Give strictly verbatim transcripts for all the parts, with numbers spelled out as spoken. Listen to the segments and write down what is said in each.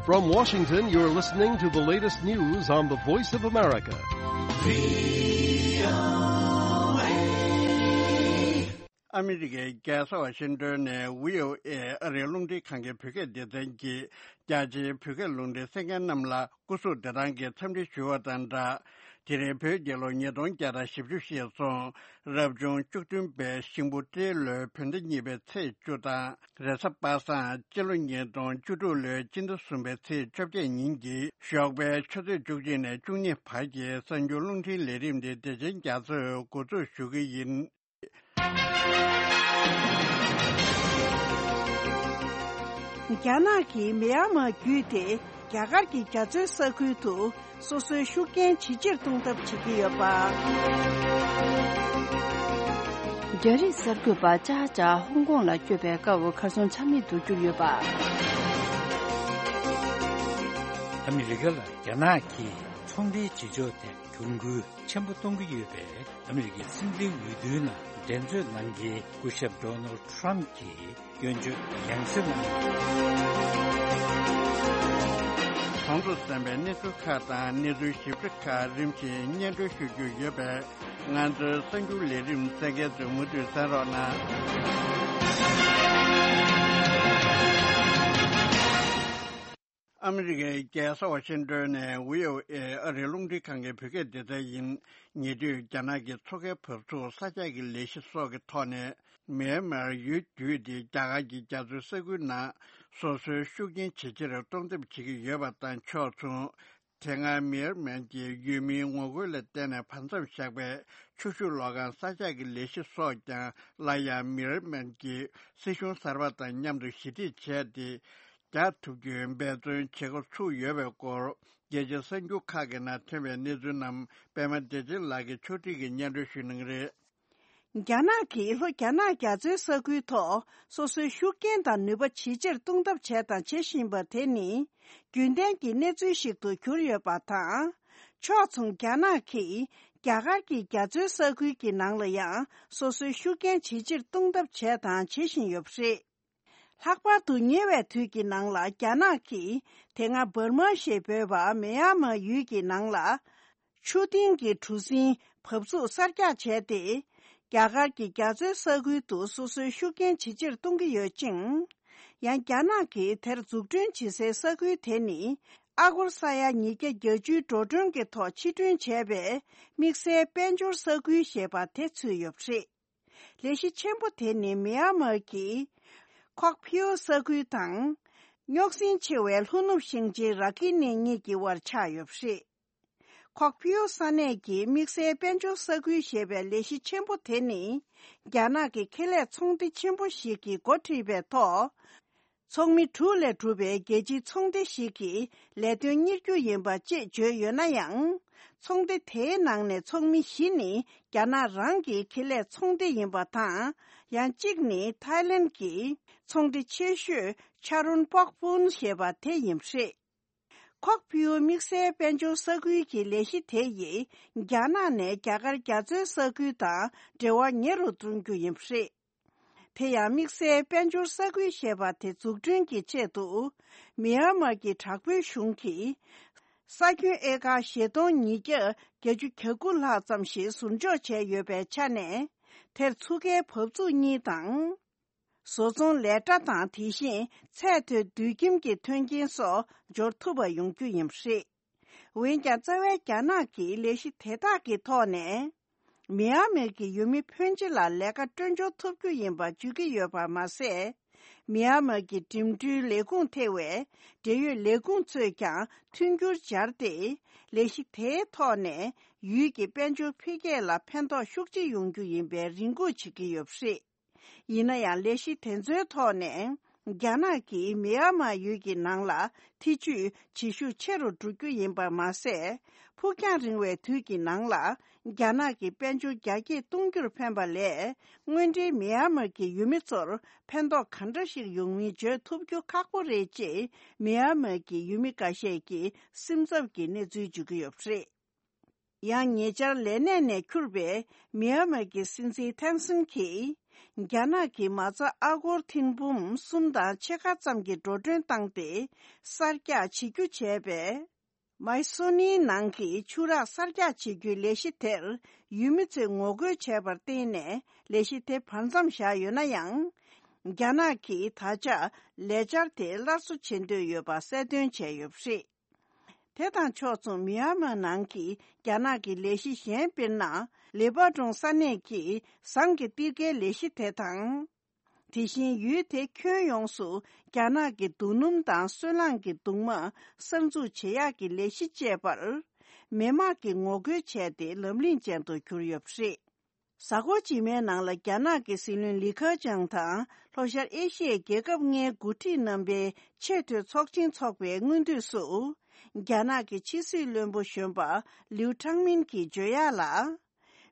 From Washington, you're listening to the latest news on the Voice of America. ཨ་མི་རི་ཀའི་རྒྱལ་ས་ཝ་ཤིང་ཏོན་ནས་བྷི་ཨོ་ཨེ་ཨ་རིའི་རླུང་འཕྲིན་ཁང་གི་བོད་སྐད་སྡེ་ཚན་གྱིས་རྒྱ་ཆེའི་བོད་སྐད་རླུང་འཕྲིན་གསན་མཁན་རྣམས་ལ་སྐུ་གཟུགས་བདེ་ཐང་གི་འཚམས་འདྲི་ཞུ་བ་དང་སྦྲགས། དེ་རིང་བོད་རྒྱལ་ལོ་ཉིས་སྟོང་བརྒྱ་དང་བཞི་བཅུ་ཞེས་སོང་། རབ་བྱུང་བཅུ་བདུན་པའི་ཤིང་བུ་སྤྲེལ་ལོའི་བོད་ཟླ་གཉིས་པའི་ཚེས་བཅུ་དང་། རེས་གཟའ་པ་སངས་སྤྱི་ལོ་ཉིས་སྟོང་བཅུ་དྲུག་ལོའི་སྤྱི་ཟླ་གསུམ་པའི་ཚེས་བཅོ་བརྒྱད་ཉིན་གྱི་ཞོགས་པའི་ཆུ་ཚོད་བཅུ་གཅིག་ནས་བཅུ་གཉིས་བར་གྱི་གསར་འགྱུར་རླུང་འཕྲིན་ལས་རིམ་འདི་བདེ་ཆེན་རྒྱ་མཚོས་འགོ་འཛུགས་ཞུ་གི་ཡིན། རྒྱ་ནག་གིས་མེ་ཡར་མར་བརྒྱུད་དེ་རྒྱ་གར་གྱི་རྒྱ་མཚོའི་ས་ཁུལ་དུ་སོ་སོའི་ཤུགས་རྐྱེན་ཇེ་ཆེར་གཏོང་ཐབས་བྱེད་ཀྱི་ཡོད་པ། རྒྱ་རིགས་གསར་འགོད་པ་ཅཱ་ཅཱ་ཧོང་ཀོང་ལ་བསྐྱོད་པའི་སྐབས་གར་སོང་ཆ་མེད་དུ་གྱུར་ཡོད་པ། ཨ་མི་རི་ཀ་ལ་རྒྱ་ནག་གིས་ཚོང་འབྲེལ་བྱེད་ཕྱོགས་ཐད་གྱོང་གུན་ཆེན་པོ་གཏོང་གི་ཡོད་པས། ཨ་མི་རི་ཀའི་སྲིད་འཛིན་འོས་བསྡུའི་ནང་འགྲན་རྩོད་གནང་མཁན་སྐུ་ཞབས་ཌོ་ནལ་ཁྲམ་གྱིས་སྐྱོན་བརྗོད་ཡང་སེ་གནང་ཡོད། གོང་དུ་གསན་པའི་གནས་ཚུལ་ཁག་དང་གནས་ཚུལ་ཞིབ་ཕྲ་ཁག་རིམ་བཞིན་སྙན་སྒྲོན་ཞུ་རྒྱུ་ཡོད་པས། ང་ཚོའི་གསར་འགྱུར་ལས་རིམ་གསན་མཁན་ཚོས་མུ་མཐུད་གསན་རོགས་གནང་། ཨ་མི་རི་ཀའི་རྒྱལ་ས་ཝ་ཤིང་ཏོན་ནས་བྷི་ཨོ་ཨེ་ཨ་རིའི་རླུང་འཕྲིན་ཁང་གི་བོད་སྐད་སྡེ་ཚན་ཡིན། ཉེ་དུས་རྒྱ་ནག་གི་མཚོ་ཁའི་བབས་ཚུགས་ས་ཆ་གི་ལས་གཞི་སོགས་ཀྱི་ཐོག་ནས་མེན་མར་ཡུལ་བརྒྱུད་དེ་རྒྱ་གར་གྱི་རྒྱ་མཚོའི་ས་ཁུལ་ནང་སོ་སོའི་ཤུགས་རྐྱེན་ཇེ་ཆེར་གཏོང་ཐབས་བྱེད་ཀྱི་ཡོད་པ་དང་ཕྱོགས་མཚུངས། དེ་སྔ་མེན་མར་གྱི་ཡུལ་མིའི་ངོ་རྒོལ་ལ་བརྟེན་ནས་བར་མཚམས་བཞག་པའི་ཆུ་ཤུགས་གློག་ཁང་ས་ཆ་གི་ལས་གཞི་སོགས་ཀྱང་སླར་ཡང་མེན་མར་གྱི་སྲིད་གཞུང་གསར་པ་དང་མཉམ་དུ་ཞི་འགྲིག་བྱས་ཏེ། རྒྱག་ཐུབ་རྒྱུའི་འབད་བརྩོན་བྱེད་འགོ་ཚུགས་ཡོད་པའི་སྐོར། རྒྱལ་སྤྱིའི་གསར་འགྱུར་ཁག་གི་ནང་ཐོན་པའི་གནས་ཚུལ་རྣམས་པད་མ་བདེ་ཆེན་ལགས་ཀྱིས་ཕྱོགས་སྒྲིག་གིས་སྙན་སྒྲོན་ཞུ་གནང་གི་རེད། རྒྱ་ནག་གིས་ལྷོ་རྒྱ་ནག་རྒྱ་མཚོའི་ས་ཁུལ་ཐོག་སོ་སོའི་ཤུགས་རྐྱེན་དང་ནུས་པ་ཇེ་ཆེར་གཏོང་ཐབས་བྱས་དང་བྱེད་བཞིན་པ་དེ་ནི་རྒྱུན་ལྡན་གྱི་གནས་ཚུལ་ཞིག་ཏུ་གྱུར་ཡོད་པ་དང་། ཕྱོགས་མཚུངས་རྒྱ་ནག་གིས་རྒྱ་གར་གྱི་རྒྱ་མཚོའི་ས་ཁུལ་གྱི་ནང་ལ་ཡང་སོ་སོའི་ཤུགས་རྐྱེན་ཇེ་ཆེར་གཏོང་ཐབས་བྱས་དང་བྱེད་བཞིན་ཡོད་པ་རེད། ལྷག་པར་དུ་ཉེ་བའི་དུས་ཀྱི་ནང་ལ་རྒྱ་ནག་གིས་དེ་སྔ་འབར་མ་ཞེས་འབོད་པ་མེན་ཡར་མར་ཡུལ་གྱི་ནང་ལ་ཆུ་ཏིང་གི་གྲུ་གཟིངས་བབས་ཚུགས་གསར་རྒྱག་བྱས་ཏེ། རྒྱ་གར་གྱི་རྒྱ་མཚོའི་ས་ཁུལ་དུ་སོ་སོའི་ཤུགས་རྐྱེན་ཇེ་ཆེར་གཏོང་གི་ཡོད་ཅིང་། ཡང་རྒྱ་ནག་གིས་དེར་འཛུགས་སྐྲུན་བྱེད་སའི་ས་ཁུལ་དེ་ནི་ཨ་སྒོར་ས་ཡ་ཉིས་བརྒྱ་བརྒྱད་ཅུའི་འགྲོ་གྲོན་གྱི་ཐོག་ཕྱིར་སྐྲུན་བྱས་པའི་དམིགས་བསལ་དཔལ་འབྱོར་ས་ཁུལ་ཞེས་པ་དེ་ཚུད་ཡོད་པ་རེད། ལས་གཞི་ཆེན་པོ་དེ་ནི་མེན་མར་གྱི་ཁོག་ཕིའུ་ས་ཁུལ་དང་། རྙོག་ཟིང་ཆེ་བའི་ལྷོ་ནུབ་ཞིང་ཆེན་ར་ཁི་ནི་གཉིས་ཀྱི་དབར་ཆགས་ཡོད་པ་རེད། ཁོག་ཕིའུ་ས་གནས་ཀྱི་དམིགས་བསལ་དཔལ་འབྱོར་ས་ཁུལ་ཞེས་པའི་ལས་གཞི་ཆེན་པོ་དེ་ནི། རྒྱ་ནག་གི་ཁེ་ལས་ཚོང་སྡེ་ཆེན་པོ་ཞིག་གིས་འགོ་ཁྲིད་པའི་ཐོག་ཚོགས་མི་དྲུག་ལས་གྲུབ་པའི་རྒྱལ་སྤྱིའི་ཚོགས་སྡེ་ཞིག་གིས་ལས་དོན་གཉེར་རྒྱུ་ཡིན་པ་ཅེས་བརྗོད་ཡོད་ན་ཡང་། ཚོགས་སྡེ་དེའི་ནང་ནས་ཚོགས་མི་བཞི་ནི་རྒྱ་ནག་རང་གི་ཁེ་ལས་ཚོགས་སྡེ་ཡིན་པ་དང་། ཡང་གཅིག་ནི་ཐའི་ལེན་གྱི་ཚོགས་སྡེ་ཆེ་ཤོས་ཆ་རོན་པོག་པུན་ཞེས་པ་དེ་ཡིན་པ་རེད། ཁོག་ཕིའུ་དམིགས་བསལ་དཔལ་འབྱོར་ས་ཁུལ་གྱི་ལས་གཞི་དེ་ཡིས་རྒྱ་ནག་ནས་རྒྱ་གར་རྒྱ་མཚོའི་ས་ཁུལ་དང་འབྲེལ་བ་ཉེ་རུ་གཏོང་རྒྱུ་ཡིན་པ་རེད། དེ་ཡང་དམིགས་བསལ་དཔལ་འབྱོར་ས་ཁུལ་ཞེས་པ་དེ་འཛུགས་སྐྲུན་གྱི་ཆེད་དུ། མི་ཡན་མར་གྱི་དྲག་པོའི་གཞུང་གིས། ས་ཁྱོན་ཨེ་ཀར་བཞི་སྟོང་ཉིས་བརྒྱ་བརྒྱད་ཅུ་གྱ་དགུ་ལྷག་ཙམ་ཞིག་ཟུར་འཇོག་བྱས་ཡོད་པའི་ཆ་ནས། དེར་ཚུགས་ཀའི་བབས་ཚུགས་གཉིས་དང་། བཟོ་ཚོང་ལས་གྲྭ་དང་། དེ་བཞིན་ཚད་མཐོའི་དུད་ཁྱིམ་གྱི་མཐུན་རྐྱེན་སོགས་འབྱོར་ཐུབ་པ་ཡོང་རྒྱུ་ཡིན་པ་རེད། འོན་ཀྱང་། རྩ་བའི་རྒྱ་ནག་གིས་ལས་གཞི་དེ་དག་གི་ཐོག་ནས། མི་ཡན་མར་གྱི་ཡུལ་མི་ཕོན་ཆེ་ལ་ལས་ཀ་སྤྲོད་འབྱོར་ཐུབ་རྒྱུ་ཡིན་པ་བརྗོད་ཀྱི་ཡོད་པ་མ་ཟད། མི་ཡན་མར་གྱི་འགྲིམ་འགྲུལ་ལས་ཁུངས་ཐེ་བའི་འབྲེལ་ཡོད་ལས་ཁུངས་ཚོས་ཀྱང་མཐུན་འགྱུར་སྦྱར་ཏེ། ལས་གཞི་དེའི་ཐོག་ནས་ཡུལ་གྱི་དཔལ་འབྱོར་འཕེལ་རྒྱས་ལ་ཕན་ཐོགས་ཤུགས་ཆེ་ཡོང་རྒྱུ་ཡིན་པའི་རེ་སྒུག་བྱེད་ཀྱི་ཡོད་པ་རེད། ཡིན་ན་ཡང་། ལས་གཞི་དེ་ཚོའི་ཐོག་ནས་རྒྱ་ནག་གིས་མི་ཡན་མར་ཡུལ་གྱི་ནང་ལ་ཐེ་ཇུས་བྱེད་ཤུགས་ཆེ་རུ་འགྲོ་རྒྱུ་ཡིན་པ་མ་ཟད། ཕུགས་རྒྱང་རིང་བའི་དུས་ཀྱི་ནང་ལ་རྒྱ་ནག་གི་དཔལ་འབྱོར་རྒྱ་སྐྱེད་གཏོང་རྒྱུར་ཕན་པ་ལས། དངོས་འབྲེལ་མི་ཡན་མར་གྱི་ཡུལ་མི་ཚོར་ཕན་ཐོགས་ག་འདྲ་ཞིག་ཡོང་མིན་བརྗོད་ཐུབ་རྒྱུ་ཁག་པོ་རེད་ཅེས་མི་ཡན་མར་གྱི་ཡུལ་མི་འགའ་ཤས་ཀྱིས་སེམས་འཚབ་ཀྱི་གནས་ཚུལ་འཇོག་གི་ཡོད་པ་རེད། ཡང་། ཉེ་ཆར་ལས་གནས་ནས་འཁྱུར་བའི་མི་ཡན་མར་གྱི་སྲིད་འཛིན་ཐེན་སིན་གྱིས། རྒྱ་ནག་གིས་མ་རྩ་ཨ་སྒོར་ཐེར་འབུམ་གསུམ་དང་ཕྱེད་ཀ་ཙམ་གྱི་འགྲོ་གྲོན་བཏང་སྟེ་གསར་རྒྱག་བྱེད་རྒྱུ་བྱས་པས། མའི་སོ་ནིའི་ནང་གི་ཆུ་རགས་གསར་རྒྱག་བྱེད་རྒྱུའི་ལས་གཞི་དེར་ཡུལ་མི་ཚོས་ངོ་རྒོལ་བྱས་པར་བརྟེན་ནས་ལས་གཞི་དེ་བར་མཚམས་བཞག་ཡོད་ན་ཡང་། རྒྱ་ནག་གིས་ད་ཆ་ལས་འཆར་དེ་སླར་གསོ་བྱེད་འདོད་ཡོད་པ་གསལ་སྟོན་བྱས་ཡོད་པ་རེད། དེ་དང་ཕྱོགས་མཚུངས་མི་ཡན་མར་ནང་གི་རྒྱ་ནག་གི་ལས་གཞི་གཞན་དཔེར་ན་ལེ་པ་ཀྲོང་ས་གནས་ཀྱི་ཟམ་གྱི་གཏེར་ཁའི་ལས་གཞི་དེ་དང་། དེ་བཞིན་ཡུལ་དེ་ཁྱོན་ཡོངས་སུ་རྒྱ་ནག་གི་རྡོ་སྣུམ་དང་སོལ་རླངས་ཀྱི་གདུང་མ་གསར་འཛུགས་བྱེད་ཡག་གི་ལས་གཞི་བཅས་པར་མི་མང་གིས་ངོ་རྒོལ་བྱས་ཏེ་ལམ་རིམ་ཅན་དུ་གྱུར་ཡོད་པ་རེད། གཟའ་འཁོར་རྗེས་མའི་ནང་ལ་རྒྱ་ནག་གི་སྲིད་བློན་ལི་ཁེ་ཆང་དང་ལྷོ་ཤར་ཨེ་ཤི་ཡའི་རྒྱལ་ཁབ་ལྔའི་འགོ་ཁྲིད་རྣམ་པའི་ཆེས་མཐོའི་ཚོགས་ཆེན་འཚོགས་པའི་སྔོན་དུས་སུ། རྒྱ་ནག་གི་ཕྱི་སྲིད་བློན་པོ་གཞོན་པ་ལིའུ་ཁྲང་མིན་གྱིས་བརྗོད་ཡག་ལ།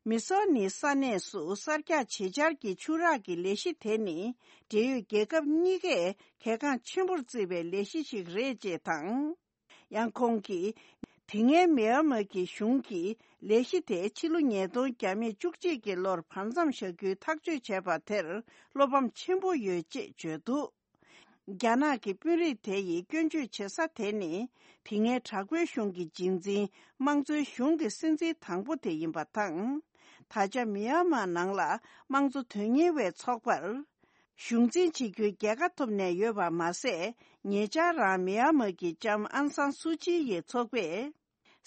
མི་སོ་ནི་ས་གནས་སུ་གསར་རྒྱག་བྱེད་འཆར་གྱི་ཆུ་རགས་ཀྱི་ལས་གཞི་དེ་ནི་འབྲེལ་ཡོད་རྒྱལ་ཁབ་གཉིས་ཀས་གལ་འགངས་ཆེན་པོར་བརྩིས་པའི་ལས་གཞི་ཞིག་རེད་ཅེས་དང་། ཡང་ཁོང་གིས། དེ་སྔའི་མི་ཡན་མར་གྱི་གཞུང་གིས་ལས་གཞི་དེ་ཕྱི་ལོ་ཉིས་སྟོང་བཅུ་གཅིག་གི་ལོར་བར་མཚམས་བཞག་རྒྱུའི་ཐག་གཅོད་བྱས་པ་དེར་བློ་ཕམ་ཆེན་པོ་ཡོད་ཅེས་བརྗོད་འདུག་རྒྱ་ནག་གི་དཔོན་རིགས་དེ་ཡིས་སྐྱོན་བརྗོད་བྱེད་ས་དེ་ནི་དེ་སྔའི་དྲག་པོའི་གཞུང་གི་རྗེས་འཛིན་དམངས་གཙོའི་གཞུང་གི་སྲིད་འཛིན་དང་པོ་དེ་ཡིན་པ་དང་། ད་ཆ་མི་ཡན་མར་ནང་ལ་དམངས་གཙོ་དོན་གཉེར་བའི་ཚོགས་པར་གཞུང་འཛིན་བྱེད་རྒྱུའི་རྒྱལ་ཁ་ཐོབ་ནས་ཡོད་པ་མ་ཟད། ཉེ་ཆར་རང་མི་ཡན་མར་གྱི་ལྕམ་ཨན་སང་སུའུ་ཅི་ཡི་ཚོགས་པས།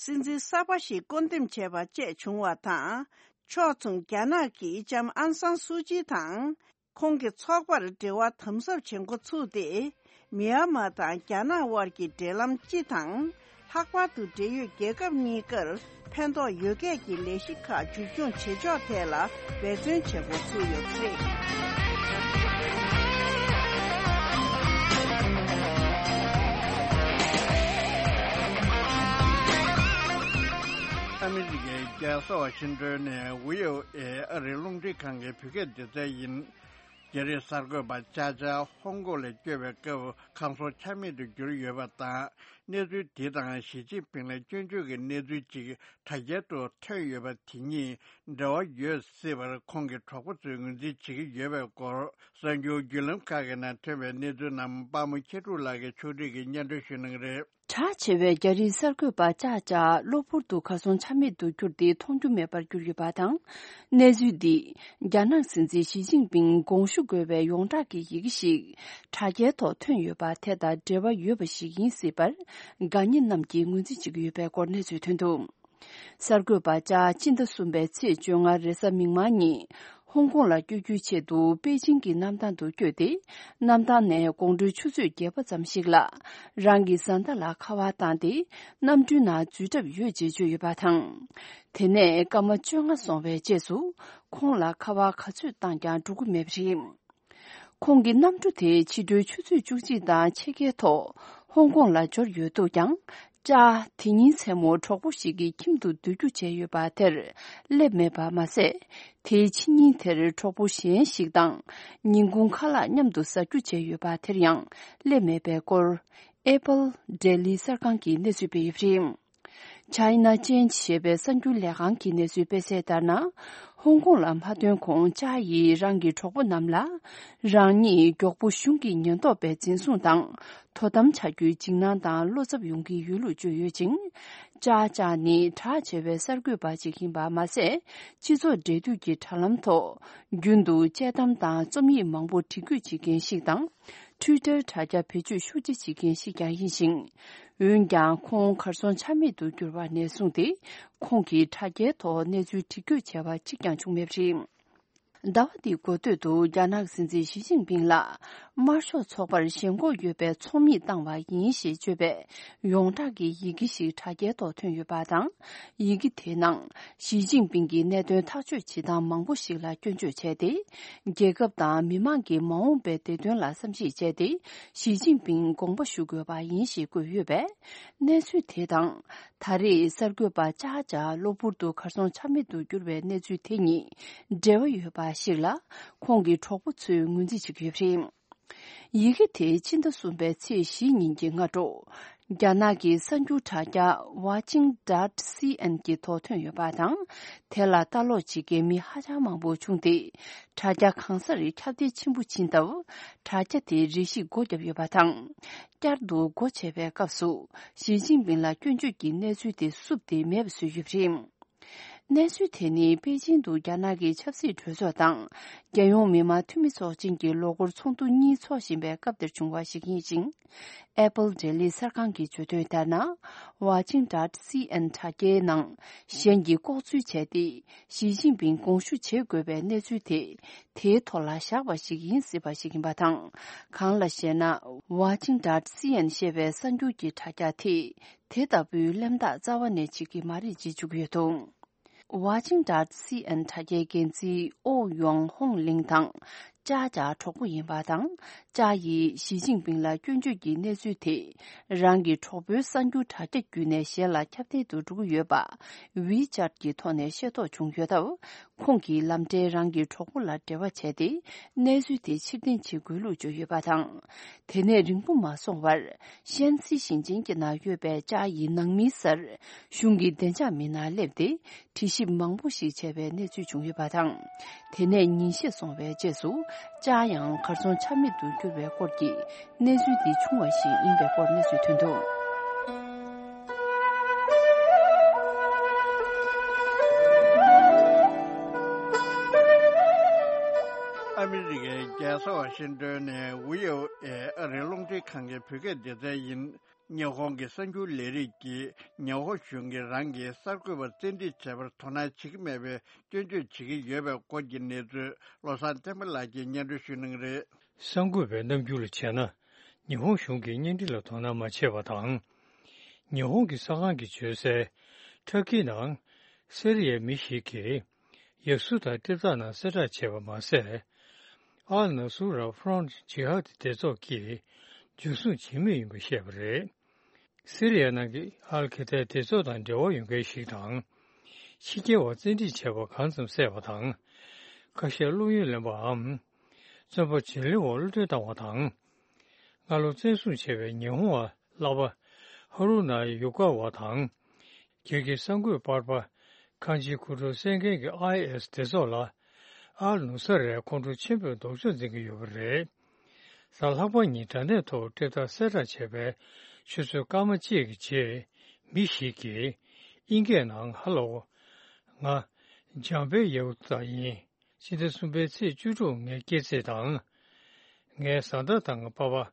སྲིད་འཛིན་གསར་པ་ཞིག་བསྐོ་འདེམས་བྱས་པ་བཅས་བྱུང་བ་དང་། ཕྱོགས་མཚུངས་རྒྱ་ནག་གིས་ལྕམ་ཨན་སང་སུའུ་ཅི་དང་། ཁོང་གི་ཚོགས་པར་འབྲེལ་བ་དམ་ཟབ་བྱེད་འགོ་ཚུགས་ཏེ། མི་ཡན་མར་དང་རྒྱ་ནག་དབར་གྱི་འབྲེལ་ལམ་སྤྱི་དང་། ལྷག་པར་དུ་འབྲེལ་ཡོད་རྒྱལ་ཁབ་གཉིས་ཀར་ཕན་ཐོགས་ཡོད་སྐད་ཀྱི་ལས་གཞི་ཁག་མཇུག་སྐྱོང་བྱེད་ཕྱོགས་ཐད་ལ་འབད་བརྩོན་བྱེད་འགོ་ཚུགས་ཡོད་པ་རེད། ཨ་མི་རི་ཀའི་རྒྱལ་ས་ཝ་ཤིང་ཏོན་ནས་ཝི་ཨོ་ཨེ་ཨ་རིའི་རླུང་འཕྲིན་ཁང་གི་བོད་སྐད་སྡེ་ཚན་ཡིན། རྒྱ་རིགས་གསར་འགོད་པ་ཅཱ་ཅཱ་ཧོང་ཀོང་ལ་བསྐྱོད་པའི་སྐབས་ཁམས་གསུམ་ཆ་མེད་དུ་གྱུར་ཡོད་པ་དང་། གནས་ཚུལ་འདི་དང་ཞི་ཅིན་ཕིང་ལ་སྐྱོན་བརྗོད་ཀྱི་གནས་ཚུལ་ཅིག་དྲ་རྒྱའི་ཐོག་ཐོན་ཡོད་པ་དེ་གཉིས་འབྲེལ་བ་ཡོད་སྲིད་པར་ཁོང་གི་གྲོགས་པོ་ཚོས་ངོས་འཛིན་བྱེད་ཀྱི་ཡོད་པའི་སྐོར། གསར་འགྱུར་བརྒྱུད་ལམ་ཁག་གི་ནང་ཐོན་པའི་གནས་ཚུལ་རྣམས་པདྨ་མཁས་གྲུབ་ལགས་ཀྱིས་ཕྱོགས་སྒྲིག་གིས་སྙན་སྒྲོན་ཞུ་གནང་གི་རེད། གྲགས་ཆེ་བའི་རྒྱ་རིགས་གསར་འགོད་པ་ཅཱ་ཅཱ་གློ་བུར་དུ་གར་སོང་ཆ་མེད་དུ་གྱུར་ཏེ་མཐོང་རྒྱུ་མེད་པར་གྱུར་ཡོད་པ་དང་། གནས་ཚུལ་འདིས་རྒྱ་ནག་སྲིད་འཛིན་ཞི་ཅིན་ཕིང་དགོངས་ཞུ་དགོས་པའི་ཡོངས་གྲགས་ཀྱི་ཡི་གེ་ཞིག་དྲ་རྒྱའི་ཐོག་ཐོན་ཡོད་པ་དེ་དང་འབྲེལ་བ་ཡོད་པ་ཞིག་ཡིན་སྲིད་པར་དགའ་ཉེ་རྣམས་ཀྱིས་ངོས་འཛིན་བྱེད་ཀྱི་ཡོད་པའི་སྐོར་གནས་ཚུལ་ཐོན་འདུག་གསར་འགོད་པ་ཅཱ་སྤྱི་ཟླ་གསུམ་པའི་ཚེས་བཅོ་ལྔ་རེས་གཟའ་མིག་དམར་ཉིན་ཧོང་ཀོང་ལ་བསྐྱོད་རྒྱུའི་ཆེད་དུ་པེ་ཅིང་གི་གནམ་ཐང་དུ་བསྐྱོད་དེ། གནམ་ཐང་ནས་དགོང་དྲོའི་ཆུ་ཚོད་བརྒྱད་པ་ཙམ་ཞིག་ལ་རང་གི་བཟའ་ཟླ་ལ་ཁ་པར་བཏང་སྟེ་གནམ་གྲུའི་ནང་འཛུལ་གྲབས་ཡོད་ཅེས་བརྗོད་ཡོད་པ་དང་། དེ་ནས་སྐར་མ་བཅོ་ལྔ་སོང་བའི་རྗེས་སུ་ཁོང་ལ་ཁ་པར་ག་ཚོད་བཏང་ཀྱང་འགྲོ་གི་མེད་པ་རེད། ཁོང་གི་གནམ་གྲུ་དེ་ཕྱི་དྲོའི་ཆུ་ཚོད་བཅུ་གཅིག་དང་ཕྱེད་ཀའི་ཐོག་ཧོང་ཀོང་ལ་འབྱོར་ཡོད་འདུག་ཀྱང་། ཅཱ་དེ་ཉིན་མཚན་མོ་གྲོགས་པོ་ཞིག་གི་ཁྱིམ་དུ་སྡོད་རྒྱུ་བྱས་ཡོད་པ་དེར་སླེབས་མེད་པ་མ་ཟད། དེའི་ཕྱི་ཉིན་དེར་གྲོགས་པོ་གཞན་ཞིག་དང་ཉིན་གུང་ཁ་ལག་མཉམ་དུ་ཟ་རྒྱུ་བྱས་ཡོད་པ་དེར་ཡང་སླེབས་མེད་པའི་སྐོར། ཨེ་པལ་ཌེ་ལི་གསར་ཁང་གིས་གནས་ཚུལ་སྤེལ་ཡོད་པ་རེད། China Change ཞེས་པའི་གསར་འགྱུར་ལས་ཁང་གིས་གནས་ཚུལ་སྤེལ་གསལ་ལྟར་ན། ཧོང་ཀོང་ལ་མ་ཐོན་གོང་ཅཱ་ཡིས་རང་གི་གྲོགས་པོ་རྣམས་ལ། རང་ཉིད་མགྱོགས་པོ་གཞུང་གི་ཉེན་རྟོག་པས་འཛིན་བཟུང་དང་དོ་དམ་བྱ་རྒྱུའི་འཇིགས་སྣང་དང་བློ་འཚབ་ཡོང་གི་ཡོད་ལུགས་བརྗོད་ཡོད་ཅིང་། ཅཱ་ཅཱ་ནི་གྲགས་ཆེ་བའི་གསར་འགོད་པ་ཅིག་ཡིན་པ་མ་ཟད། སྤྱི་ཚོགས་འབྲེལ་མཐུད་ཀྱི་དྲ་ལམ་ཐོག་རྒྱུན་དུ་དཔྱད་གཏམ་དང་རྩོམ་ཡིག་མང་པོ་འབྲི་འགོད་བྱེད་མཁན་ཞིག་དང་། Twitter དྲ་རྒྱ་བེད་སྤྱོད་ཤུགས་ཆེ་བྱེད་མཁན་ཞིག་ཀྱང་ཡིན་ཞིང་། འོན་ཀྱང་ཁོང་གར་སོང་ཆ་མེད་དུ་གྱུར་བ་ནས་བཟུང་སྟེ། ཁོང་གིས་དྲ་རྒྱའི་ཐོག་གནས་ཚུལ་འབྲི་འགོད་བྱས་པ་གཅིག་ཀྱང་བྱུང་མེད་པ་རེད། ཟླ་བ་འདིའི་འགོ་སྟོད་དུ་རྒྱ་ནག་སྲིད་འཛིན་ཞི་ཅིན་ཕིང་ལ་དམར་ཤོག་ཚོགས་པར་ཞེན་ཁོག་ཡོད་པའི་ཚོགས་མི་བཏང་བ་ཡིན་ཞེས་བརྗོད་པའི་ཡོངས་གྲགས་ཀྱི་ཡི་གེ་ཞིག་དྲ་རྒྱའི་ཐོག་ཐོན་ཡོད་པ་དང་། ཡི་གེ་དེའི་ནང་ཞི་ཅིན་ཕིང་གིས་གནད་དོན་ཐག་གཅོད་བྱེད་སྟངས་མང་པོ་ཞིག་ལ་སྐྱོན་བརྗོད་བྱས་ཏེ། རྒྱལ་ཁབ་དང་མི་མང་གི་མ་འོངས་པའི་བདེ་དོན་ལ་བསམ་གཞིག་བྱས་ཏེ། ཞི་ཅིན་ཕིང་དགོངས་པ་ཞུ་དགོས་པ་ཡིན་ཞེས་བཀོད་ཡོད་པས། གནས་ཚུལ་དེ་དང་། ད་རེས་གསར་འགོད་པ་ཅཱ་ཅཱ་གློ་བུར་དུ་གར་སོང་ཆ་མེད་དུ་གྱུར་བའི་གནས་ཚུལ་དེ་གཉིས་འབྲེལ་བ་ཡོད་པ་ཞིག་ལ། ཁོང་གི་གྲོགས་པོ་ཚོས་ངོས་འཛིན་བྱེད་ཀྱི་ཡོད་པ་རེད། ཡི་གེ་དེ་ཕྱི་ཟླ་གསུམ་པའི་ཚེས་བཞི་ཉིན་གྱི་སྔ་དྲོ། རྒྱ་ནག་གི་གསར་འགྱུར་དྲ་རྒྱ་Watching dot C N གྱི་ཐོག་ཐོན་ཡོད་པ་དང་། དེ་ལ་ལྟ་ཀློག་བྱེད་མཁན་མི་ཧ་ཅང་མང་པོ་བྱུང་སྟེ། དྲ་རྒྱ་གང་སར་ཁྱབ་གདལ་ཆེན་པོ་ཕྱིན་སྟབས། དྲ་རྒྱ་དེ་རེ་ཞིག་སྒོ་བརྒྱབ་ཡོད་པ་དང་། བསྐྱར་དུ་སྒོ་ཕྱེ་བའི་སྐབས་སུ། ཞི་ཅིན་ཕིང་ལ་སྐྱོན་བརྗོད་ཀྱི་གནས་ཚུལ་དེ་བསུབས་ཏེ་མེད་པ་བཟོས་ཡོད་པ་རེད། གནས་ཚུལ་དེ་ནི་པེ་ཅིང་དུ་རྒྱ་ནག་གི་ཆབ་སྲིད་གྲོས་ཚོགས་དང་། རྒྱལ་ཡོངས་མི་དམངས་འཐུས་མི་ཚོགས་ཆེན་གྱི་ལོ་འཁོར་ཚོགས་འདུ་གཉིས་འཚོགས་བཞིན་པའི་སྐབས་དེར་བྱུང་བ་ཞིག་ཡིན་ཞིང་། ཨེ་པལ་འབྲེལ་ཡོད་གསར་ཁང་གིས་བརྗོད་དོན་ལྟར་ན། Watching dot C N དྲ་རྒྱའི་ནང་གཞན་གྱིས་ལྐོག་འཛུལ་བྱས་ཏེ། ཞི་ཅིན་ཕིང་དགོངས་ཞུ་བྱེད་དགོས་པའི་གནས་ཚུལ་དེ། དེའི་ཐོག་ལ་བཞག་པ་ཞིག་ཡིན་སྲིད་པ་ཞིག་ཡིན་པ་དང་། གང་ལ་ཞེ་ན། Watching dot C N ཞེས་པའི་གསར་འགྱུར་གྱི་དྲ་རྒྱ་དེས། དེ་ལྟ་བུའི་གླེང་སྟེགས་རྩ་བ་ནས་བྱེད་ཀྱི་མ་རེད་ཅེས་བརྗོད་ཀྱི་ཡོད་འདུག Watching dot C N དྲ་རྒྱའི་འགན་འཛིན་ཨོ་ཡོང་ཧོང་ལིང་དང་། ཅཱ་ཅཱ་གྲོགས་པོ་ཡིན་པ་དང་། ཅཱ་ཡིས་ཞི་ཅིན་ཕིང་ལ་སྐྱོན་བརྗོད་ཀྱི་གནས་ཚུལ་དེ། རང་གི་གྲོགས་པོའི་གསར་འགྱུར་དྲ་རྒྱ་བརྒྱུད་ནས་གཞན་ལ་ཁྱབ་གདལ་དུ་འགྲོ་གི་ཡོད་པ། WeChat གྱི་ཐོག་ནས་ཤེས་རྟོགས་བྱུང་ཡོད་སྟབས། ཁོང་གིས་ལམ་འབྲས་རང་གི་གྲོགས་པོ་ལ་འབྲེལ་བ་བྱས་ཏེ། གནས་ཚུལ་དེ་ཕྱིར་འཐེན་བྱེད་དགོས་ལུགས་བརྗོད་ཡོད་པ་དང་། དེ་ནས་རིང་པོ་མ་སོང་བར། ཤན་སི་ཞིང་ཆེན་གྱི་ནང་ཡོད་པའི་ཅཱ་ཡི་ནང་མིའི་སར། གཞུང་གི་བདེ་འཇགས་མི་སྣ་སླེབས་ཏེ། དྲི་ཞིབ་མང་པོ་ཞིག་བྱས་པའི་གནས་ཚུལ་བྱུང་ཡོད་པ་དང་། དེ་ནས་ཉིན་ཤས་སོང་བའི་རྗེས་སུ། ཅཱ་ཡང་གར་སོང་ཆ་མེད་དུ་གྱུར་བའི་སྐོར་གྱི་གནས་ཚུལ་འདི་བྱུང་བ་ཞིག་ཡིན་པའི་སྐོར་གནས་ཚུལ་ཐོན་འདུག་ཨ་མི་རི་ཀའི་རྒྱལ་ས་ཝ་ཤིང་ཏོན་ནས་ཝི་ཨོ་ཨེ་ཨ་རིའི་རླུང་འཕྲིན་ཁང་གི་བོད་སྐད་སྡེ་ཚན་ཡིན། ཉི་ཧོང་གི་གསར་འགྱུར་ལས་རིགས་ཀྱིས་ཉི་ཧོང་གཞུང་གིས་རང་གི་གསར་འགོད་པ་བཙན་ཁྲིད་བྱས་པར་དོ་སྣང་བྱེད་ཀྱི་མེད་པའི་སྐྱོན་བརྗོད་བྱེད་ཀྱི་ཡོད་པའི་སྐོར་གྱི་གནས་ཚུལ། བློ་བཟང་བསྟན་པ་ལགས་ཀྱིས་སྙན་སྒྲོན་ཞུ་གནང་གི་རེད། གསར་འགོད་པའི་རྣམ་འགྱུར་ལ་བྱས་ན། ཉི་ཧོང་གཞུང་གིས་བརྙན་འཕྲིན་ལ་དོ་སྣང་མ་བྱས་པ་དང་། ཉི་ཧོང་གི་གསར་ཁང་གིས་བརྗོད་གསལ། ཊར་ཀིའི་ནང་སི་རི་ཡའི་མི་ཞིག་གིས་ཡག་སུ་དང་ཊིབ་ཐག་ནང་གསལ་བསྒྲགས་བྱས་པ་མ་ཟད། ཨལ་ནཱ་སུར་ར་ཧྥོ་རོན་ཊི་ཇི་ཧཱ་དི་སྡེ་ཚོགས་ཀྱིས་འཇུ་བཟུང་བྱེད་མུས་ཡིན་པ་བཤད་པ་རེད། སི་རི་ཡ་ནང་གི་ཨལ་ཁེ་ཐའི་སྡེ་ཚོགས་དང་འབྲེལ་བ་ཡོད་མཁན་ཞིག་དང་། ཕྱི་རྒྱལ་བ་བཙན་ཁྲིད་བྱས་པ་གང་ཙམ་གསལ་བ་དང་། ཁ་ཤས་བློ་ཡུལ་ལེན་པའམ། བཙོན་པ་བྱིན་རླབས་འོག་གློད་གྲོལ་བཏང་བ་དང་། སྔ་ལོ་བཙན་བཟུང་བྱས་པའི་ཉི་ཧོང་བ་ལག་པ་ཧ་རུ་ན་ཡུ་ཀ་བ་དང་། རྒྱལ་གྱི་གསར་འགོད་པར་པ་ཁང་ཆེན་ཁུ་ཁྲོ་གསལ་མཁན་གྱི་ཨའི་ཨེ་ཨེས་སྡེ་ཚོགས་ལ། ཨལ་ནུ་ས་རའི་ཁོང་ཁྲོ་ཆེན་པོས་ལྡོག་ཕྱོགས་འཛིན་གྱི་ཡོད་པ་རེད། གཟའ་ལྷག་པ་ཉིན་དྲ་གནས་ཐོག་ཊིབ་ཐག་གསལ་བསྒྲགས་བྱས་པའི་ཆུ་ཚོད་སྐར་མ་གཅིག་གི་རྗེས། མི་ཞིག་གིས་ཨིན་སྐད་ནང་། ཧ་ལོ། ང་། འཇམ་དཔལ་ཡའུ་ཐ་ཡིན། སྤྱི་ཟླ་གསུམ་པའི་ཚེས་བཅུ་དྲུག་ངའི་སྐྱེས་ཚེས་དང་། ངའི་བཟའ་ཟླ་དང་པ་ཕ།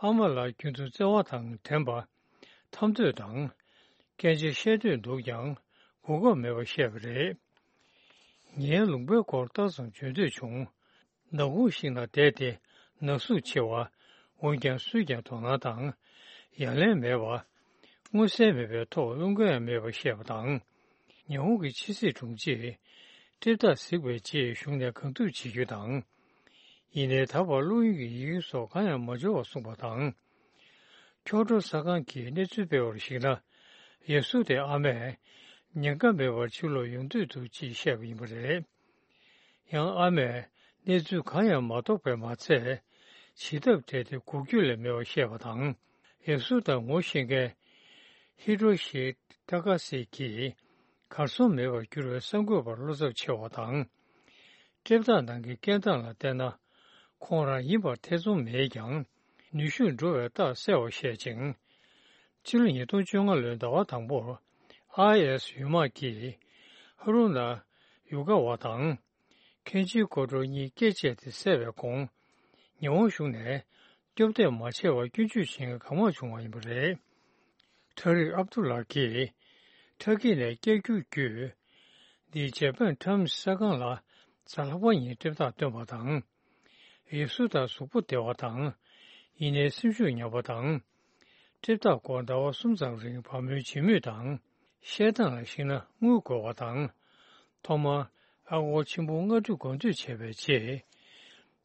ཨ་མ་ལགས་རྒྱུན་དུ་བརྩེ་བ་དང་དྲན་པ། འཐམ་འདོད་དང་། སྐད་ཆ་བཤད་འདོད་འདུག་ཀྱང་། གོ་སྐབས་མེད་པ་བཤད་པ་རེད། ངའི་ལུང་པའི་སྐོར་ལྟ་ཙམ་བརྗོད་འདོད་བྱུང་། ནག་ཁུང་ཞིག་ནང་བསྡད་དེ་ནག་གཟུགས་ཆེ་བ། འོན་ཀྱང་སུས་ཀྱང་དོ་སྣང་དང་། ཡ་ལན་མེད་པ། མངོན་གསལ་མེད་པའི་ཐོག་རླུང་རྒན་ཡང་མེད་པ་བཤད་པ་དང་། ཉི་ཧོང་གི་ཕྱི་སྲིད་དྲུང་ཆེས་ཊིབ་ཐག་གཟིགས་པའི་རྗེས་གཞུང་ནས་གང་ཐུབ་བྱེད་རྒྱུ་དང་། ཡིན་ནའི་ད་བར་བློ་ཡུལ་གྱི་ཡི་གེ་སོགས་གང་ཡང་མ་འབྱོར་བ་གསུངས་པ་དང་། ཁྱོ་ཁྲོ་གསར་ཁང་གིས་གནས་ཚུལ་སྤེལ་བར་གཞིགས་ན། ཡ་སུ་དེ་ཨ་མས་ཉེན་ཁ་མེད་པར་ཕྱིར་ལོག་ཡོང་འདོད་འདུག་ཅེས་བཤད་པ་ཡིན་པ་རེད། ཡང་ཨ་མས་གནས་ཚུལ་གང་ཡང་མ་རྟོགས་པས་མ་ཚད། བྱེད་ཐབས་བྲལ་ཏེ་འགུག་རྒྱུ་ལས་མེད་པར་བཤད་པ་དང་། ཡ་སུ་དང་ངོ་ཤེས་མཁན་ཧི་ཏོ་ཤི་ཏ་ཀ་སི་གིས་གར་སོང་མེད་པར་གྱུར་བའི་གསར་འགོད་པར་བློ་འཚབ་ཆེ་བ་དང་། ཊིབ་ཐག་ནང་གི་སྐད་གདངས་ལ་བལྟས་ན། ཁོང་རང་ཡིན་པར་ཐེ་ཚོམ་མེད་ཀྱང་། ནུས་ཤུགས་འགྲོ་བའི་རྟགས་གསལ་བར་བཤད་ཅིང་། ཕྱི་ལོ་ཉིས་སྟོང་བཅོ་ལྔ་ལོའི་ཟླ་བ་དང་པོར། ཨའི་ཨེ་ཨེས་ཡུལ་དམག་གིས་ཧ་རུ་ན་ཡུ་ཀ་བ་དང་། ཁེན་ཆི་ཀོ་ཀྲོ་གཉིས་སྐེ་བཅད་དེ་བསད་པའི་གོང་། ཉི་ཧོང་གཞུང་ནས་སྐྱོབ་འདེད་མ་བྱས་པར་སྐྱོན་བརྗོད་བྱེད་མཁན་གང་མང་བྱུང་བ་ཡིན་པ་རེད། ཁྲ་རིག་ཨབ་དུ་ལགས་ཀྱིས་ཁྲ་ཀི་ནས་བསྐྱར་བསྒྱུར་བརྒྱུད། འདི་ཇ་པན་ཊའེམ་སི་གསར་ཁང་ལ་གཟའ་ལྷག་པ་ཉིན་ཊིབ་ཐག་བཏོན་པ་དང་། ཡ་སུ་དང་གཟུགས་པོ་བདེ་བ་དང་། ཡིན་ནའི་སེམས་ཤུགས་ཉམས་པ་དང་། ཊིབ་ཐག་སྐོར་ཟླ་བ་གསུམ་ཙམ་རིང་བག་མོལ་བྱེད་མུས་དང་། བཤད་སྟངས་ལ་གཞིགས་ན་དངུལ་དགོས་པ་དང་། ཐོག་མར་ཨ་སྒོར་ཆེན་པོ་ལྔ་ཁྲི་གོང་སྤྲོད་བྱས་པའི་རྗེས།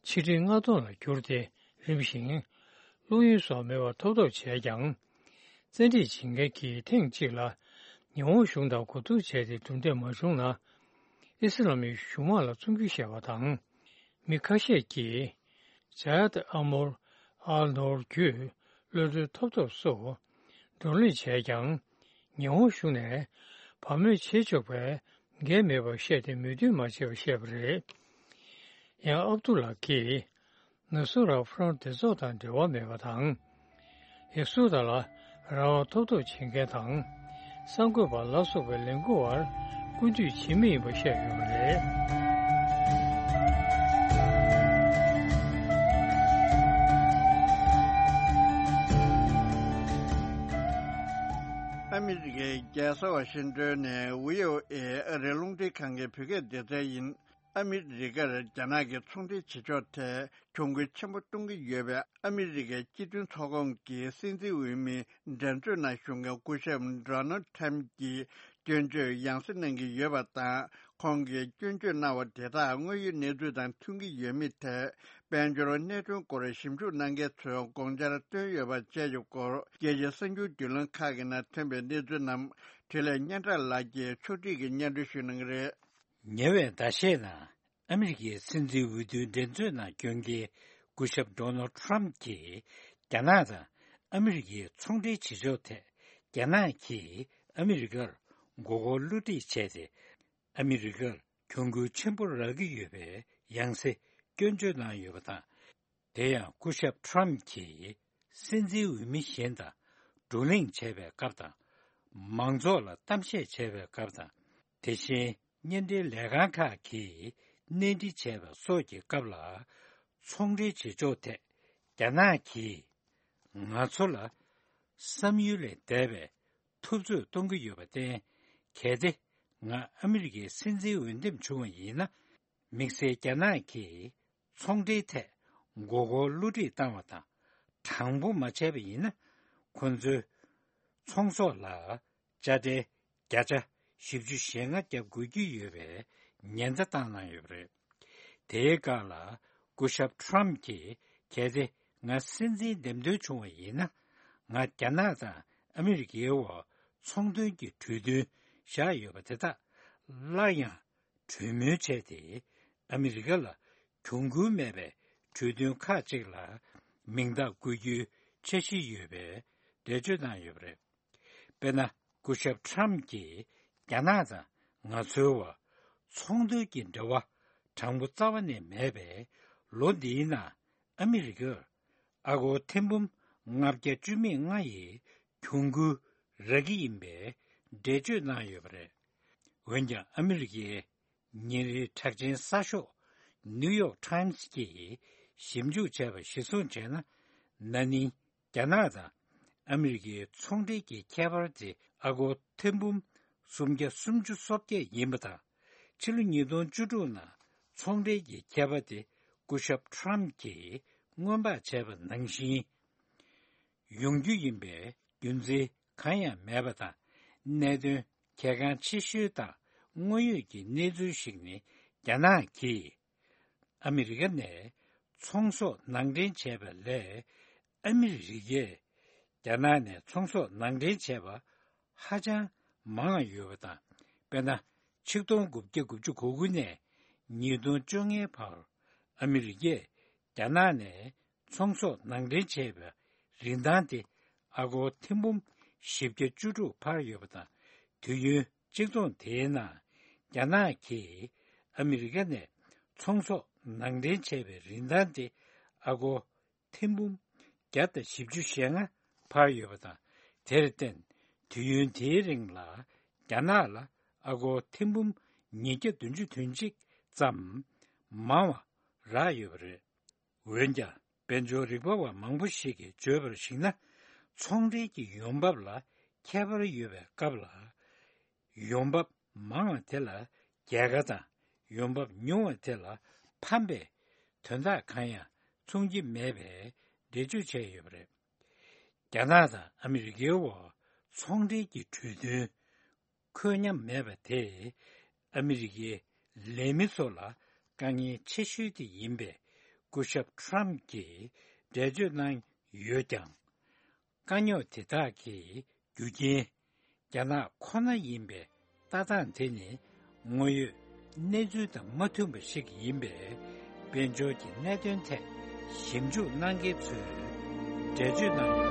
ཕྱི་ཁྲི་ལྔ་སྟོང་ལ་བསྒྱུར་ཏེ་རིམ་བཞིན། བླུ་ཡོན་སོགས་མེད་པར་ཐོབ་ཐབས་བྱས་ཀྱང་། བཙན་ཁྲིད་བྱེད་མཁན་གྱིས་ཐེངས་གཅིག་ལ་ཉི་ཧོང་གཞུང་དང་གོ་བསྡུར་བྱས་ཏེ་གྲུབ་འབྲས་མ་བྱུང་ན། ཨི་སི་ལམ་གྱི་གཞུང་དམག་ལ་བཙོང་རྒྱུ་བཤད་པ་དང་། མི་ཁ་ཤས་ཀྱིས་ཇ་ཡད་ཨ་མོར་ཨལ་ནོར་བརྒྱུད་གློད་གྲོལ་ཐོབ་ཐབས་སོགས། བགྲོ་གླེང་བྱས་ཀྱང་། ཉི་ཧོང་གཞུང་ནས་བག་མེད་བྱེད་ཆོག་པའི་འགན་མེད་པར་བཤད་དེ་མོས་མཐུན་མ་བྱས་པར་བཤད་པ་རེད། ཡང་ཨབ་ཏུ་ལ་གིས་ནུ་སུ་ར་ཕ་རོན་སྡེ་ཚོགས་དང་འབྲེལ་བ་མེད་པ་དང་། ཡ་སུ་དཱ་ལ་རང་དབང་ཐོབ་ཐབས་བྱེད་མཁན་དང་། གསར་འགོད་པ་ལ་སོགས་པའི་ལས་འགུལ་བར་སྐུར་འདེབས་བྱེད་མུས་ཡིན་པ་བཤད་ཡོད་པ་རེད། ཨ་མི་རི་ཀའི་རྒྱལ་ས་ཝ་ཤིང་ཏོན་ནས་ཝི་ཨོ་ཨེ་ཨ་རིའི་རླུང་འཕྲིན་ཁང་གི་བོད་སྐད་སྡེ་ཚན་ཡིན། ཨ་མི་རི་ཀར་རྒྱ་ནག་གིས་ཚོང་འབྲེལ་བྱེད་ཕྱོགས་ཐད་གྱོང་གུན་ཆེན་པོ་གཏོང་གི་ཡོད་པའི་ཨ་མི་རི་ཀའི་སྤྱི་མཐུན་ཚོགས་ཁོངས་ཀྱི་སྲིད་འཛིན་འོས་མི་འགྲན་རྩོད་ནང་ཞུགས་མཁན་སྐུ་ཞབས་ཌོ་ནལ་ཁྲམ་གྱིས་སྐྱོན་བརྗོད་ཡང་སེ་གནང་གི་ཡོད་པ་དང་། ཁོང་གིས་སྐྱོན་བརྗོད་གནང་བ་དེ་དག་དངོས་ཡོད་གནས་ཚུལ་དང་མཐུན་གྱི་ཡོད་མེད་ཐད། དཔལ་འབྱོར་གནད་དོན་སྐོར་ཞིབ་འཇུག་གནང་མཁན་ཚོས་དགོངས་འཆར་བཏོན་ཡོད་པ་བཅས་ཀྱི་སྐོར། རྒྱལ་སྤྱིའི་གསར་འགྱུར་བརྒྱུད་ལམ་ཁག་གི་ནང་ཐོན་པའི་གནས་ཚུལ་རྣམས་འཕྲིན་ལས་སྙན་གྲགས་ལགས་ཀྱིས་ཕྱོགས་སྒྲིག་གིས་སྙན་སྒྲོན་ཞུ་གནང་གི་རེད། ཉེ་བའི་ཟླ་ཤས་ནང་ཨ་མི་རི་ཀའི་སྲིད་འཛིན་འོས་བསྡུའི་འགྲན་རྩོད་ནང་སྐྱོན་མཁན་སྐུ་ཞབས་ཌོ་ནལ་ཁྲམ་གྱིས་རྒྱ་ནག་དང་ཨ་མི་རི་ཀའི་ཚོང་འབྲེལ་བྱེད་ཕྱོགས་ཐད་རྒྱ་ནག་གིས་ཨ་མི་རི་ཀར་མགོ་སྐོར་བསླུ་བྲིད་བྱས་ཏེ། ཨ་མི་རི་ཀར་གྱོང་གུན་ཆེན་པོ་རག་གི་ཡོད་པའི་ཡང་སེ་སྐྱོན་བརྗོད་གནང་ཡོད་པ་དང་། དེ་ཡང་སྐུ་ཞབས་ཁྲམ་གྱིས་སྲིད་འཛིན་འོས་མི་གཞན་དང་བགྲོ་གླེང་བྱས་པའི་སྐབས་དང་། མང་ཚོགས་ལ་གཏམ་བཤད་བྱས་པའི་སྐབས་དང་། དེ་བཞིན་བརྙན་འཕྲིན་ལས་ཁང་ཁག་གིས་གནས་འདྲི་བྱས་པ་སོགས་ཀྱི་སྐབས་ལ། ཚོང་འབྲེལ་བྱེད་ཕྱོགས་ཐད་རྒྱ་ནག་གིས་ང་ཚོ་ལ་བསམ་ཡུལ་ལས་འདས་པའི་འཐབ་རྩོད་གཏོང་གི་ཡོད་པར་བརྟེན། གལ་ཏེ་ང་ཨ་མི་རི་ཀའི་སྲིད་འཛིན་འོས་འདེམས་བྱུང་བ་ཡིན་ན། དམིགས་བསལ་རྒྱ་ནག་གིས་ཚོང་འབྲེལ་ཐད་མགོ་སྐོར་བསླུ་བྲིད་བཏང་བ་དང་། དྲང་པོ་མ་བྱས་པ་ཡིན་ན། ཁོ་ཚོས་ཚོང་ཟོག་ལ་དཔྱ་ཁྲལ་བརྒྱ་ཆ་བཞི་བཅུ་ཞེ་ལྔ་བརྒྱབ་དགོས་ཀྱི་ཡོད་པའི་ཉེན་བརྡ་བཏང་གནང་ཡོད་པ་རེད། དེའི་སྒང་ལ་སྐུ་ཞབས་ཁྲམ་གྱིས། གལ་ཏེ་ང་སྲིད་འཛིན་འདེམས་ཐོན་བྱུང་བ་ཡིན་ན། ང་རྒྱ་ནག་དང་ཨ་མི་རི་ཀའི་འོག་ཚོང་དོན་གྱི་གྲོས་མཐུན་བཞག་ཡོད་པ་དེ་དག་སླར་ཡང་གྲོས་མོལ་བྱས་ཏེ། ཨ་མི་རི་ཀ་ལ་གྱོང་གུན་མེད་པའི་གྲོས་མཐུན་ཁག་ཅིག་ལ་མིང་རྟགས་བཀོད་རྒྱུའི་འཆར་གཞི་ཡོད་པའི་འགྲེལ་བརྗོད་གནང་ཡོད་པ་རེད། དཔེར་ན། སྐུ་ཞབས་ཁྲམ་གྱིས་རྒྱ་ནག་དང་ང་ཚོའི་བར་ཚོང་དོན་གྱི་འབྲེལ་བ་དྲང་པོ་རྩ་བ་ནས་མེད་པས། ལོ་འདིའི་ནང་ཨ་མི་རི་ཀར་ཨ་སྒོར་ཐེར་འབུམ་ལྔ་བརྒྱ་བཅུ་མེད་ལྔ་ཡི་གྱོང་གུན་རག་གི་ཡིན་པའི་འགྲེལ་བརྗོད་གནང་ཡོད་པ་རེད། འོན་ཀྱང་ཨ་མི་རི་ཀའི་ཉིན་རེའི་གྲགས་ཅན་གསར་ཤོག་ནིའུ་ཡོག་ཊའིམ་སི་གིས་ཞིབ་འཇུག་བྱས་པ་གཞིར་བཟུང་བྱས་ན། ན་ནིང་རྒྱ་ནག་དང་ཨ་མི་རི་ཀའི་ཚོང་འབྲེལ་གྱི་ཁྱད་པར་དེ་ཨ་སྒོར་ཐེར་འབུམ་སུམ་བརྒྱ་སུམ་ཅུ་སོ་བརྒྱད་ཡིན་པ་དང་། ཕྱི་ལོ་ཉིས་སྟོང་བཅུ་དྲུག་ནང་ཚོང་འབྲེལ་གྱི་ཁྱད་པར་དེ་སྐུ་ཞབས་ཁྲམ་གྱིས་སྔོན་དཔག་བྱས་པ་ནང་བཞིན་ཡོང་རྒྱུ་ཡིན་པའི་རྒྱུ་མཚན་གང་ཡང་མེད་པ་དང་། གནད་དོན་གལ་འགངས་ཆེ་ཤོས་དང་དངོས་ཡོད་ཀྱི་གནས་ཚུལ་ཞིག་ནི། རྒྱ་ནག་གིས་ཨ་མི་རི་ཀ་ནས་ཚོང་ཟོག་ནང་འདྲེན་བྱས་པ་ལས། ཨ་མི་རི་ཀས་རྒྱ་ནག་ནས་ཚོང་ཟོག་ནང་འདྲེན་བྱས་པ་ཧ་ཅང་མང་ཡོད་པ་དང་། དཔེར་ན། ཆིག་སྟོང་དགུ་བརྒྱ་དགུ་བཅུ་གོ་དགུ་ནས་ཉིས་སྟོང་བཅོ་ལྔའི་བར་ཨ་མི་རི་ཀས་རྒྱ་ནག་ནས་ཚོང་ཟོག་ནང་འདྲེན་བྱས་པའི་རིན་ཐང་དེ་ཨ་སྒོར་ཐེར་འབུམ་བཞི་བརྒྱ་བཅུ་དྲུག་འཕར་ཡོད་པ་དང་། དུས་ཡུན་གཅིག་མཚུངས་དེའི་ནང་རྒྱ་ནག་གིས་ཨ་མི་རི་ཀ་ནས་ཚོང་ཟོག་ནང་འདྲེན་བྱས་པའི་རིན་ཐང་དེ་ཨ་སྒོར་ཐེར་འབུམ་བརྒྱ་དང་བཞི་བཅུ་ཞེ་ལྔ་འཕར་ཡོད་པ་དང་། དེར་བརྟེན། དུས་ཡུན་དེའི་རིང་ལ་རྒྱ་ནག་ལ་ཨ་སྒོར་ཐེར་འབུམ་ཉིས་བརྒྱ་བདུན་ཅུ་དོན་གཅིག་ཙམ་མང་བ་རག་ཡོད་པ་རེད། འོན་ཀྱང་། དཔལ་འབྱོར་རིག་པ་བ་མང་པོ་ཞིག་གིས་བརྗོད་པར་གཞིགས་ན། ཚོང་འབྲེལ་གྱི་ཡོང་འབབ་ལ་ཁྱད་པར་ཡོད་པའི་སྐབས་ལ། ཡོང་འབབ་མང་བ་དེ་ལ་རྒྱལ་ཁ་དང་། ཡོང་འབབ་ཉུང་བ་དེ་ལ་ཕམ་པའི་དོན་དག་གང་ཡང་མཚོན་གྱི་མེད་པའི་འགྲེལ་བརྗོད་བྱས་ཡོད་པ་རེད། རྒྱ་ནག་དང་ཨ་མི་རི་ཀའི་འོག་ཚོང་འབྲེལ་གྱི་གྲོས་མཐུན་འཁོད་མཉམ་མེད་པ་དེས་ཨ་མི་རི་ཀའི་ལས་མི་ཚོ་ལ་དཀའ་ངལ་ཆེ་ཤོས་དེ་ཡིན་པས། སྐུ་ཞབས་ཁྲམ་གྱིས་འགྲེལ་བརྗོད་གནང་ཡོད་ཀྱང་། དཀའ་རྙོག་དེ་དག་གི་རྒྱུ་རྐྱེན་རྒྱ་ནག་ཁོ་ན་ཡིན་པའི་ལྟ་སྟངས་དེ་ནི་དངོས་ཡོད་གནས་ཚུལ་དང་མ་མཐུན་པ་ཞིག་ཡིན་པས། དཔལ་འབྱོར་གྱི་གནད་དོན་ཐད་ཞིབ་འཇུག་གནང་མཁན་ཚོས་འགྲེལ་བརྗོད་གནང་ཡོད།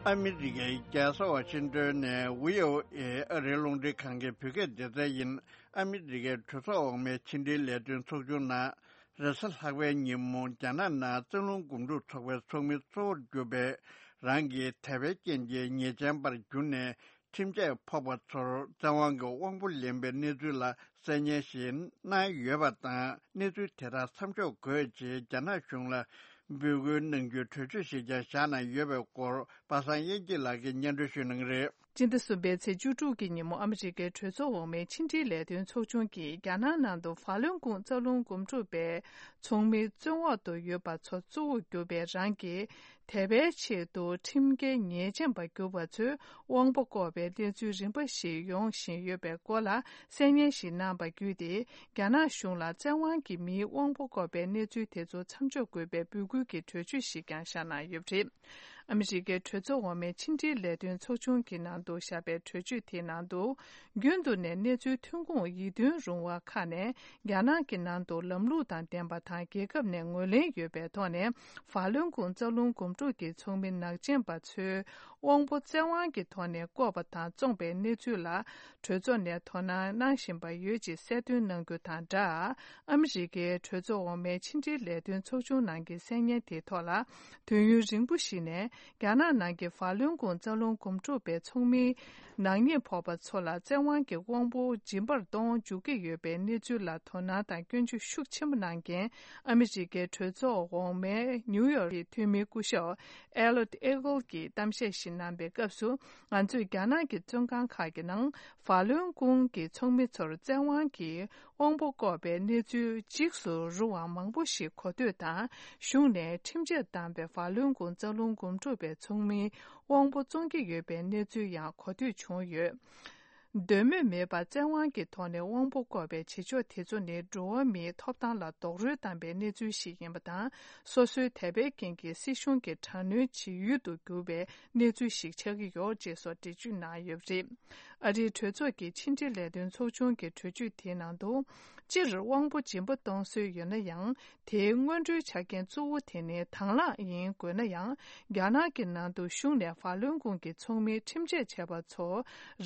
ཨ་མི་རི་ཀའི་རྒྱལ་ས་ཝ་ཤིང་ཏོན་ནས་བྷི་ཨོ་ཨེ་ཨ་རིའི་རླུང་འཕྲིན་ཁང་གི་བོད་སྐད་སྡེ་ཚན་ཡིན། ཨ་མི་རི་ཀའི་གྲོས་ཚོགས་འོག་མའི་ཕྱི་འབྲེལ་ལས་དོན་ཚོགས་ཆུང་ནང་རེས་གཟའ་ལྷག་པའི་ཉིན་མོ་རྒྱ་ནག་ནང་རྩ་རླུང་འགུམ་འགྲུལ་ཚོགས་པའི་ཚོགས་མི་གཙོ་བོར་གྱུར་པའི་རང་གི་དད་པའི་རྐྱེན་གྱིས་ཉེས་ཅན་པར་གྱུར་ནས་ཁྲིམས་ཆད་ཕོག་པ་ཚོར་བཙན་དབང་གི་དབང་པོ་ལེན་པའི་གནས་ཚུལ་ལ་གསན་སྙན་ཞིག་གནང་ཡོད་པ་དང་། གནས་ཚུལ་དེ་དག་མཚམས་འཇོག་དགོས་ཅེས་རྒྱ་ནག་གཞུང་ལ་འབོད་སྐུལ་གནང་རྒྱུའི་གྲོས་ཆོད་ཞིག་ཀྱང་བཞག་གནང་ཡོད་པའི་སྐོར་པ་སངས་དབྱངས་སྐྱིད་ལགས་ཀྱིས་སྙན་སྒྲོན་ཞུ་གནང་གི་རེད། སྤྱི་ཟླ་གསུམ་པའི་ཚེས་བཅུ་དྲུག་གི་ཉིན་མོ་ཨ་མི་རི་ཀའི་གྲོས་ཚོགས་འོག་མའི་ཕྱི་འབྲེལ་ལས་དོན་ཚོགས་ཆུང་གིས་རྒྱ་ནག་ནང་དུ་ཧྥ་ལུན་ཀུང་རྩ་རླུང་འགུམ་འགྲུལ་པའི་ཚོགས་མིའི་བཙོན་འོག་ཏུ་ཡོད་པ་ཚོ་གཙོ་བོར་གྱུར་པའི་རང་གི་དད་པའི་ཆེད་དུ་ཁྲིམས་འགལ་ཉེས་ཅན་པར་གྱུར་པ་ཚོའི་དབང་པོ་བཀོག་པའི་གནས་ཚུལ་རིམ་པ་ཞིག་ཡོང་བཞིན་ཡོད་པའི་སྐོར་ལ་གསན་སྙན་ཞིག་གནང་བ་བརྒྱུད་དེ། རྒྱ་ནག་གཞུང་ལ་བཙན་དབང་གིས་མིའི་དབང་པོ་བཀོག་པའི་གནས་ཚུལ་དེ་ཚོ་མཚམས་འཇོག་དགོས་པའི་འབོད་སྐུལ་གྱི་གྲོས་ཆོད་ཞིག་ཀྱང་བཞག་གནང་ཡོད་པ་རེད། ཨ་མི་རི་ཀའི་གྲོས་ཚོགས་འོག་མའི་ཕྱི་འབྲེལ་ལས་དོན་ཚོགས་ཆུང་གི་ནང་དུ་བཞག་པའི་གྲོས་ཆོད་དེའི་ནང་དུ། རྒྱུན་དུ་ནས་གནས་ཚུལ་ཐོན་ཁུངས་ཡིད་རྟོན་རུང་བ་ཁག་ནས་རྒྱ་ནག་གི་ནང་དུ་ལམ་ལུགས་དང་ལྡན་པ་དང་། རྒྱལ་ཁབ་ནས་ངོས་ལེན་ཡོད་པའི་ཐོག་ནས་ཧྥ་ལུན་ཀུང་རྩ་རླུང་འགུམ་འགྲུལ་གྱི་ཚོགས་མི་ནག་ཅན་པ་ཚོའི་དབང་པོ་བཙན་དབང་གི་ཐོག་ནས་བཀོག་པ་དང་བཙོངས་པའི་གནས་ཚུལ་ལ། གྲོས་ཚོགས་ནས་དོ་སྣང་གནང་བཞིན་པ་ཡོད་ཅེས་གསལ་སྟོན་གནང་རྒྱུ་དང་སྦྲགས། ཨ་མི་རི་ཀའི་གྲོས་ཚོགས་འོག་མའི་ཕྱི་འབྲེལ་ལས་དོན་ཚོགས་ཆུང་ནང་གི་གསན་སྙན་དེའི་ཐོག་ལ། དུས་ཡུན་རིང་པོ་ཞིག་ནས་རྒྱ་ནག་ནང་གི་ཧྥ་ལུན་ཀུང་རྩ་རླུང་འགུམ་འགྲུལ་པའི་ཚོགས་མིའི་ནག་ཉེས་ཕོག་པ་ཚོ་ལ་བཙན་དབང་གི་དབང་པོ་སྦྱིན་པར་གཏོང་འཇུག་གི་ཡོད་པའི་གནས་ཚུལ་ལ་དོ་སྣང་དང་སྐྱོན་བརྗོད་ཤུགས་ཆེན་པོ་གནང་མཁན་ཨ་མི་རི་ཀའི་གྲོས་ཚོགས་འོག་མའི་ནིའུ་ཡོག་གི་འཐུས་མི་སྐུ་ཞབས་ཨེ་ལོད་ཨེ་གོལ་གྱིས་གཏམ་བཤད་ཞིག་གནང་པའི་སྐབས་སུ། ང་ཚོས་རྒྱ་ནག་གི་བཙོན་ཁང་ཁག་གི་ནང་ཧྥ་ལུན་ཀུང་གི་ཚོགས་མི་ཚོར་བཙན་དབང་གིས་དབང་པོ་བཀོག་པའི་གནས་ཚུལ་འཇིགས་སུ་རུང་བ་མང་པོ་ཞིག་གོ་ཐོས་དང་། གཞུང་ནས་ཁྲིམས་ཆད་བཏང་བའི་ཧྥ་ལུན་ཀུང་རྩ་རླུང་འགུམ་འགྲུལ་པའི་ཚོགས་མིའི་དབང་པོ་བཙོང་གི་ཡོད་པའི་གནས་ཚུལ་ཡང་གོ་ཐོས་བྱུང་ཡོད། འདོད་མོས་མེད་པར་བཙན་དབང་གི་ཐོག་ནས་དབང་པོ་བཀོག་པའི་བྱེད་ཕྱོགས་དེ་ཚོ་ནི་འགྲོ་བ་མིའི་ཐོབ་ཐང་ལ་རྡོག་རོལ་བཏང་པའི་གནས་ཚུལ་ཞིག་ཡིན་པ་དང་། སོ་སོའི་དད་པའི་རྐྱེན་གྱིས་སྲིད་གཞུང་གི་དྲག་གནོན་བྱེད་ཡུལ་དུ་གྱུར་པའི་གནས་ཚུལ་ཞིག་ཆགས་ཀྱི་ཡོད་ཅེས་སོགས་འགྲེལ་བརྗོད་གནང་ཡོད་པ་རེད། ཨ་རིའི་གྲོས་ཚོགས་ཀྱི་ཕྱི་འབྲེལ་ལས་དོན་ཚོགས་ཆུང་གི་གྲོས་ཆོད་དེའི་ནང་དུ། སྤྱིར་དབང་པོ་སྦྱིན་པ་གཏོང་སྲོལ་ཡོད་ན་ཡང་། དེའི་སྔོན་འགྲོའི་ཆ་རྐྱེན་གཙོ་བོ་དེ་ནི་དང་བླངས་ཡིན་དགོས་ན་ཡང་། རྒྱ་ནག་གི་ནང་དུ་གཞུང་ནས་ཧྥ་ལུན་ཀུང་གི་ཚོགས་མིའི་ཁྲིམས་ཆད་བཅད་པ་ཚོ་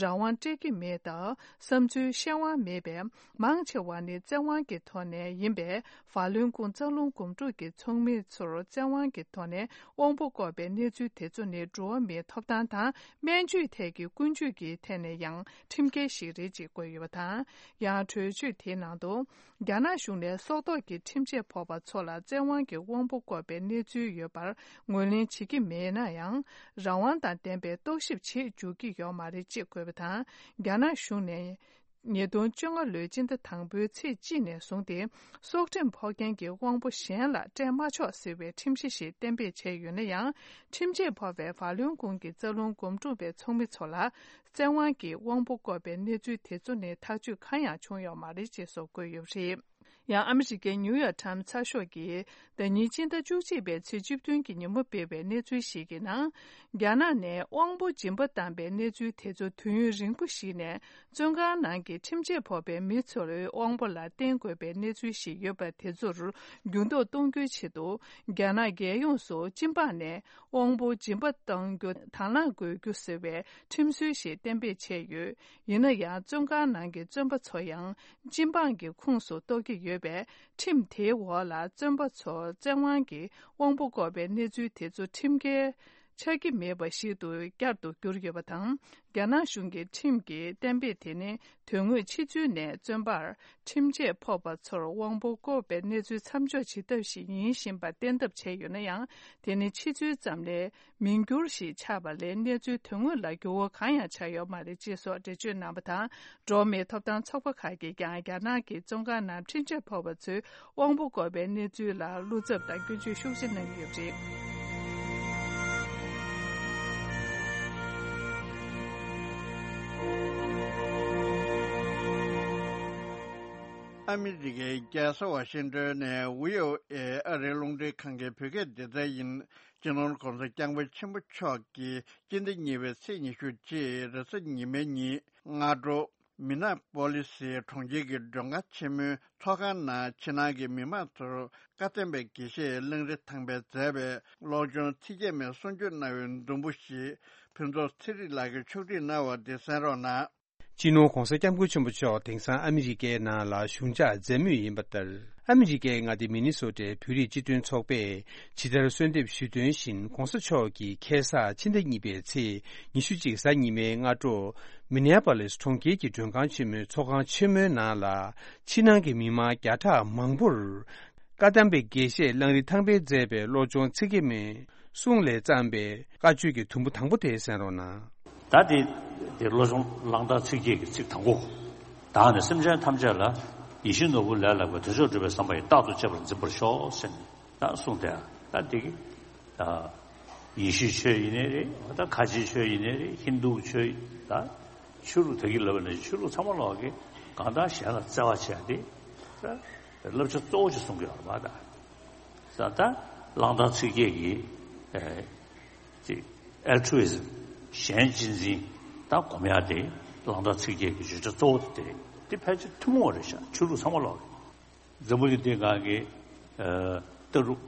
རང་དབང་སྤྲད་ཀྱི་མེད་སྟབས། བསམ་ཚུལ་བཤད་དབང་མེད་པས། མང་ཆེ་བ་ནི་བཙན་དབང་གི་ཐོག་ནས་ཡིན་པས། ཧྥ་ལུན་ཀུང་རྩ་རླུང་འགུམ་འགྲུལ་གྱི་ཚོགས་མི་ཚོར་བཙན་དབང་གི་ཐོག་ནས་དབང་པོ་བཀོག་པའི་གནས་ཚུལ་དེ་ཚོ་ནི་འགྲོ་བ་མིའི་ཐོབ་ཐང་དང་། སྨན་བཅོས་ཐད་ཀྱི་ཀུན་སྤྱོད་ཀྱི་ཐད་ནས་ཡང་ཁྲིམས་འགལ་ཞིག་རེད་ཅེས་བཀོད་ཡོད་པ་དང་། ཡང་གྲོས་ཆོད་དེའི་ནང་དུ། རྒྱ་ནག་གཞུང་ནས་སྲོག་ཐོག་གི་ཁྲིམས་ཆད་ཕོག་པ་ཚོ་ལ་བཙན་དབང་གིས་དབང་པོ་བཀོག་པའི་གནས་ཚུལ་ཡོད་པར་ངོས་ལེན་བྱེད་ཀྱི་མེད་ན་ཡང་། རང་དབང་དང་ལྡན་པའི་རྟོག་ཞིབ་བྱེད་འཇུག་གི་ཡོད་མ་རེད་ཅེས་བཀོད་པ་དང་། རྒྱ་ནག་གཞུང་ནས། ཉིས་སྟོང་བཅོ་ལྔ་ལོའི་སྤྱི་ཟླ་དང་པོའི་ཚེས་གཅིག་ནས་བཟུང་སྟེ། སྲོག་ཁྲིམས་ཕོག་མཁན་གྱི་དབང་པོ་གཞན་ལ་སྤྲད་མ་ཆོག་ཟེར་བའི་ཁྲིམས་གཞི་ཞིག་གཏན་འབེབས་བྱས་ཡོད་ན་ཡང་། ཁྲིམས་ཆད་ཕོག་པའི་ཧྥ་ལུན་ཀུང་གི་རྩ་རླུང་སྒོམ་སྒྲུབ་པའི་ཚོགས་མི་ཚོ་ལ། བཙན་དབང་གིས་དབང་པོ་བཀོག་པའི་གནས་ཚུལ་དེ་ཚོ་ནི་ཐག་གཅོད་གང་ཡང་བྱུང་ཡོད་མ་རེད་ཅེས་སོགས་བཀོད་ཡོད་པ་རེད། ཡང་ཨ་མི་རི་ཀའི་ནིའུ་ཡོག་ཊའིམ་ཚགས་ཤོག་གིས་ཟླ་ཉིན་སྤྱི་ཟླ་བཅུ་གཅིག་པའི་ཚེས་བཅུ་བདུན་གྱི་ཉིན་མོ་སྤེལ་བའི་གནས་ཚུལ་ཞིག་གི་ནང་། རྒྱ་ནག་ནས་དབང་པོ་སྦྱིན་པ་བཏང་པའི་གནས་ཚུལ་དེ་ཚོ་དུས་ཡུན་རིང་པོ་ཞིག་ནས་བཙོན་ཁང་ནང་གི་ཁྲིམས་ཆད་ཕོག་པའི་མི་ཚོར་དབང་པོ་ལ་བརྟེན་དགོས་པའི་གནས་ཚུལ་ཞིག་ཡོད་པ་དེ་ཚོར་འགྱུར་ལྡོག་གཏོང་རྒྱུའི་ཆེད་དུ། རྒྱ་ནག་རྒྱལ་ཡོངས་སུ་སྤྱི་འབངས་ནས་དབང་པོ་སྦྱིན་པ་གཏང་རྒྱུ་དང་བླངས་དགོས་རྒྱུ་ཟེར་བའི་ཁྲིམས་སྲོལ་ཞིག་གཏན་འབེབས་བྱས་ཡོད། ཡིན་ན་ཡང་། བཙོན་ཁང་ནང་གི་བཙོན་པ་ཚོ་ཡང་སྤྱི་འབངས་ཀྱི་ཁོངས་སུ་གཏོགས་ཀྱི་ཡོད་པས། ཁྲིམས་དེའི་འོག་ལ་བཙོན་པ་ཚོར་བཙན་དབང་གིས་དབང་པོ་བཀོག་པའི་གནས་ཚུལ་དེ་ཚོ་ཁྲིམས་འགལ་ཆགས་ཀྱི་མེད་པ་ཞིག་ཏུ་བསྐྱར་དུ་གྱུར་ཡོད་པ་དང་། རྒྱ་ནག་གཞུང་གི་ཁྲིམས་ཀྱི་གཏན་འབེབས་དེ་ནི་དོན་དངོས་ཕྱི་ཚུལ་ནས་བཙོན་པར་ཁྲིམས་ཆད་ཕོག་པ་ཚོར་དབང་པོ་བཀོག་པའི་གནས་ཚུལ་མཚམས་འཇོག་བྱེད་ཐབས་ཤིག་ཡིན་བཞིན་པ་བསྟན་ཐབས་བྱས་ཡོད་ན་ཡང་། དེ་ནི་ཕྱི་ཚུལ་ཙམ་ལས། མིང་བསྒྱུར་ཞིག་ཆགས་པ་ལས་གནས་ཚུལ་དོན་དངོས་ལ་འགྱུར་བ་གང་ཡང་ཆགས་ཡོད་མ་རེད་ཅེས་སོགས་འགྲེལ་བརྗོད་གནང་བ་དང་། འགྲོ་བ་མིའི་ཐོབ་ཐང་ཚོགས་པ་ཁག་གིས་ཀྱང་རྒྱ་ནག་གི་བཙོན་ཁང་ནང་ཁྲིམས་ཆད་ཕོག་པ་ཚོའི་དབང་པོ་བཀོག་པའི་གནས་ཚུལ་ལ་བློ་འཚབ་དང་སྐྱོན་བརྗོད་ཤུགས་ཆེ་གནང་གི་ཡོད་པ་རེད། ཨ་མི་རི་ཀའི་རྒྱལ་ས་ཝ་ཤིང་ཏོན་ནས་བྷི་ཨོ་ཨེ་ཨ་རིའི་རླུང་འཕྲིན་ཁང་གི་བོད་སྐད་སྡེ་ཚན་ཡིན། སྤྱི་ནོར་༧གོང་ས་༧སྐྱབས་མགོན་ཆེན་པོ་མཆོག་གིས་སྤྱི་ཟླ་གཉིས་པའི་ཚེས་ཉི་ཤུ་གཅིག་རེས་གཟའ་ཉི་མའི་ཉིན་སྔ་དྲོ། མི་ན་པོ་ལི་སི་གྲོང་ཁྱེར་གྱི་མགྲོན་ཁང་ཆེན་མོའི་ཚོགས་ཁང་ནང་ཕྱི་ནང་གི་མི་མང་ཚོར་བཀའ་བསྟན་པའི་དགེ་བཤེས་གླང་རི་ཐང་པས་མཛད་པའི་བློ་སྦྱོང་ཚིག་བརྒྱད་མའི་གསུང་ཆོས་གནང་བའི་མདུན་པོ་ཞིག་ཕུན་ཚོགས་ཚེ་རིང་ལགས་ཀྱིས་ཕྱོགས་སྒྲིག་གནང་བ་འདི་གསན་རོགས་གནང་། སྤྱི་ནོར་༧གོང་ས་༧སྐྱབས་མགོན་ཆེན་པོ་མཆོག་དེང་སང་ཨ་མི་རི་ཀའི་ནང་ལ་བཞུགས་འཇགས་མཛད་མུས་ཡིན་པ་ལྟར། ཨ་མི་རི་ཀའི་མངའ་སྡེ་མི་ནི་སོ་ཊའི་བོད་རིགས་སྤྱི་མཐུན་ཚོགས་པས་ཇི་ལྟར་གསོལ་འདེབས་ཞུས་དོན་བཞིན། ༸གོང་ས་མཆོག་གིས་ཁ་སང་ཕྱི་ཟླ་གཉིས་པའི་ཚེས་ཉི་ཤུ་གཅིག་གཟའ་ཉི་མའི་སྔ་དྲོ། མི་ནེ་པོ་ལིས་གྲོང་ཁྱེར་གྱི་མགྲོན་ཁང་ཆེན་མོའི་ཚོགས་ཁང་ཆེན་མོའི་ནང་ལ། ཕྱི་ནང་གི་མི་མང་བརྒྱ་ཕྲག་མང་པོར། བཀའ་གདམས་པའི་དགེ་བཤེས་གླང་རི་ཐང་པས་མཛད་པའི་བློ་སྦྱོང་ཚིག་བརྒྱད་མའི་གསུང་ལས་བརྩམས་པའི་བཀའ་ཆོས་ཀྱི་དུམ་བུ་དང་པོ་དེ་གསན་རོགས་གནང་། ད་དེ་དེ་བློ་སྦྱོང་གླང་དར་ཚིག་བརྒྱད་ཀྱི་ཚིག་དང་པོ། བདག་ནི་སེམས་ཅན་ཐམས་ཅད་ལ། ཡིད་བཞིན་ནོར་བུ་ལས་ལྷག་པའི། དོན་མཆོག་སྒྲུབ་པའི་བསམ་པ་ཡིས། རྟག་ཏུ་གཅེས་པར་འཛིན་པར་ཤོག་ཟེར་ནས་ད་གསུངས་ཏེ། ད་དེ་གི་ད་ཡེ་ཤུའི་ཆོས་ཡིན་ནའི་རེད། ད་ཁ་ཆེའི་ཆོས་ཡིན་ནའི་རེད། ཧིན་དུའི་ཆོས་ད་ཆོས་ལུགས་ད་གི་ལབ་ནས་ཆོས་ལུགས་ཚང་མ་ལོག་གི་གང་ལྟར་གཞན་ལ་བརྩེ་བ་བྱས་ཏེ་ད་བསླབ་བྱ་གཙོ་བོ་ཅིག་གསུང་གི་ཡོད་རེད་པ། ད་ད་གླང་དར་ཚིག་བརྒྱད་ཀྱི་ཨེ། ཅིག་altruism། གཞན་གཅེས་འཛིན་དང་སྒོམ་ཡག་དེ་གླང་དར་ཚིག་བརྒྱད་ཀྱི་བརྗོད་བྱ་གཙོ་བོ་དེ་རེད། དེ་ཕལ་ཆེར་ཐུན་མོང་བ་རེད་ཤག་ཆོས་ལུགས་ཚང་མ་ལོག་གི། འཛམ་བུ་གླིང་འདིའི་སྒང་གི་ཨ་ལྟ་གྲུབ་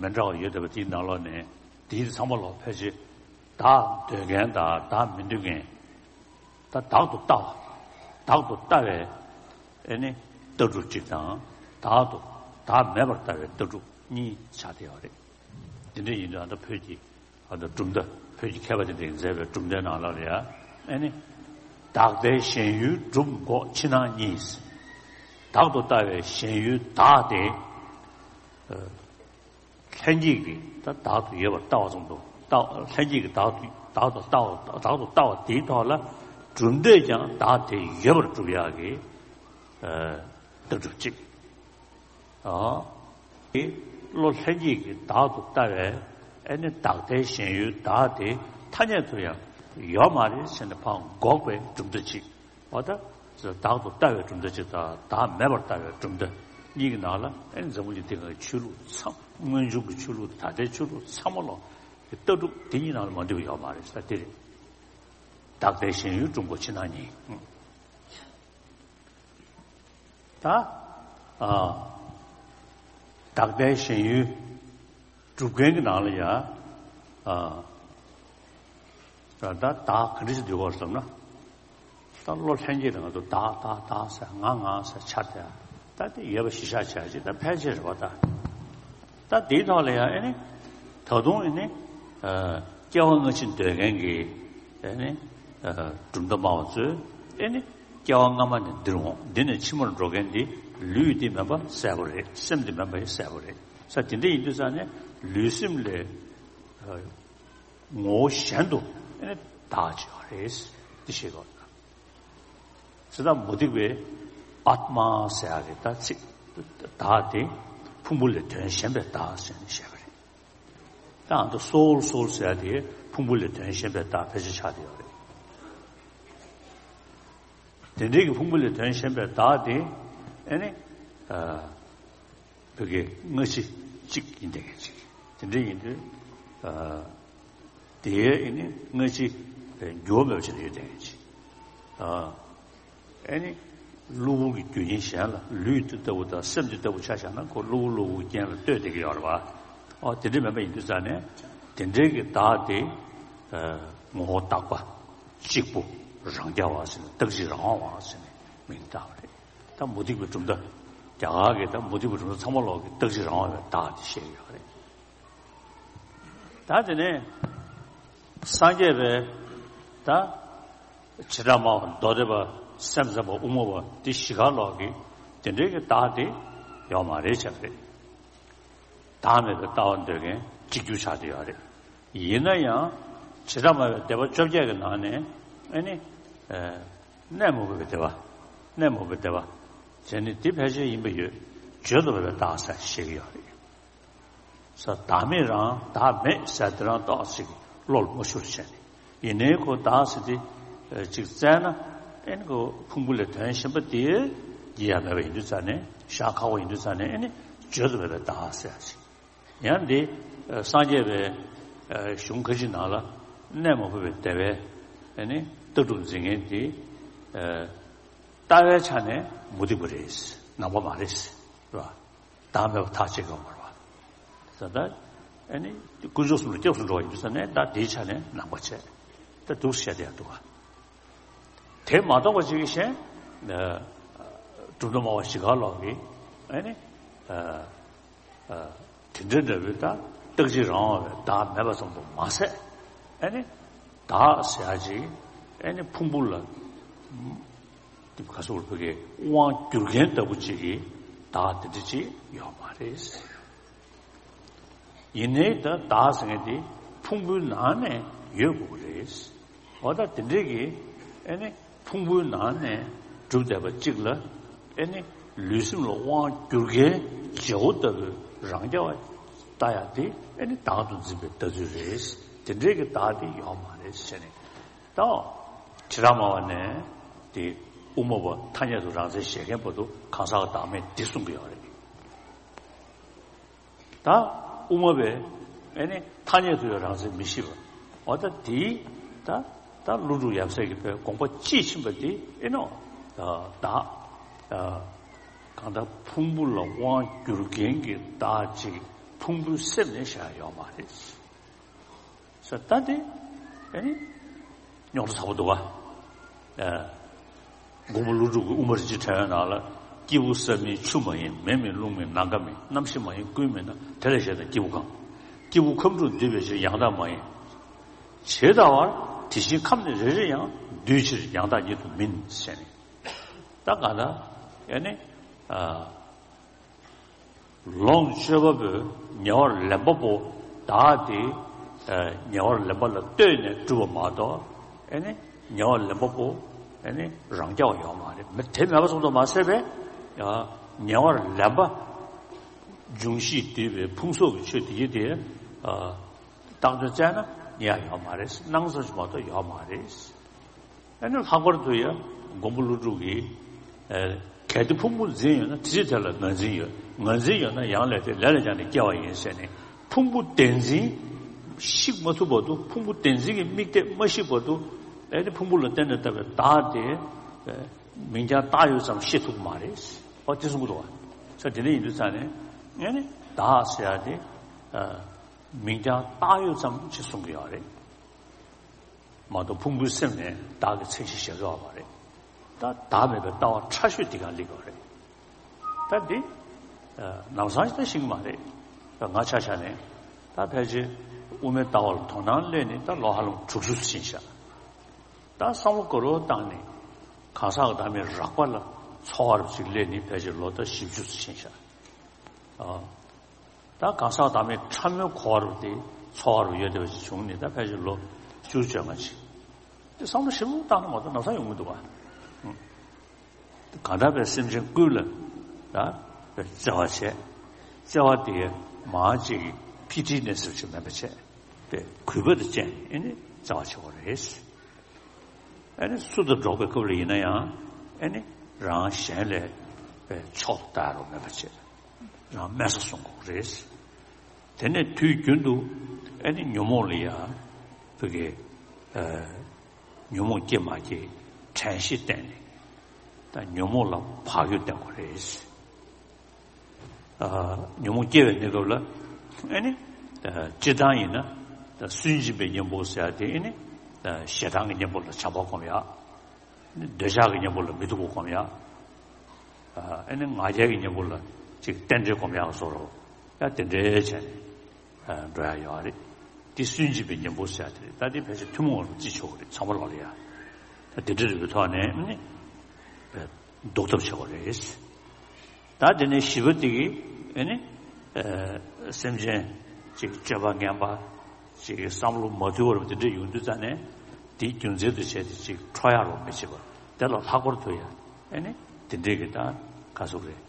མི་འདྲ་བ་ཡོད་བསྡད་པ་དེའི་ནང་ལོགས་ནས་དེའི་ཚང་མ་ལོག་ཕལ་ཆེར་བདག་འདོད་མཁན་དང་བདག་མི་འདོད་མཁན། ད་བདག་ཏུ་ལྟ་བ། བདག་ཏུ་ལྟ་བའི་ཨེ་ནི་ལྟ་གྲུབ་གཅིག་དང་། བདག་ཏུ་བདག་མེད་པར་ལྟ་བའི་ལྟ་གྲུབ་གཉིས་ཆགས་བསྡད་ཡོད་རེད། དེ་འདྲ་ཡིན་དུས་ཨ་ད་བོད་ཀྱི་ཨ་ད་གྲུབ་མཐའ། བོད་ཀྱི་མཁས་པ་དེ་འདྲས་མཛད་པའི་གྲུབ་མཐའི་ནང་ལ་ཡ་ཨེ་ནི། བདག་ལྟའི་ཞེན་ཡུལ་སྒྲུབ་འགོག་ཕྱི་ནང་གཉིས། བདག་ཏུ་ལྟ་བའི་ཞེན་ཡུལ་བདག་དེ། ལྷན་སྐྱེས་ཀྱིས་ད་བདག་ཏུ་ཡོད་པར་ལྟ་བ་ཙམ་དུ་ལྟ། ལྷན་སྐྱེས་ཀྱིས་བདག་ཏུ་བདག་ཏུ་ལྟ་བ། བདག་ཏུ་ལྟ་བ་དེའི་ཐོག་ལ་གྲུབ་མཐས་ཀྱང་བདག་དེ་ཡོད་པར་སྒྲུབ་ཡག་གི་ལྟ་གྲུབ་གཅིག། ཨ། དེ་བློ་ལྷན་སྐྱེས་ཀྱིས་བདག་ཏུ་ལྟ་བའི་ཨེ་ནི་བདག་ལྟའི་ཞེན་ཡུལ་བདག་དེ་ཐ་སྙད་དུ་ཡང་ཡོད་མ་རེད་ཟེར་ནས་ཕར་འགོག་པའི་གྲུབ་མཐའ་གཅིག། འོ་ད། བདག་ཏུ་ལྟ་བའི་གྲུབ་མཐའ་གཅིག་དང་བདག་མེད་པར་ལྟ་བའི་གྲུབ་མཐའ་གཉིས་ཀྱི་ནང་ལ་ཨེ་འཛམ་བུ་གླིང་འདི་གའི་ཆོས་ལུགས་ཚང་། སྔོན་བྱུང་གི་ཆོས་ལུགས་དང་ད་ལྟའི་ཆོས་ལུགས་ཚང་མ་ལོག་གི་ལྟ་གྲུབ་དེ་གཉིས་ནང་ལ་མ་འདུས་པ་ཡོད་མ་རེད་ཟེར་དེ་རེད། བདག་ལྟའི་ཞེན་ཡུལ་སྒྲུབ་འགོག་ཕྱི་ནང་གཉིས། ད། ཨ། བདག་ལྟའི་ཞེན་ཡུལ་སྒྲུབ་མཁན་གྱི་ནང་ལ་ཡ། ཨ། ད་ད་བདག་ག་འདྲ་ཞིག་འདུལ་དགོས་བསམ་ན། ད་བློ་ལྷན་སྐྱེས་དང་ང་ཚོ་བདག་བདག་བདག་ཟེར་ང་ང་ཟེར་འཆར་ཏེ། ད་དེ་ཡོད་པ་གཞི་བཞག་བྱས་ཅིག་ད་ཕལ་ཆེར་རེད་པ་ད། ད་དེའི་ཐོག་ལ་ཡང་ཨེ་ནི། ད་དུང་ཨེ་ནི། ཨ། སྐྱེ་བ་སྔ་ཕྱི་འདོད་མཁན་གྱི་ཨེ་ནི། ཨ། གྲུབ་མཐའ་སྨྲ་བ་ཚོས་ཨེ་ནི། སྐྱེ་བ་སྔ་མ་ནས་འདིར་འོང་། འདི་ནས་ཕྱི་མར་འགྲོ་མཁན་འདི་ལུས་འདི་མིན་པ་གསལ་པོ་རེད། སེམས་འདི་མིན་པ་ཡང་གསལ་པོ་རེད་ཟེར། དེ་འདྲ་ཡིན་དུས་ཙང་ནས་ལུས་སེམས་ལས། ཨ། ངོ་བོ་གཞན་དུ་ཨེ་ནི་བདག་ཅིག་ཡོད་རེད། འདི་ཤེས་དགོས། ཇི་ལྟར་མུ་སྟེགས་པས་ཨཱཏྨ་ཟེར་ཡག་གི་ད་ཚིག་བདག་དེ་ཕུང་པོ་ལས་དོན་གཞན་པའི་བདག་ཟེར་ནས་བཤད་པ་རེད། ད་ཨ་ད་སོའུལ་སོའུལ་ཟེར་ཡག་དེ་ཕུང་པོ་ལས་དོན་གཞན་པའི་བདག་ཕལ་ཆེར་ཆགས་བསྡད་ཡོད་རེད། དེ་འདྲའི་གི་ཕུང་པོ་ལས་དོན་གཞན་པའི་བདག་དེ་ཨེ་ནི། ཨ། བོད་སྐད་སྔ་ཕྱི་གཅིག་ཡིན་བསྡད་མཁན་ཅིག། དེ་འདྲ་ཡིན་དུས། ཨ། དེའི་ཨེ་ནི་སྔ་ཕྱི་འགྱུར་བ་མེད་པ་ཅིག་ཡོད་བསྡད་མཁན་ཅིག། ཨ། ཨེ་ནི་གློ་བུར་གྱི་རྒྱུ་རྐྱེན་གཞན་ལ་ལུས་འདི་ལྟ་བུ་དང་སེམས་འདི་ལྟ་བུ་ཆ་བཞག་ན་ཁོ་གློ་བུར་གློ་བུར་རྐྱེན་ལ་ལྟོས་བསྡད་ཀྱི་ཡོད་རེད་བ། ཨོ་དེ་འདྲ་མེད་པ་ཡིན་དུས་ཙང་ནས་དེ་འདྲའི་གི་བདག་དེ། ཨ། ངོ་བོ་དག་པ། གཅིག་པུ། རང་རྐྱ་བ་ཟེར་ནས་རྟག་གཅིག་རང་དབང་བ་ཟེར་ནས་མིང་བཏགས་པ་རེད། ད་མུ་སྟེགས་པའི་གྲུབ་མཐའ། རྒྱ་གར་གྱི་ད་མུ་སྟེགས་པའི་གྲུབ་མཐའ་ཚང་མ་ལོག་གི་རྟག་གཅིག་རང་དབང་བའི་བདག་དེ་བཤད་ཀྱི་ཡོད་རེད། ད་དེ་ནས་སངས་རྒྱས་པའི་ད་བྱེ་བྲག་སྨྲ་བ་མདོ་སྡེ་པ་སེམས་ཙམ་པ་དབུ་མ་པ་དེ་བཞི་ག་ལོག་གི་དེ་འདྲའི་གི་བདག་དེ་ཡོད་མ་རེད་བྱས་པ་རེད། བདག་མེད་པའི་ལྟ་བ་འདོད་མཁན་གཅིག་གྱུར་ཆགས་བསྡད་ཡོད་རེད། ཡིན་ན་ཡང་བྱེ་བྲག་སྨྲ་བའི་སྡེ་པ་བཅོ་བརྒྱད་ཀྱི་ནང་ནས་ཨེ་ནི། ཨ། གནས་མུག་པའི་སྡེ་པ། གནས་མུག་པའི་སྡེ་པ། དེ་ནི་དེ་ཕལ་ཆེར་ཡིན་པ་ཡོད། བརྗོད་དུ་མེད་པའི་བདག་ཟེར་བཤད་ཀྱི་ཡོད་རེད། ས་བདག་མེད་རང་བདག་མེད་ཟེར་དེ་རང་ཏོག་ཙམ་བློ་ལ་མ་ཤོར་བྱས་ནས། ཡིན་ནའི་ཁོ་བདག་ཟེར་དེ་ཅིག་བཙལ་ན་ཨེ་ནི་ཁོ་ཕུང་པོ་ལས་དོན་གཞན་པ་དེ་རྒྱུ་ཡང་མེད་པ་ཡིན་དུས་ཙང་ནས་བཞག་ཁག་པོ་ཡིན་དུས་ཙང་ནས་ཨེ་ནི་བརྗོད་དུ་མེད་པའི་བདག་ཟེར་ཡ་ཅིག། ཡང་འདི་སངས་རྒྱས་པའི་གཞུང་ཁ་ཅིག་ནང་ལ་གནས་མ་བུ་པའི་སྡེ་པའི་ཨེ་ནི་ལྟ་གྲུབ་འཛིན་མཁན་དེ་ ལྟ་བའི་ཆ་ནས་མུ་སྟེགས་པ་རེད། ནང་པ་མ་རེད། རེད་བ། བདག་མེད་པ་ཐག་བཅད་དགོས་པ་རེད་བ། ད་ལྟ་ཨ་ནི་དཀོན་མཆོག་གསུམ་ལ་སྐྱབས་སུ་འགྲོ་བ་ཡིན་དུས་ཙ་ནས་ད་དེའི་ཆ་ནས་ནང་པ་བྱས། ད་འདུག་སེ་བཤད་བསྡད་ཡ་འདུག་བ། དེ་མ་གཏོགས་པ་ཅིག་གིས་གཞན། ཨ། གྲུབ་མཐའ་སྨྲ་བ་ཞི་ཁ་ལོག་གིས་ཨ་ནི། ཨ། ཨ། དེ་འདྲ་འདྲ་བོའི་ད་རྟག་གཅིག་རང་དབང་བའི་བདག་མེད་པ་ཙམ་དུ་མ་ཟད། ཨ་ནི་བདག་ཟེར་ཡ་ཅིག་ཨ་ནི་ཕུང་པོ་ལ་དེ་ག་ཟེར་བ་གི་དབང་སྒྱུར་མཁན་ལྟ་བུ་ཅིག་གི་བདག་དེ་འདྲ་ཅིག་ཡོད་མ་རེད། ཡིན་ནའི་ད་བདག་ཟེར་མཁན་དེ་ཕུང་པོའི་ནང་ནས་ཡོད་དགོས་ཀྱི་རེད། འོ་ད་དེ་འདྲའི་གི་ཨ་ནི་ཕུང་པོའི་ནང་ནས་གྲུབ་བསྡད་པ་གཅིག་ལ་ཨ་ནི་ལུས་སེམས་ལ་དབང་བསྒྱུར་མཁན་བྱེད་པོ་ལྟ་བུའི་རང་རྐྱ་བ་ལྟ་ཡ་དེ་ཨ་ནི་བདག་ཏུ་འཛིན་པའི་ལྟ་ཚུལ་རེད། དེ་འདྲའི་གི་བདག་དེ་ཡོད་མ་རེད་ཟེར་ནས། ད་ཁྲི་རལ་མ་བ་ནས་དེ་དབུ་མ་པ་ཐ་སྙད་དུ་རང་མཚན་བཞེད་མཁན་བར་དུ་གང་ཟག་གི་བདག་མེད་འདི་གསུང་གི་ཡོད་རེད། ད་དབུ་མ་པས་ཨ་ནི་ཐ་སྙད་དུ་ཡང་རང་མཚན་མི་ཤེས་པ། འོ་ད་དེའི་ད་ད་ཀླུ་སྒྲུབ་ཡབ་སྲས་ཀྱི་པའི་དགོངས་པ་དཔྱིས་ཕྱིན་པ་དེ་ཨེ་ནོ། ད་ད་གང་ལྟར་ཕུང་པོ་ལ་དབང་བསྒྱུར་མཁན་གྱི་བདག་ཅིག་ཕུང་པོའི་སེམས་ནས་བཞག་ཡོད་མ་རེད། ས་ད་དེ་ཨེ་ནི་རྙོག་དྲ་ཚ་པོ་འདུག་བ། ཨ། མགོན་པོ་ཀླུ་སྒྲུབ་ཀྱི་དབུ་མ་རིན་ཆེན་ཕྲེང་བའི་ནང་ལ། སྐྱེས་བུ་ས་མིན་ཆུ་མ་ཡིན། མེ་མིན་རླུང་མིན་ནམ་མཁའ་མིན། རྣམ་ཤེས་མ་ཡིན་ཀུན་མིན་ན། དེ་ལས་གཞན་དག་སྐྱེས་བུ་གང་། སྐྱེས་བུ་ཁམས་དྲུག་འདུས་པའི་ཕྱིར། ཡང་དག་མ་ཡིན། ཇི་ལྟ་བར་དེ་བཞིན་ཁམས་ནི་རེ་རེ་ཡང་། འདུས་ཕྱིར་ཡང་དག་ཉིད་དུ་མིན། ཟེར་ནས། ད་ག་ད་ཨེ་ནི། ཨ། ལོངས་སྤྱོད་པ་པོའི་ཉེ་བར་ལེན་པ་པོ་བདག་དེ། ཨ། ཉེ་བར་ལེན་པ་ལ་ལྟོས་ནས་གྲུབ་པ་མ་གཏོགས། ཨེ་ནི་ཉེ་བར་ལེན་པ་པོ་ཨེ་ནི་རང་རྐྱ་བ་ཡོད་མ་རེད། མི་དེ་མེད་པ་ཙམ་དུ་མ་ཟད་པས། ཨ། ཉེ་བར་ལེན་པ་འབྱུང་བཞིས་བསྡུས་པའི་ཕུང་སོགས་ཀྱི་ཆོས་དེ་ཡི་དེ། ཨ། བཏགས་དོན་བཙལ་ན་རྙེད་ཡ་ཡོད་མ་རེད། སྣང་ཙམ་ཞིག་མ་གཏོགས་ཡོད་མ་རེད། ཨ་ནི་ལྷག་པར་དུ་ཡང་མགོན་པོ་ཀླུ་སྒྲུབ་ཀྱིས། ཨ། གལ་ཏེ་ཕུང་པོ་འཛིན་ཡོད་ན། དེ་ཕྱིར་དེ་ལ་ངར་འཛིན་ཡོད། ངར་འཛིན་ཡོད་ན་ཡང་ལས་ཏེ། ལས་ལ་སྦྱངས་ནས་སྐྱེ་བ་ཡིན། ཟེར་ནས། ཕུང་པོ་བདེན་འཛིན་བཤིག་མ་ཐུབ་བར་དུ། ཕུང་པོ་བདེན་འཛིན་གྱི་དམིགས་གཏད་མ་བཤིག་བར་དུ། ཨ་ནི་ཕུང་པོ་ལ་བརྟེན་ནས་བཏགས་པའི་བདག་དེ། ཨ། མིང་རྐྱང་བཏགས་ཡོད་ཙམ་ཤེས་ཐུབ་ཀྱི་མ་རེད། འོ་དེ་གསུང་གི་འདུག་བ། ས་དེ་འདྲ་ཡིན་དུས་ཙང་ནས་ཨ་ནི་བདག་ཟེར་ཡ་དེ། ཨ། མིང་རྐྱང་བཏགས་ཡོད་ཙམ་ཞིག་གསུང་གི་ཡོད་རེད། མ་གཏོགས་ཕུང་པོའི་སེམས་ནས་བདག་གི་མཚན་གཞི་བཞག་ཡོད་མ་རེད། ད་བདག་མེད་པའི་ལྟ་བ་ཕྲ་ཤོས་འདི་ག་སླེབས་ཡོད་རེད། ད་འདི། ཨ། ལམ་སང་ཞིག་ད་ཤེས་ཀྱི་མ་རེད། ད་ང་ཆ་བཞག་ནས་ད་ཕལ་ཆེར་དབུ་མའི་ལྟ་བ་ལ་དོ་སྣང་སླེབས་ནས་ད་ལོ་ཧ་ལམ་དྲུག་ཅུ་ཙམ་ཕྱིན་ཤག། ད་བསམ་བློ་ག་རེ་བཏང་ནས་གང་ཟག་གི་བདག་མེད་རགས་པ་ལ་འཚོ་བ་རུ་ཅིག་སླེབས་ནས་ཕལ་ཆེར་ལོ་ད་བཞི་བཅུ་ཙམ་ཕྱིན་ཤག། ཨ། ད་གང་ཟག་བདག་མེད་ཕྲ་མོའི་འཁོར་བ་དེ་འཚོ་བ་རུ་ཡོད་བསྡད་པ་ཞིག་བྱུང་ནས་ད་ཕལ་ཆེར་ལོ་བཅུ་བཅོ་ལྔ་ཅིག། དེ་བསམ་བློ་ཞིབ་མོ་བཏང་ན་མ་གཏོགས་ལམ་སང་ཡོང་གི་འདུག་བ། གང་ལྟར་པའི་སེམས་ཅན་ཀུན་ལ་ད་བརྩེ་བ་བྱས། བརྩེ་བ་དེ་མ་ཅིག་ཕི་ཊི་ནས་ཟེར་ཅིག་མེད་པ་བྱས། པའི་གུས་པ་དང་བཅས་ནས་ཨེ་ནི་བརྩེ་བ་བྱེད་དགོས་རེད། ཨེ་ནི་སུ་དང་འགྲོགས་པའི་སྐབས་ལ་ཡིན་ན་ཡང་ཨེ་ནི་རང་གཞན་ལས་པའི་ཕྱོགས་ལྟ་རོགས་མེད་པ་བྱས། རང་དམན་ས་སྲུང་དགོས་རེད། དེ་ནས་དུས་རྒྱུན་དུ་ཨེ་ནི་ཉོན་མོངས་ལ་ཡ་བུ་གའི་ཨ་ཉོན་མོངས་སྐྱེ་མ་སྐྱེ་དྲན་ཤེས་བསྟེན་ནས། ད་ཉོན་མོངས་ལ་བག་ཡོད་བསྟེན་དགོས་རེད། ཨ་ཉོན་མོངས་སྐྱེ་བའི་གནས་སྐབས་ལ་ཨེ་ནི་ཨ་སྤྱིར་བཏང་ཡིན་ན་ད་སུན་འབྱིན་པའི་གཉེན་པོ་ཟེར་ཡ་དེ་ཨེ་ནི་ཨ་ཞེ་སྡང་གི་གཉེན་པོ་ལ་བྱམས་པ་སྒོམ་ཡ། འདོད་ཆགས་ཀྱི་གཉེན་པོ་ལ་མི་སྡུག་པ་སྒོམ་ཡ། ཨ་ནི་ང་རྒྱལ་གྱི་གཉེན་པོ་ལ་ཅིག་རྟེན་འབྲེལ་སྒོམ་ཡག་བཟོ་རོགས། ཡ་དེ་འདྲའི་བྱས་ནས་འགྲོ་ཡ་ཡོད་རེད། དེ་སུན་འབྱིན་པའི་གཉེན་པོ་ཟེར་ཡ་དེ་རེད། ད་དེ་ཕལ་ཆེར་ཐུན་མོང་བར་བརྩི་ཆོག་གི་རེད། ཚང་མ་ལོག་ལ་ཡ། ད་དེ་འདྲ་རེད་པའི་ཐོག་ནས་ནི་ཟློག་ཐབས་བྱེད་དགོས་རེད། ད་དེ་ནས་བཞི་པ་དེ་གིས་ཨེ་ནི་ཨ་སེམས་ཅན་ཅིག་སྤྱོད་པ་ངན་པ་ཅིག་བསམ་བློ་མ་དུལ་བར་དེ་འདྲ་ཡོང་དུས་ཙ་ནས་དེའི་རྒྱུ་མཚན་དུ་བྱས་ཏེ་ཅིག་ཁྲོ་ཡག་རོགས་མི་བྱེད་པ། དེ་ལ་ལྷག་པར་དུ་ཡང་ཨེ་ནི་དེ་འདྲའི་གི་ད་ག་ཟུག་རེད།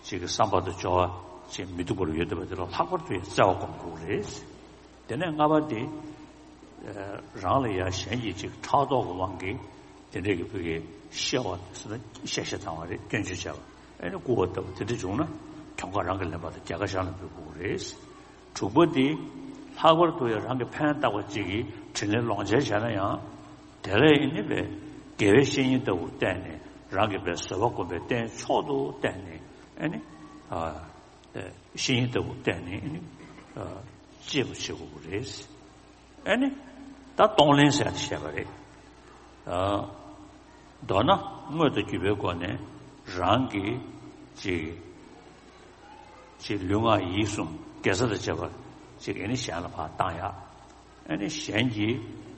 ཅིག་གི་བསམ་པ་དང་སྦྱོར་བ་ཅིག་མི་སྡུག་པར་ཡོད་བསྡད་པ་དེ་ལ་ལྷག་པར་དུ་ཡང་བརྩེ་བ་སྒོམ་དགོས་རེད། དེ་ནས་ལྔ་པ་དེ། རང་ལ་ཡང་གཞན་གྱིས་ཅིག་ཕྲག་དོག་གི་དབང་གིས་དེ་འདྲའི་གི་བུ་གའི་གཤེ་བ་ཟེར་ན་གཤེ་གཤེ་བཏང་བ་རེད། སྐྱོན་བརྗོད་བྱས་པ་ཨེ་ནི་རྐུ་བ་ལྟ་བུ་དེ་འདྲ་བྱུང་ན་གྱོང་ཁ་རང་གིས་ལེན་པ་དང་རྒྱལ་ཁ་གཞན་ལ་འབུལ་དགོས་རེད། དྲུག་པ་དེ་ལྷག་པར་དུ་ཡང་རང་གི་ཕན་བཏགས་པ་ཅིག་གིས་དྲིན་ལན་ལོག་འཇལ་བྱས་ན་ཡང་དེ་ལས་ཨེ་ནི་བས་དགེ་བའི་བཤེས་གཉེན་ལྟ་བུ་བསྟེན་ནས་ རང་གི་བའི་བཟོད་པ་སྒོམ་པའི་རྟེན་མཆོག་ཏུ་བསྟན་ནས་ཨ་ནི་ཨ་བཤེས་གཉེན་ལྟ་བུ་བསྟན་ནས་ཨ་ནི་ཨ་གཅེས་པར་བྱེད་དགོས་པ་རེད། ཨ་ནི་ད་གཏོང་ལེན་ཟེར་ཡ་དེ་བཤད་པ་རེད། ཨ་མདོར་ན་དངོས་དང་བརྒྱུད་པའི་སྒོ་ནས་རང་གི་ཅིག་ཅིག་ལུས་ངག་ཡིད་གསུམ་དགེ་རྩ་དང་བཅས་པ་ཅིག་ཨ་ནི་གཞན་ལ་ཕར་བཏང་ཡ། ཨ་ནི་གཞན་གྱི་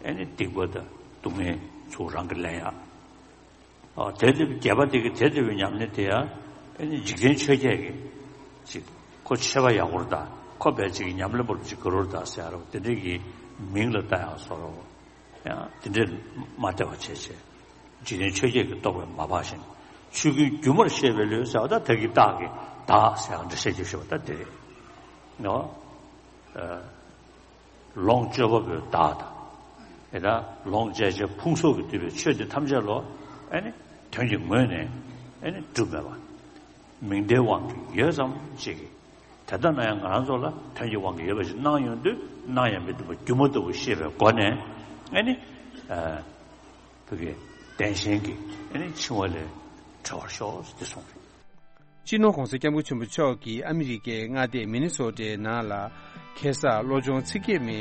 ཨ་ནི་སྡིག་པ་དང་སྡུག་བསྔལ་ཚུར་རང་གིས་ལེན་ཡ། ཨོ་དེ་དེ་རྒྱལ་པོ་དེ་གི་དེ་ལྟ་བུའི་ཉམས་ལེན་དེ་ཡང་ཨ་ནི་འཇིག་རྟེན་ཆོས་བརྒྱད་ཀྱི་ཅིག་ཁོ་ཆོས་པ་ཡག་པོ་རེད་ད། ཁོ་བས་ཅིག་ཉམས་ལེན་པོ་ཅིག་དགའ་རབ་རེད་ད་ཟེར་ཡ་རོ། དེ་འདྲའི་གི་མིང་ལ་བཏགས་ཡག་བཟོ་འདྲ་བོ། ཡང་དེ་འདྲའི་མ་བདེ་བ་བྱས་བྱས། འཇིག་རྟེན་ཆོས་བརྒྱད་ཀྱི་རྟོག་པས་མ་བག་བཞིན། ཆོས་ཀུན་སྒྱུ་མར་ཤེས་པའི་ལུས་ཟེར་བ་ད་ད་གི་བདག་གི་བདག་ཟེར་ཡག་འདྲ་བཤད་རྒྱུ་ཞེས་པ་ད་དེ་རེད། ནོ། ཨ། ལོངས་སྤྱོད་པ་པོའི་བདག་དང་། དེ་ལྟར་ལོངས་སྤྱད་བྱའི་ཕུང་སོགས་ཀྱིས་བསྡུས་པའི་ཆོས་འདི་ཐམས་ཅད་ལོ། ཨ་ནི་དོན་གྱི་ངོས་ནས་ཨ་ནི་གྲུབ་མེད་པ། མིང་བརྡའི་དབང་གིས་ཡོད་ཙམ་ཅིག་གིས། དེ་ལྟ་ན་ཡང་ང་རང་ཚོ་ལ་དོན་གྱི་དབང་གིས་ཡོད་པ་ཞིག་སྣང་ཡོང་དུས་སྣང་ཡང་མི་བཏུབ་པ་སྒྱུ་མ་ལྟ་བུ་ཤེས་པའི་སྒོ་ནས་ཨ་ནི། ཨ། བོད་ཀྱི་བདེན་ཞེན་གྱི་ཨ་ནི་འཆིང་བ་ལས་གྲོལ་བར་ཤོག་ཟེར་གསུངས་རེད། སྤྱི་ནོར་༸གོང་ས་༸སྐྱབས་མགོན་ཆེན་པོ་མཆོག་གིས་ཨ་མི་རི་ཀའི་མངའ་སྡེ་མི་ནི་སོ་ཊའི་ནང་ལ་ཁེ་བཟང་བློ་སྦྱོང་ཚིག་བརྒྱད་མའི་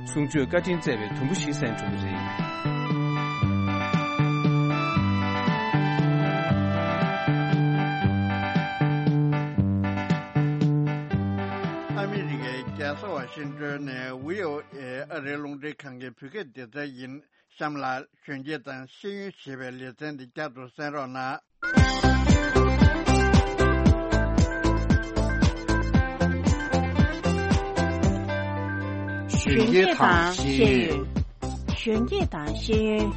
གསུང་ཆོས་བཀའ་དྲིན་སྩལ་བའི་དུམ་བུ་ཞིག་གསན་གྲུབ་པ་རེད། ཨ་མི་རི་ཀའི་རྒྱལ་ས་ཝ་ཤིང་ཏོན་ནས་བྷི་ཨོ་ཨེ་ཨ་རིའི་རླུང་འཕྲིན་ཁང་གི་བོད་སྐད་སྡེ་ཚན་ཡིན། གཤམ་ལ་གཞོན་སྐྱེས་དང་ཤེས་ཡོན་ཞེས་པའི་ལེ་ཚན་འདི་བསྐྱར་དུ་གསན་རོགས་གནང་། གཞོན་སྐྱེས་དང་ཤེས་ཡོན། གཞོན་སྐྱེས་དང་ཤེས་ཡོན།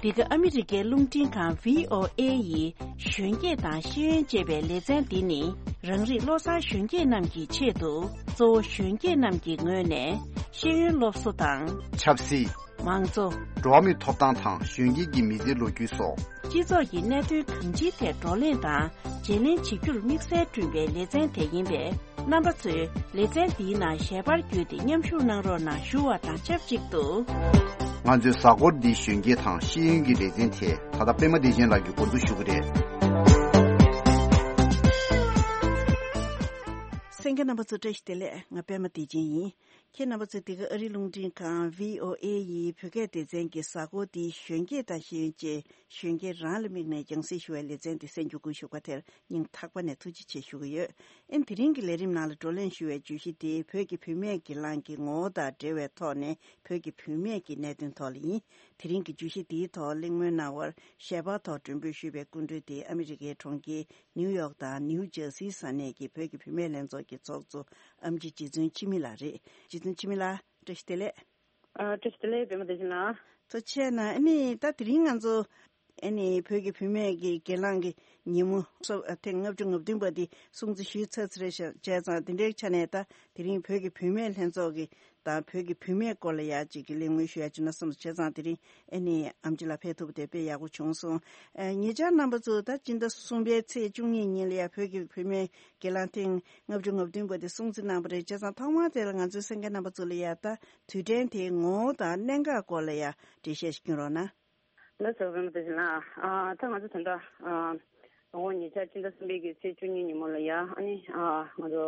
འདི་ག་ཨ་མི་རི་ཀའི་རླུང་འཕྲིན་ཁང་བྷི་ཨོ་ཨེ་ཡི་གཞོན་སྐྱེས་དང་ཤེས་ཡོན་ཅེས་པའི་ལེ་ཚན་འདི་ནི། རང་རིགས་བློ་བཟང་གཞོན་སྐྱེས་རྣམས་ཀྱི་ཆེད་དུ། གཙོ་བོ་གཞོན་སྐྱེས་རྣམས་ཀྱི་ངོས་ནས་ཤེས་ཡོན་སློབ་གསོ་དང་། ཆབ་སྲིད། མང་གཙོ། འགྲོ་བ་མིའི་ཐོབ་ཐང་དང་གཞོན་སྐྱེས་ཀྱི་མི་ཚེའི་ལོ་རྒྱུས་སོགས། སྤྱི་ཚོགས་ཀྱི་གནད་དོན་གང་ཅིའི་ཐད་བགྲོ་གླེང་དང་བརྗེ་ལེན་བྱེད་རྒྱུར་དམིགས་བསལ་བསྐྲུན་པའི་ལེ་ཚན་དེ་ཡིན་པས། རྣམ་པ་ཚོས་ལེ་ཚན་འདིའི་ནང་ཞལ་པར་བརྒྱུད་དེ་མཉམ་ཞུགས་གནང་རོགས་གནང་ཞུ་བ་དང་ཆབས་ཅིག་ཏུ། ང་ཚོའི་གཟའ་འཁོར་འདིའི་གཞོན་སྐྱེས་དང་ཤེས་ཡོན་གྱི་ལེ་ཚན་དེ་ད་ལྟ་པད་མ་བདེ་ཆེན་ལགས་ཀྱིས་འགོ་འཛུགས་ཞུ་གི་རེད། གསན་མཁན་རྣམ་པ་ཚོ་བཀྲ་ཤིས་བདེ་ལེགས། ང་པད་མ་བདེ་ཆེན་ཡིན། ཁྱེད་རྣམ་པ་ཚོས་འདི་ག་ཨ་རིའི་རླུང་འཕྲིན་ཁང་བྷི་ཨོ་ཨེ་ཡི་བོད་སྐད་སྡེ་ཚན་གྱི་གཟའ་འཁོར་འདིའི་གཞོན་སྐྱེས་དང་ཤེས་ཡོན་ཅེས་གཞོན་སྐྱེས་རང་ལ་དམིགས་ནས་རྒྱང་སྲིང་ཞུ་བའི་ལེ་ཚན་འདི་གསན་རྒྱུ་དགོས་ཞུ་བ་དེར་སྙིང་ཐག་པ་ནས་ཐུགས་རྗེ་ཆེ་ཞུ་གི་ཡོད། ཨིན། དེ་རིང་གི་ལས་རིམ་ནང་ལ་བགྲོ་གླེང་ཞུ་བའི་བརྗོད་གཞི་དེ་བོད་ཀྱི་བུད་མེད་ཀྱི་གླིང་གི་ངོ་བོ་དང་འབྲེལ་བའི་ཐོག་ནས་བོད་ཀྱི་བུད་མེད་ཀྱི་གནད་དོན་ཐོག་ལ་ཡིན། དེ་རིང་གི་བརྗོད་གཞི་འདིའི་ཐོག་གླེང་མོལ་གནང་བར་ཞལ་པར་ཐོག་མགྲོན་འབོད་ཞུས་པའི་སྐུ་མགྲོན་དེ་ཨ་མི་རི་ཀའི་གྲོང་ཁྱེར་ནིའུ་ཡོག་དང་ནིའུ་ཇར་སིའི་ས་གནས་ཀྱི་བོད་ཀྱི་བུད་མེད་ལྷན་ཚོགས་ཀྱི་ཚོགས་གཙོ་ཨེམ་ཆི་རྗེ་བཙུན་འཆི་མེད་ལགས་རེད། རྗེ་བཙུན་འཆི་མེད་ལགས། བཀྲ་ཤིས་བདེ་ལེགས། ཨ། བཀྲ་ཤིས་བདེ་ལེགས། པད་མ་བདེ་ཆེན་ལགས། ཐུགས་རྗེ་ཆེ་གནང་། ཨ་ནི་ད་དེ་རིང་ང་ཚོ་ཨ་ནི་བོད་ཀྱི་བུད་མེད་ཀྱི་སྒེར་ལངས་ཀྱི་ཉིན་མོ་སོ་ཐེངས་ལྔ་བཅུ་ང་བདུན་པ་འདི་སྲུང་བརྩི་ཞུས་ཚར་ཚར་རེད་ཤག་བྱས་ཙང་དེ་འདྲའི་ཆ་ནས་ད་དེ་རིང་བོད་ཀྱི་བུད་མེད་ལྷན་ཚོགས་ཀྱི་དང་བོད་ཀྱི་བུད་མེད་སྐོར་ལ་ཡག་ཅིག་གི་གླེང་མོལ་ཞུ་ཡག་བྱུང་ན་བསམ་སོང་། བྱས་ཙང་དེ་རིང་ཨ་ནི་ཨེམ་ཆི་ལགས་ཕེབས་ཐུབ་པ་དེ་དཔེ་ཡག་པོ་བྱུང་སོང་། ཨ། ཉེ་ཆར་རྣམ་པ་ཚོ་ད་སྤྱི་ཟླ་གསུམ་པའི་ཚེས་བཅུ་གཉིས་ཉིན་ལ་ཡ་བོད་ཀྱི་བུད་མེད་སྒེར་ལངས་ཐེངས་ལྔ་བཅུ་ང་བདུན་པ་དེ་སྲུང་བརྩི་གནང་བ་རེད། བྱས་ཙང་ཐོག་མར་དེ་ལ་ང་ཚོའི་གསན་མཁན་རྣམ་པ་ཚོ་ལ་ཡ་ད་དུས་དྲན་དེའི་ངོ་བོ་དང་གནད་འགག་སྐོར་ལ་ཡ་འགྲེལ་བཤད་ཞིག་སྐྱོན་རོགས་གནང་། ལགས་སོ། པད་མ་བདེ་ཆེན་ལགས། ཨ། ད་ང་ཚོ་ད་ལྟ། ཨ། དང་པོ་ཉེ་ཆར་སྤྱི་ཟླ་གསུམ་པའི་གི་ཚེས་བཅུ་གཉིས་ཉིན་མོ་ལ་ཡ་ཨ་ནི། ཨ། ང་ཚོ་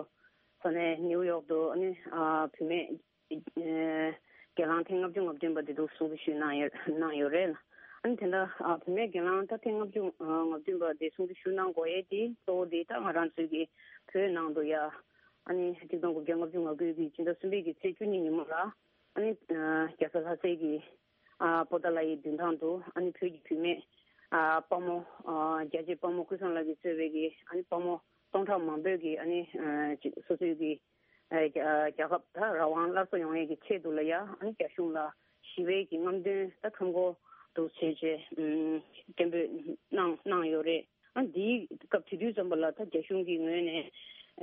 ས་གནས་ནིའུ་ཡོག་ཏུ་ཨ་ནི། ཨ། བུད་མེད། ཨེ། སྒེར་ལངས་ཐེངས་ལྔ་བཅུ་ང་བདུན་པ་དེ་འདུག་སྲུང་བརྩི་ཞུས་གནང་ཡོད་གནང་ཡོད་རེད། ཨ་ནི་དེ་འདྲ། ཨ། བུད་མེད་སྒེར་ལངས་ད་ཐེངས་ལྔ་བཅུ་ང་བདུན་པ་དེ་སྲུང་བརྩི་ཞུ་གནང་དགོས་ཡས་དེ་གཙོ་བོ་དེ་ད་ང་རང་ཚོའི་གི་བོད་ནང་དུ་ཡ་ཨ་ནི་ཆིག་སྟོང་དགུ་བརྒྱ་ལྔ་བཅུ་ང་དགུ་གི་སྤྱི་ཟླ་གསུམ་པའི་གི་ཚེས་བཅུ་གཉིས་ཉིན་མོ་ལ་ཨ་ནི། ཨ། རྒྱལ་ས་ལྷ་སའི་གི། ཨ། པོ་ཏཱ་ལ་ཡི་མདུན་ཐང་དུ་ཨ་ནི་བོད་ཀྱི་བུད་མེད། ཨ། དཔའ་མོ། ཨ། རྒྱལ་གཅེས་དཔའ་མོ་ཀུན་བཟང་ལགས་ཀྱིས་གཙོས་པའི་གི་ཨ་ནི་དཔའ་མོ་སྟོང་ཕྲག་མང་པོས་ཀྱིས་ཨ་ནི། ཨ། ཅིག་སོ་སོའི་གི། ཨ། རྒྱ་རྒྱལ་ཁབ་ད་རང་དབང་སླར་གསོ་ཡོང་ཡས་ཀྱི་ཆེད་དུ་ལ་ཡ་ཨ་ནི་རྒྱ་གཞུང་ལ་ཞི་བའི་གི་རྔམ་སྟོན་ད་ཁྲོམ་སྐོར་དུ་བྱས་བྱས། ཨ། སྐད་འབོད་གནང་གནང་ཡོད་རེད། ཨ། འདིའི་སྐབས་དེ་དུས་ཙམ་པ་ལ་ད་རྒྱ་གཞུང་གི་ངོས་ནས།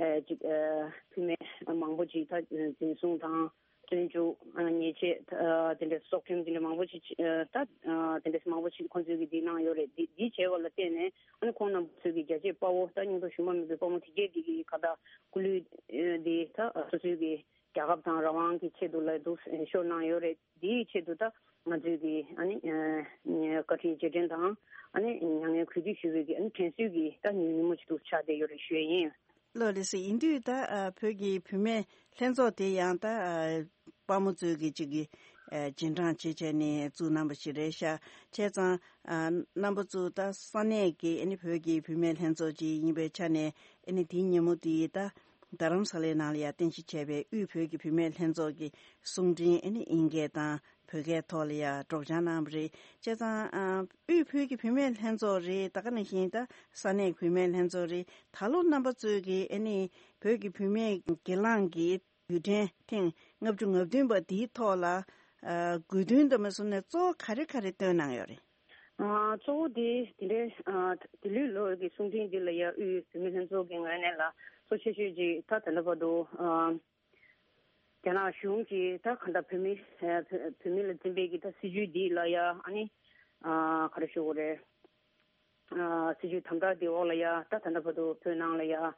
ཨ། ཅིག་ཨ། བུད་མེད་མང་པོ་ཅིག་ད་འཛིན་བཟུང་དང་བཙོན་འཇུག་ཨ། ཉེས་ཆད། ཨ། དེ་འདྲའི་སྲོག་ཁྲིམས་དེ་འདྲ་མང་པོ་ཅིག་ཨ། ད་ཨ། དེ་འདྲ་མང་པོ་ཅིག་ཁོང་ཚོས་ཀྱིས་འདི་གནང་ཡོད་རེད། འདི་འདི་བྱས་པ་ལ་བརྟེན་ནས་ཨ་ནི་ཁོང་རྣམ་པ་ཚོས་ཀྱིས་རྒྱལ་གཅེས་དཔའ་བོ་ད་སྙིང་སྟོབས་ཞུམ་པ་མེད་པའི་དཔའ་མོ་དེ་གས་དེ་གི་ཁ་ད་སྐུ་ལུས་ཨ། འདི་ད་སོ་སོའི་གི་རྒྱལ་ཁབ་དང་རང་དབང་གི་ཆེད་དུ་ལ་འདུག་ཤོར་གནང་ཡོད་རེད། འདིའི་ཆེད་དུ་ད་ང་ཚོས་ཀྱིས་ཨ་ནི། ཨ། བཀའ་དྲིན་རྗེས་དྲན་དང་། ཨ་ནི་མྱ་ངན་གུས་འདུད་ཞུ་བའི་གི་ཨ་ནི་དྲན་གསོའི་གི་ད་ཉིན་ཉིན་མོ་ཞིག་ཏུ་ཆགས་བསྡད་ཡོད་རེད་ཞུ་ཡས་ཡིན། ལགས་ལགས་སེ། ཡིན་དུས་ད་ཨ་བོད་ཀྱི་བུད་མེད་ལྷན་ཚོགས་དེ་ཡང་ད་ཨ་དཔའ་མོ་ཚོས་ཀྱི་ཅིག་གི་ཨ་རྗེས་འབྲང་བྱེད་བྱས་ནས་བཙུགས་གནང་པ་ཞིག་རེད་ཤག་བྱས་ཙང་ཨ་རྣམ་པ་ཚོ་ད་ས་གནས་ཀྱི་ཨ་ནི་བོད་ཀྱི་བུད་མེད་ལྷན་ཚོགས་ཅིག་ཡིན་པའི་ཆ་ནས་ཨ་ནི་དེའི་ཉིན་མོ་དེ་ད་རྡ་རམ་ས་ལའི་ནང་ལ་ཡང་རྟེན་གཞི་བྱས་པའི་དབུས་བོད་ཀྱི་བུད་མེད་ལྷན་ཚོགས་ཀྱི་གསུང་འཕྲིན་ཨ་ནི་ཨིན་སྐད་དང་བོད་སྐད་ཐོག་ལ་ཡང་སྒྲོག་སྦྱང་གནང་བ་རེད། བྱས་ཙང་ཨ་དབུས་བོད་ཀྱི་བུད་མེད་ལྷན་ཚོགས་རེད། ད་ག་ནང་བཞིན་ད་ས་གནས་བུད་མེད་ལྷན་ཚོགས་རེད། ད་ལོ་རྣམ་པ་ཚོས་ཀྱི་ཨ་ནི་བོད་ཀྱི་བུད་མེད་སྒེར་ལངས་ཀྱི་དུས་དྲན་ཐེངས་ལྔ་བཅུ་ང་བདུན་པ་འདིའི་ཐོག་ལ་ཨ་དགོས་འདུན་དང་མ་སོང་ནས་གཙོ་བོ་ག་རེ་ག་རེ་བཏོན་གནང་ཡོད་རེད། ཨ་གཙོ་བོ་དེ་དེ་འདྲའི་ཨ་དེ་ལོའི་ལོ་གི་གསུང་འཕྲིན་འདི་ལ་ཡ་དབུས་བུད་མེད་ལྷན་ཚོགས་ཀྱི་ངོས་ནས་ལ་གཙོ་ཆེ་ཤོས་ཀྱི་ད་ད་ལྟ་བར་དུ་ཨ་རྒྱ་ནག་གཞུང་གིས་ད་གང་ལྟར་བོད་མི་ཨ་བོད་བོད་མི་ལ་འཛིན་པའི་གི་ད་སྲིད་བྱུས་འདི་ལ་ཡ་ཨ་ནི་ཨ་ག་རེ་ཞུ་དགོས་རེད། ཨ་སྲིད་བྱུས་དམ་དྲག་འདི་འོག་ལ་ཡ་ད་ད་ལྟ་བར་དུ་བོད་ནང་ལ་ཡ་ཨ་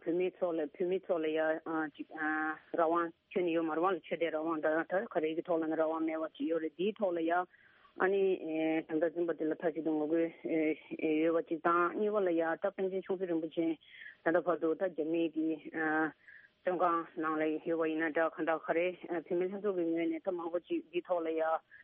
བོད་མི་ཚོ་ལ་བོད་མི་ཚོ་ལ་ཡ་ཨ་ཅིག་ཨ་རང་དབང་ཁྱོན་ནས་ཡོད་མ་རེད་བ། ལ་ཆོས་དད་རང་དབང་དང་ད་ག་རེ་གི་ཐོག་ལ་ནི་རང་དབང་མེད་པ་ཅིག་ཡོད་རེད། འདིའི་ཐོག་ལ་ཡ་ཨ་ནི་ཨེ་དམ་དྲག་འཛིན་པ་འདི་ལ་མཐའ་གཅིག་ཏུ་ངོ་རྒོལ་ཨེ་ཡོད་པ་ཅིག་དང་། གཉིས་པ་ལ་ཡ་ད་པཎ་ཆེན་ཆུང་སྲིད་རིན་པོ་ཆེ་ད་ལྟ་བར་དུ་ད་རྒྱ་མིའི་གི་ཨ་བཙོན་ཁང་ནང་ལ་ཡོད་པ་ཡིན་ན་འདྲ། གང་ལྟར་ག་རེ་ཨ་བུད་མེད་ལྷན་ཚོགས་ཀྱི་ངོས་ནས་ད་མང་པོ་ཅིག་འདིའི་ཐོག་ལ་ཡ་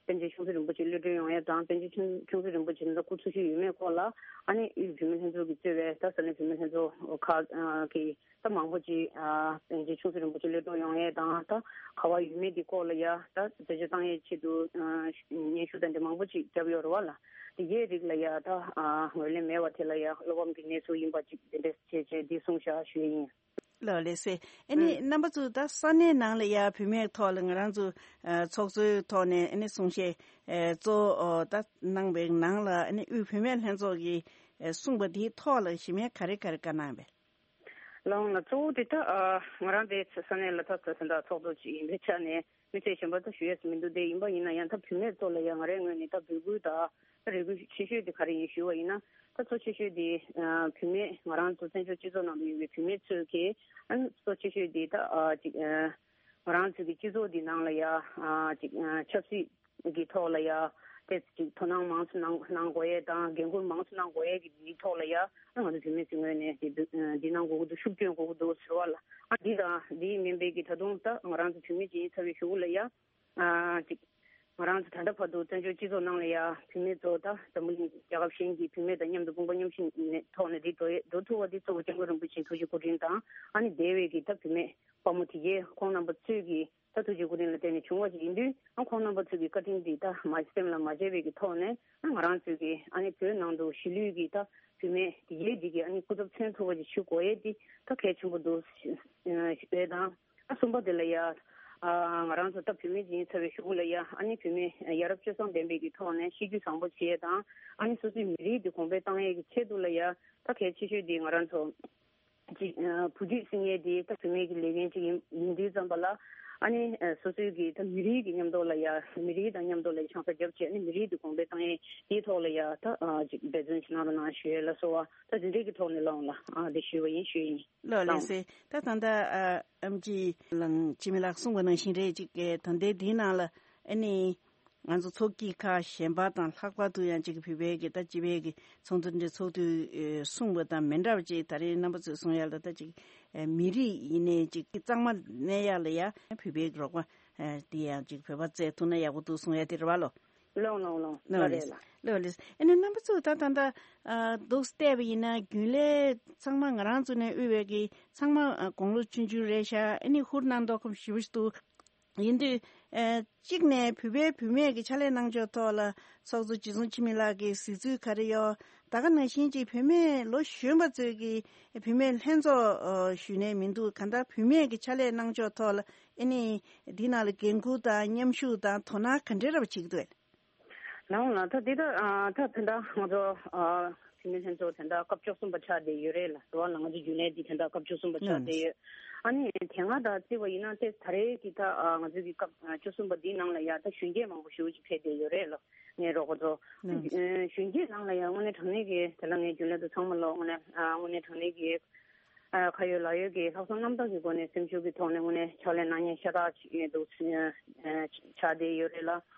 པཎ་ཆེན་ཆུང་སྲིད་རིན་པོ་ཆེ་གློད་གྲོལ་ཡོང་ཡ་དང་། པཎ་ཆེན་ཆུང་ཆུང་སྲིད་རིན་པོ་ཆེ་ད་སྐུ་འཚོ་བཞུགས་ཡོད་མེད་སྐོར་ལ་ཨ་ནི་དབུས་བུད་མེད་ལྷན་ཚོགས་ཀྱིས་གཙོས་པའི་ད་ས་གནས་བུད་མེད་ལྷན་ཚོགས་ཁག་གི་ད་མང་པོ་ཅིག་ཨ་པཎ་ཆེན་ཆུང་སྲིད་རིན་པོ་ཆེ་གློད་གྲོལ་ཡོང་ཡས་དང་། ད་ག་བ་ཡོད་མེད་ཀྱི་སྐོར་ལ་ཡ་ད་རྩད་གཅོད་བཏང་ཡས་ཆེད་དུ་ཨ་སྙན་ཞུ་དང་འདི་མང་པོ་ཅིག་བརྒྱབ་ཡོད་རེད་བ་ལ། དེ་གའི་རིགས་ལ་ཡ་ད་ཨ་ངོས་ལེན་མེད་པ་དེ་ལ་ཡ་བློ་ཕམ་གྱི་གནས་ཚུལ་ཡིན་པ་ཅིག་དེ་འདྲས་བྱས་བྱས་འདི་གསུངས་བཞག་ཞུ་ཡས་ཡིན། ལགས་ལགས་སེ། ཨ་ནི་ཨུ། རྣམ་པ་ཚོས་ད་ས་གནས་ནང་ལ་ཡ་བུད་མེད་ཐོག་ལ་ང་རང་ཚོ་ཨ་ཚོགས་གཙོའི་ཐོག་ནས་ཨ་ནི་གསུང་བཤད་ཨ་གཙོ་བོ་ད་གནང་བའི་ནང་ལ་ཨ་ནི་དབུས་བུད་མེད་ལྷན་ཚོགས་ཀྱིས་ཨ་གསུངས་པ་དེའི་ཐོག་ལ་གཞི་མེད་ག་རེ་ག་རེ་བཀའ་གནང་བས། ལགས་འོང་ལགས། གཙོ་བོ་དེ་ད་ཨ་ང་རང་དེ་ས་གནས་ལ་ད་ད་ད་ཚོགས་གཙོ་ཅིག་ཡིན་པའི་ཆ་ནས་མི་ཚེ་གཞན་པ་ད་ཞུ་ཡས་སུ་མི་འདུག་དེ་ཡིན་པ་ཡིན་ན་ཡང་ད་བུད་མེད་ཚོ་ལ་ཡང་ང་རའི་ངོས་ནས་ད་འབོད་སྐུལ་ད་ད་རེ་སྐུལ་ཆེ་ཤོས་དེ་ག་རེ་ཡིན་ཞུ་བ་ཡིན་ན། ད་གཙོ་ཆེ་ཤོས་དེ་ཨ་བུད་མེད་ང་རང་ཚོ་བཙན་བྱོལ་སྤྱི་ཚོགས་ནང་དུ་ཡོད་པའི་བུད་མེད་ཚོས་ཀྱིས་ཨ་གཙོ་ཆེ་ཤོས་དེ་ད་ཨ་ཅིག་ཨ་ང་རང་ཚོ་གི་སྤྱི་ཚོགས་འདི་ནང་ལ་ཡ་ཨ་ཅིག་ཨ་ཆབ་སྲིད་ཀྱི་ཐོག་ལ་ཡ་ཏེ་ཅིག་དོ་སྣང་མང་ཙམ་གནང་གནང་དགོས་ཡས་དང་། འགན་ཁུར་མང་ཙམ་གནང་དགོས་ཡས་ཀྱི་འདིའི་ཐོག་ལ་ཡ་ང་ཚོ་བུད་མེད་ཚོའི་ངོས་ནས་འདི་འདི་གནང་དགོས་ཀྱི་འདུག་ཤུགས་སྐྱོན་དགོས་ཀྱི་འདུག་ཟེར་བ་ལ། ཨ་འདི་དང་འདི་མིན་པའི་གི་ད་དུང་ད་ང་རང་ཚོ་བུད་མེད་ཅིག་ཡིན་ཚར་བའི་གཞུག་གུ་ལ་ཡ་ཨ་ཅིག་ང་རང་ཚོ་ད་ལྟ་བར་དུ་བཙན་བྱོལ་སྤྱི་ཚོགས་ནང་ལ་ཡ་བུད་མེད་ཚོ་ད་འཛམ་བུ་གླིང་རྒྱལ་ཁབ་གཞན་གྱི་བུད་མེད་དང་མཉམ་དུ་དཔུང་པ་མཉམ་གཤིབ་ནས་ཐོག་ནས་འདི་འགྲོ་ཡས་འགྲོ་ཐུབ་པ་འདི་གཙོ་བོ་སྐྱབས་མགོན་རིན་པོ་ཆེའི་ཐུགས་རྗེ་སྐུ་དྲིན་དང་། ཨ་ནི་འདས་པའི་གི་ད་བུད་མེད་དཔའ་མོ་དེ་གས་ཁོང་རྣམ་པ་ཚོས་ཀྱི་ད་ཐུགས་རྗེ་སྐུ་དྲིན་ལ་བརྟེན་ནས་བྱུང་བ་ཞིག་ཡིན་དུས། ཨ་ཁོང་རྣམ་པ་ཚོས་ཀྱི་བཀའ་དྲིན་འདི་ད་མ་སེམས་ལ་མ་བརྗེད་པའི་གི་ཐོག་ནས་ཨ་ང་རང་ཚོས་ཀྱི་ཨ་ནི་བོད་ནང་དུ་གཞིས་ལུས་ཀྱི་ད་བུད་མེད་དེ་གས་འདི་གི་ཨ་ནི་སྐུ་ཚབ་མཚོན་ཐུབ་པ་ཞིག་ཞུ་དགོས་ཡས་འདི་ད་གལ་ཆེན་པོ་འདུག་ཞུ་ཡས་དང་། ཨ་གསུམ་པ་དེ་ལ་ཡ་ཨ་ང་རང་ཚོ་ད་བུད་མེད་ཅིག་ཡིན་ཚར་བའི་གཞུག་གུ་ལ་ཡ་ཨ་ནི་བུད་མེད་ཡ་རབས་སྤྱོད་བཟང་ལྡན་པའི་གི་ཐོག་ནས་གཤིས་རྒྱུད་བཟང་པོ་བྱེད་ཡས་དང་། ཨ་ནི་སོ་སོའི་མི་རིགས་འདི་གོང་འཕེལ་བཏང་ཡས་ཀྱི་ཆེད་དུ་ལ་ཡ་ད་གལ་ཆེ་ཤོས་འདི་ང་རང་ཚོ་ཅིག་ཨ་བུ་རྒྱུད་བསྲིང་ཡས་འདི་ད་བུད་མེད་ཀྱི་ལས་འགན་ཅིག་ཡིན་ཡིན་དུས་ཙམ་པ་ལ། ཨ་ནི་ཨ་སོ་སོའི་གི་ད་མི་རིགས་ཀྱི་མཉམ་དུ་ལ་ཡ་མི་རིགས་དང་མཉམ་དུ་ལ་ཡ་ཆང་ས་རྒྱབ་བྱས་ཨ་ནི་མི་རིགས་འདི་གོང་འཕེལ་བཏང་ཡས་འདིའི་ཐོག་ལ་ཡ་ད་ཨ་ཅིག་འབད་བརྩོན་ཅིག་གནང་རོགས་གནང་ཞུ་ཡས་ལ་སོགས་པ་ད་འདི་འདྲའི་གི་ཐོག་ནས་ལངས་ལ་ཨ་འདི་ཞུས་པ་ཡིན་ཞུས་ཡིན། ལགས་ལགས་སེ། ད་ད་ལྟ་ཨ་ཨེམ་ཆི་ལགས་འཆི་མེད་ལགས་གསུངས་པ་ནང་བཞིན་རེད། ཅིག་གི་ད་ལྟའི་འདིའི་ནང་ལ་ཨ་ནི་ང་ཚོ་ཚོགས་སྐྱིད་ཁག་གཞན་པ་དང་ལྷག་པར་དུ་ཡང་ཅིག་བོད་པའི་གི་ད་སྤྱི་པའི་གི་ཚོགས་འདུ་འདི་ཚོགས་དུས་ཨེ་གསུངས་པ་དང་མི་འདྲ་བ་ཅིག་ད་རེས་རྣམ་པ་ཚོས་གསུང་ཡ་ལ་ད་ཅིག་ཨེ་མི་རིགས་ཡིན་ནའི་ཅིག་གཙང་མ་གནས་ཡ་ལ་ཡ་བོད་པའི་གི་རོགས་པ་ཨེ་དེ་ཡང་ཅིག་བོད་པ་བཙལ་ཐུབ་ན་ཡག་པོ་འདུག་གསུང་ཡ་དེ་རེད་བ་ལོ། ལོང་ལོང་ལོང་། ལོ་ལོ་རེད་ལེ། ལོ་ལོ་ལེ། ཨ་ནི་རྣམ་པ་ཚོས་ད་ད་ལྟ་ཨ་འདུག་བལྟས་པ་ཡིན་ན་རྒྱུན་ལས་ཚང་མ་ང་རང་ཚོ་ནས་དབུས་པའི་གི་ཚང་མ་ཨ་དགུང་ལོ་ཆུང་ཆུང་རེད་ཤག་ཨ་ནི་ཧུར་གནང་མདོག་ཁམས་ཞེ་པོ་ཞིག་འདུག་ཡིན་དུས་ཨ་གཅིག་ནས་བོད་པའི་བུད་མེད་ཀྱི་ཕྱག་ལས་གནང་ཕྱོགས་ཐོག་ལ་ཚོགས་གཙོ་རྗེ་བཙུན་འཆི་མེད་ལགས་ཀྱི་གཟིགས་ཚུལ་ག་རེ་ཡོད། ད་ག་ནང་བཞིན་གྱི་བུད་མེད་ལོ་གཞོན་པ་ཚོས་ཀྱི་བུད་མེད་ལྷན་ཚོགས་ཨ་ཞུས་ནས་མི་འདུག་གང་ལྟར་བུད་མེད་ཀྱི་ཕྱག་ལས་གནང་ཕྱོགས་ཐོག་ལ་ཨ་ནི་འདི་ནང་ལ་འགན་འཁུར་དང་མཉམ་ཞུགས་དང་དོ་སྣང་ག་འདྲ་ར་བ་བྱེད་ཀྱི་འདུག་ལགས་འོང་ལགས། ད་འདི་ད་ཨ་ད་དེ་འདྲ་ང་ཚོ་ཨ་བུད་མེད་ལྷན་ཚོགས་དེ་འདྲ་སྐབས་བཅུ་གསུམ་པ་ཆགས་བསྡད་ཡོད་རེད་ལ། རེད་བ་ལ། ང་ཚོ་རྒྱུན་ལས་འདི་དེ་འདྲ་སྐབས་བཅུ་གསུམ་པ་ཆགས་ལགས་བསྡད་ཡོད། ཨ་ནི་དེ་སྔ་དང་བརྩིས་པ་ཡིན་ན་ཏེ་ད་རེས་ཀྱི་ད་ཨ་ང་ཚོའི་གི་སྐབས་ཨ་བཅུ་གསུམ་པ་འདིའི་ནང་ལ་ཡ་ད་གཞོན་སྐྱེས་མང་པོ་ཞེ་པོ་ཅིག་ཕེབས་བསྡད་ཡོད་རེད་ལ། ངའི་རོགས་པ་ཚོ། ལགས། ཨ་གཞོན་སྐྱེས་ནང་ལ་ཡ་དངོས་གནས་དྲང་གནས་ཀྱི་དེ་ལ་ངའི་རྒྱུན་ལས་དང་ཚང་མ་ལ་དངོས་གནས་ཨ་དངོས་གནས་དྲང་གནས་ཀྱི་ཨ་ཁ་ཡོད་ལག་ཡོད་ཀྱི་ལྷག་བསམ་རྣམ་དག་གི་སྒོ་ནས་སེམས་ཤུགས་ཀྱི་ཐོག་ནས་དངོས་གནས་ཕྱག་ལས་གནང་མཁན་ཤ་སྟག་ཅིག་འདུག་ཨ་ཆགས་བསྡད་ཡོད་རེད་ལ།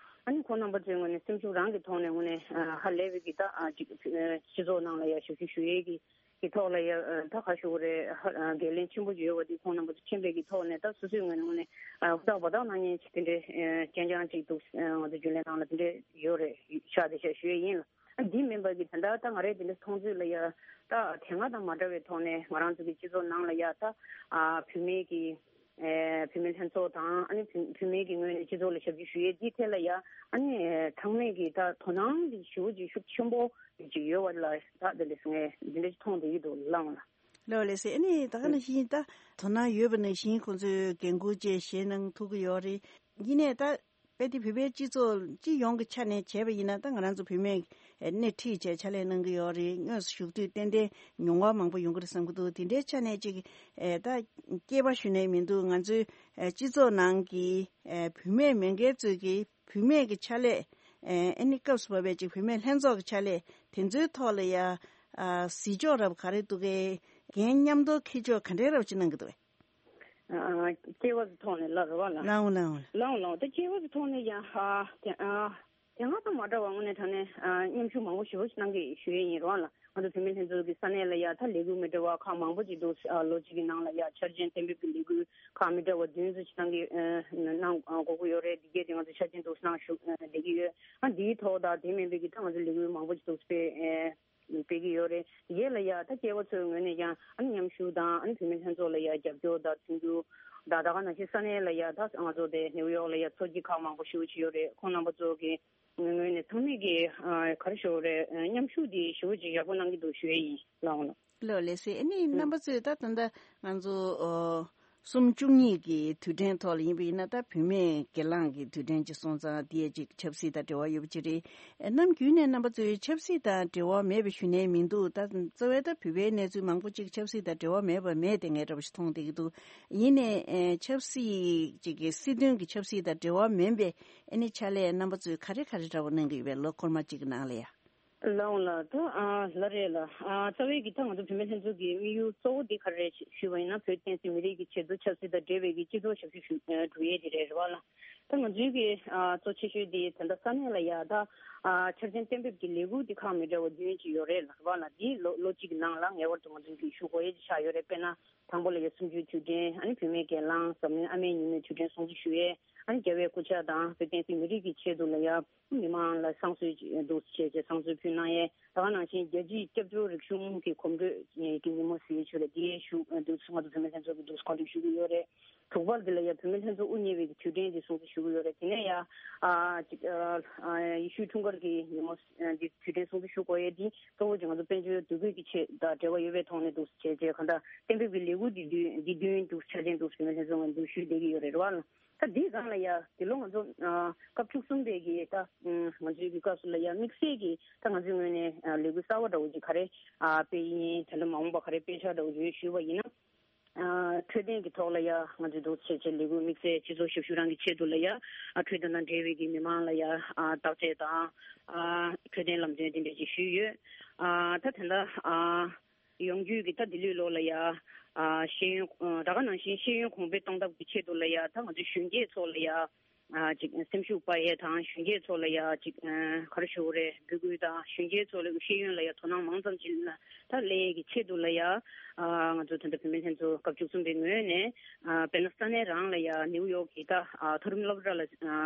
ཨ་ ཨ་ནི་ཁོང་རྣམ་པ་ཚོའི་ངོས་ནས་སེམས་ཤུགས་རང་གི་ཐོག་ནས་དངོས་གནས་ཨ་ཧ་ལས་པའི་གི་ད་ཨ་ཅིག་ཨ་སྤྱི་ཚོགས་ནང་ལ་ཡ་ཞབས་ཞུ་ཞུ་ཡས་ཀྱི་གི་ཐོག་ལ་ཡ་ཨ་ད་ཁ་ཤོ་རེ་ཧ་ཨ་འགན་ལེན་ཆེན་པོ་ཡོད་པ་འདི་ཁོང་རྣམ་པ་ཚོ་མཁྱེན་པའི་གི་ཐོག་ནས་ད་སོ་སོའི་ངོས་ནས་དངོས་གནས་ཨ་ཧུར་ཐག་འབད་ཐག་གནང་མཁན་ཅིག་དེ་འདྲའི་ཨ་རྐྱང་རྐྱང་ཅིག་འདུག་ཨ་ང་ཚོ་རྒྱུན་ལས་ནང་ལ་དེ་འདྲའི་ཡོད་རེད། ཤག་དེ་ཤག་ཞུ་ཡས་ཡིན་ལ། ཨ་འདི་མིན་པ་གི་ད་ལྟ་ད་ང་རས་དེ་འདྲ་མཐོང་ཚུལ་ལ་ཡ་ད་དེ་སྔ་དང་མ་འདྲ་བའི་ཐོག་ནས་ང་རང་ཚོ་གི་སྤྱི་ཚོགས་ནང་ལ་ཡ་ད་ཨ་བུད་མེད་ཀྱི་ཨེ་བུད་མེད་ལྷན་ཚོགས་དང་ཨ་ནི་བུད་བུད་མེད་ཀྱི་ངོས་ནས་སྤྱི་ཚོགས་ལ་ཞབས་ཞུ་ཞུ་ཡས་འདི་ཐད་ལ་ཡ་ཨ་ནི་ཚང་མས་ཀྱི་ད་དོ་སྣང་གི་ཞུ་ཅིག་ཤུགས་ཆེན་པོ་ཅིག་ཡོད་པ་ལ་ད་དེ་འདྲ་ངས་འདི་འདྲ་ཅིག་མཐོང་བསྡད་ཀྱི་འདུག་ལགས་འོང་ལགས། ལགས་ལགས་སེ། ཨ་ནི་ད་ག་ནང་བཞིན་ད་དོ་སྣང་ཡོད་པ་ནང་བཞིན་ཁོང་ཚོས་འགན་འཁུར་བཅས་བཞེས་གནང་ཐུབ་ཀྱི་ཡོད་རེད། ཡིན་ནའི་ད་དཔེ་དེ་བོད་པའི་སྤྱི་ཚོགས་སྤྱི་ཡོངས་ཀྱི་ཆ་ནས་བྱས་པ་ཡིན་ན་ད་ང་རང་ཚོ་བུད་མེད་སྣེ་ཁྲིད་བྱས་ཕྱག་ལས་གནང་གི་ཡོད་རེད། དངོས་སུ་ཞུགས་དུས་ཏན་ཏན་མྱོང་བ་མང་པོ་ཡོང་གི་རེད་བསམ་གྱི་འདུག་དེ་འདྲའི་ཆ་ནས་ཅིག་ད་སྐྱེས་པ་ཞུ་ནས་མི་འདུག་ང་ཚོའི་སྤྱི་ཚོགས་ནང་གི་བུད་མེད་མི་སྒེར་ཚོས་ཀྱི་བུད་མེད་ཀྱི་ཕྱག་ལས་ཨ་ནི་སྐབས་སུ་བབས་པའི་ཅིག་བུད་མེད་ལྷན་ཚོགས་ཀྱི་ཕྱག་ལས་དེ་ཚོའི་ཐོག་ལ་ཡ་གཟིགས་ཕྱོགས་རབ་ག་རེ་འདུག་གས། འགན་མཉམ་དུ་འཁྱེར་ཕྱོགས་ག་འདྲའི་རབ་ཅིག་གནང་གི་འདུག་གས། ཨ་སྐྱེས་པ་ཚོའི་ཐོག་ནས་ལབ་རེད་བ་ལགས། ལགས་འོང་ལགས་འོང་། ལགས་འོང་ལགས་འོང་། ད་སྐྱེས་པ་ཚོའི་ཐོག་ནས་ཡང་ཧ་དེ་ཨ་དེ་སྔ་དང་མ་འདྲ་བ་དངོས་གནས་དྲང་གནས་ཨ་མཉམ་ཞུགས་མང་པོ་ཞེ་པོ་ཞིག་གནང་གི་ཞུ་ཡས་ཡིན་རེད་བ་ལགས། ང་ཚོ་བུད་མེད་ལྷན་ཚོགས་ཀྱི་ས་གནས་ལ་ཡ་ད་ལས་འགུལ་མི་འདྲ་བ་ཁག་མང་པོ་ཅིག་འདུག་ཨ་ལོ་གཅིག་གི་ནང་ལ་ཡ་འཆར་ཅན་གཏན་འབེབས་ཀྱི་ལས་འགུལ་ཁག་མི་འདྲ་བ་བདུན་ཙམ་ཞིག་གནང་གི་ཨ་གནང་ཨ་དགོས་ཀྱི་ཡོད་རེད། འདི་གས་དེ་ང་ཚོ་འཆར་ཅན་འདུག་གནང་ཞུ་ཨ་བསྡད་ཀྱི་ཡོད། ཨ་འདིའི་ཐོག་ད་དེ་མིན་པའི་གི་ད་ང་ཚོ་ལས་འགུལ་མང་པོ་ཅིག་འདུག་སྤེལ་ཨ་སྤེལ་གྱི་ཡོད་རེད། དེ་གས་ལ་ཡ་ད་སྐྱེས་པ་ཚོའི་ངོས་ནས་ཀྱང་ཨ་ནི་མཉམ་ཞུགས་དང་ཨ་ནི་བུད་མེད་ལྷན་ཚོགས་ལ་ཡ་རྒྱབ་སྐྱོར་དང་མཐུན་འགྱུར་དང་ད་ག་ནང་བཞིན་ས་གནས་ལ་ཡ་ད་ང་ཚོ་དེ་ནེའུ་ཡོག་ལ་ཡ་ཚོགས་སྐྱིད་ཁག་མང་པོ་ཞེ་པོ་ཅིག་ཡོད་རེད། ཁོང་རྣམ་པ་ཚོ་གི་ངོས་ནས་ཚང་མས་ཀྱི་ཨ་ག་རེ་ཞུ་དགོས་རེད། ཨ་མཉམ་ཞུགས་དེ་ཞེ་པོ་ཅིག་ཡག་པོ་གནང་གི་འདུག་ཞུ་ཡས་ཡིན་ལགས་འོང་ལགས། ལགས་ལགས་སེ། ཨ་ནི་རྣམ་པ་ཚོས་ད་ད་ལྟ་ང་ཚོ་ཨོ་གསུམ་བཅུ་གཉིས་ཀྱི་དུས་དྲན་ཐོག་ལ་ཡིན་པ་ཡིན་ན་ད་བུད་མེད་སྒེར་ལངས་ཀྱི་དུས་དྲན་ཅིག་སོང་ཙང་དེ་ཡང་ཅིག་ཆབ་སྲིད་དང་འབྲེལ་བ་ཡོད་པ་ཅིག་རེད། ནམ་རྒྱུན་ནས་རྣམ་པ་ཚོས་ཆབ་སྲིད་དང་འབྲེལ་བ་མེད་པ་ཞུ་ནས་མི་འདུག་ད་རྩ་བའི་ད་བོད་པའི་གནས་ཚུལ་མང་པོ་ཅིག་ཆབ་སྲིད་དང་འབྲེལ་བ་མེད་པ་མེད་དེ་ངས་འདྲ་པོ་ཞིག་མཐོང་བསྡད་ཀྱི་འདུག་ཡིན་ནའི་ཨེ་ཆབ་སྲིད་ཅིག་གི་སྲིད་དོན་གྱི་ཆབ་སྲིད་དང་འབྲེལ་བ་མིན་པའི་ཨ་ནི་ཕྱག་ལས་རྣམ་པ་ཚོས་ག་རེ་ག་རེ་འདྲ་པོ་གནང་གི་ཡོད་པས་ལོ་འཁོར་མ་གཅིག་གི་ནང་ལ་ཡ། ལགས་འོང་ལགས། ད་ཨ་ལགས་རེད་ལགས། ཨ་རྩ་བའི་གི་ད་ང་ཚོ་བུད་མེད་ལྷན་ཚོགས་ཀྱི་དམིགས་ཡུལ་གཙོ་བོ་འདི་ག་རེ་རེད་ཞུས་པ་ཡིན་ན་བོད་བསྟན་སྲིད་མི་རིགས་ཀྱི་ཆེད་དུ་ཆབ་སྲིད་དང་འབྲེལ་བའི་གི་སྤྱི་ཚོགས་ཞབས་ཞུ་ཞུ་ཨ་སྒྲུབ་ཡས་དེ་རེད་རེད་བ་ལགས། ད་ང་ཚོའི་གི་ཨ་གཙོ་ཆེ་ཤོས་དེ་ད་ལྟ་ས་གནས་ལ་ཡ་ད་ཨ་འཆར་ཅན་གཏན་འབེབས་ཀྱི་ལས་འགུལ་འདི་ཁག་མི་འདྲ་བ་བདུན་ཅིག་ཡོད་རེད་ལགས་རེད་བ་ལགས། འདི་ལོ་ལོ་གཅིག་གི་ནང་ལ་ངེས་པར་དུ་ང་ཚོའི་གི་ཞུ་དགོས་ཡས་ཅིག་ཆགས་ཡོད་རེད། དཔེར་ན། དང་པོ་ལ་ཡ་གསུམ་བཅུའི་དུས་དྲན་ཨ་ནི་བུད་མེད་སྒེར་ལངས་འཛམ་གླིང་ཨ་མའི་ཉིན་མོའི་དུས་དྲན་སྲུང་བརྩི་ཞུ་ཡས། ཨ་ནི་རྒྱལ་བའི་སྐུ་ཕྱྭ་དང་བོད་བསྟན་སྲིད་མི་རིགས་ཀྱི་ཆེད་དུ་ལ་ཡ་མི་མང་ལ་བསང་གསོལ་འདུག་བྱས་རྗེས་བསང་གསོལ་ཕུལ་གནང་ཡས། ད་ག་ནང་བཞིན་རྒྱལ་སྤྱིའི་སྐྱབས་བཅོལ་རིག་གཞུང་གི་གོམ་བགྲོད་ཀྱི་ཉིན་མོ་ཟེར་ཡས་ཆོས་ལ་འདི་ཡས་ཞུ་འདུག་ང་ཚོ་བུད་མེད་ལྷན་ཚོགས་ཀྱི་འདུག་གོ་སྒྲིག་ཞུ་གི་ཡོད་རེད། དྲུག་པ་འདི་ལ་ཡ་བུད་མེད་ལྷན་ཚོགས་དབུ་བརྙེས་པའི་དུས་དྲན་འདི་སྲུང་བརྩི་ཞུ་གི་ཡོད་རེད། དེ་ནས་ཡ་ཨ་ཅིག་ཨ་ཨ་ཡེ་ཤུའི་འཁྲུངས་སྐར་གྱི་ཉིན་མོ་འདི་དུས་དྲན་སྲུང་བརྩི་ཞུ་དགོས་ཡས་འདི་གཙོ་བོ་ཅིག་ང་ཚོ་དཔལ་འབྱོར་འདུ་འགོད་ཀྱི་ཆེད་དང་འབྲེལ་བ་ཡོད་པའི་ཐོག་ནས་འདུག་བྱས་རྗེས་གང་ལྟར་གཏན་འབེབས་ཀྱི་ལས་འགུལ་འདི་བདུན་འདི་བདུན་འདུག་ཆ་ཅན་འདུག་བུད་མེད་ལྷན་ཚོགས་ནས་འདུག་ཞུས་བསྡད་ཀྱི་ཡོད་རེད་བ། ད་འདིའི་སྒང་ལ་ཡ་འདི་ལོ་ང་ཚོ་ཨ་སྐབས་བཅུ་གསུམ་པའི་གི་ད་ང་ཚོའི་གི་སྐབས་སུ་ལ་ཡ་དམིགས་བསལ་གྱི་ད་ང་ཚོའི་ངོས་ནས་ཨ་ལས་འགུལ་གསར་བ་འདྲ་བོ་ཅིག་ག་རེ་ཨ་སྤེལ་ཡིན། ད་ལྟ་མ་འོངས་པ་ག་རེ་སྤེལ་འཆར་འདྲ་བོ་ཡོད་ཞུས་པ་ཡིན་ན། ཨ་འཕྲོད་བསྟེན་གྱི་ཐོག་ལ་ཡ་ང་ཚོས་འདུག་བྱས་བྱས་ལས་འགུལ་དམིགས་བསལ་སྤྱི་ཚོགས་ཞབས་ཞུ་རང་གི་ཆེད་དུ་ལ་ཡ་ཨ་འཕྲོད་བསྟེན་དང་འབྲེལ་བའི་གི་མི་མང་ལ་ཡ་ཨ་བརྟག་དཔྱད་དང་ཨ་འཕྲོད་བསྟེན་ལམ་སྟོན་དེ་འདྲ་ཅིག་ཞུས་ཡོད། ཨ་ད་དེ་འདྲ་ཨ་ཡོང་རྒྱུས་ཀྱི་ད་འདི་ལོའི་ལོ་ལ་ཡ་ཨ་ཤེས་ཡོན་ཨ་ད་ག་ནང་བཞིན་ཤེས་ཡོན་གོང་འཕེལ་གཏོང་ཐབས་ཀྱི་ཆེད་དུ་ལ་ཡ་ད་ང་ཚོ་གཞོན་སྐྱེས་ཚོ་ལ་ཡ། ཨ་ཅིག་སེམས་ཤུགས་སྤར་ཡས་དང་གཞོན་སྐྱེས་ཚོ་ལ་ཡ་ཅིག་ཨ་ག་རེ་ཞུ་དགོས་རེད། འབོད་སྐུལ་དང་གཞོན་སྐྱེས་ཚོ་ལ་ཤེས་ཡོན་ལ་ཡ་དོ་སྣང་མང་ཙམ་ཅིག་ལ་ད་སླེབས་ཡས་ཀྱི་ཆེད་དུ་ལ་ཡ་ཨ་ང་ཚོ་ད་ལྟ་བུད་མེད་ལྷན་ཚོགས་སྐབས་བཅུ་གསུམ་པའི་ངོས་ནས་ཨ་དཔེར་ན་ས་གནས་རང་ལ་ཡ་ནིའུ་ཡོག་གི་ད་ཨ་མཐོ་རིམ་སློབ་གྲྭ་ལ་ཨ་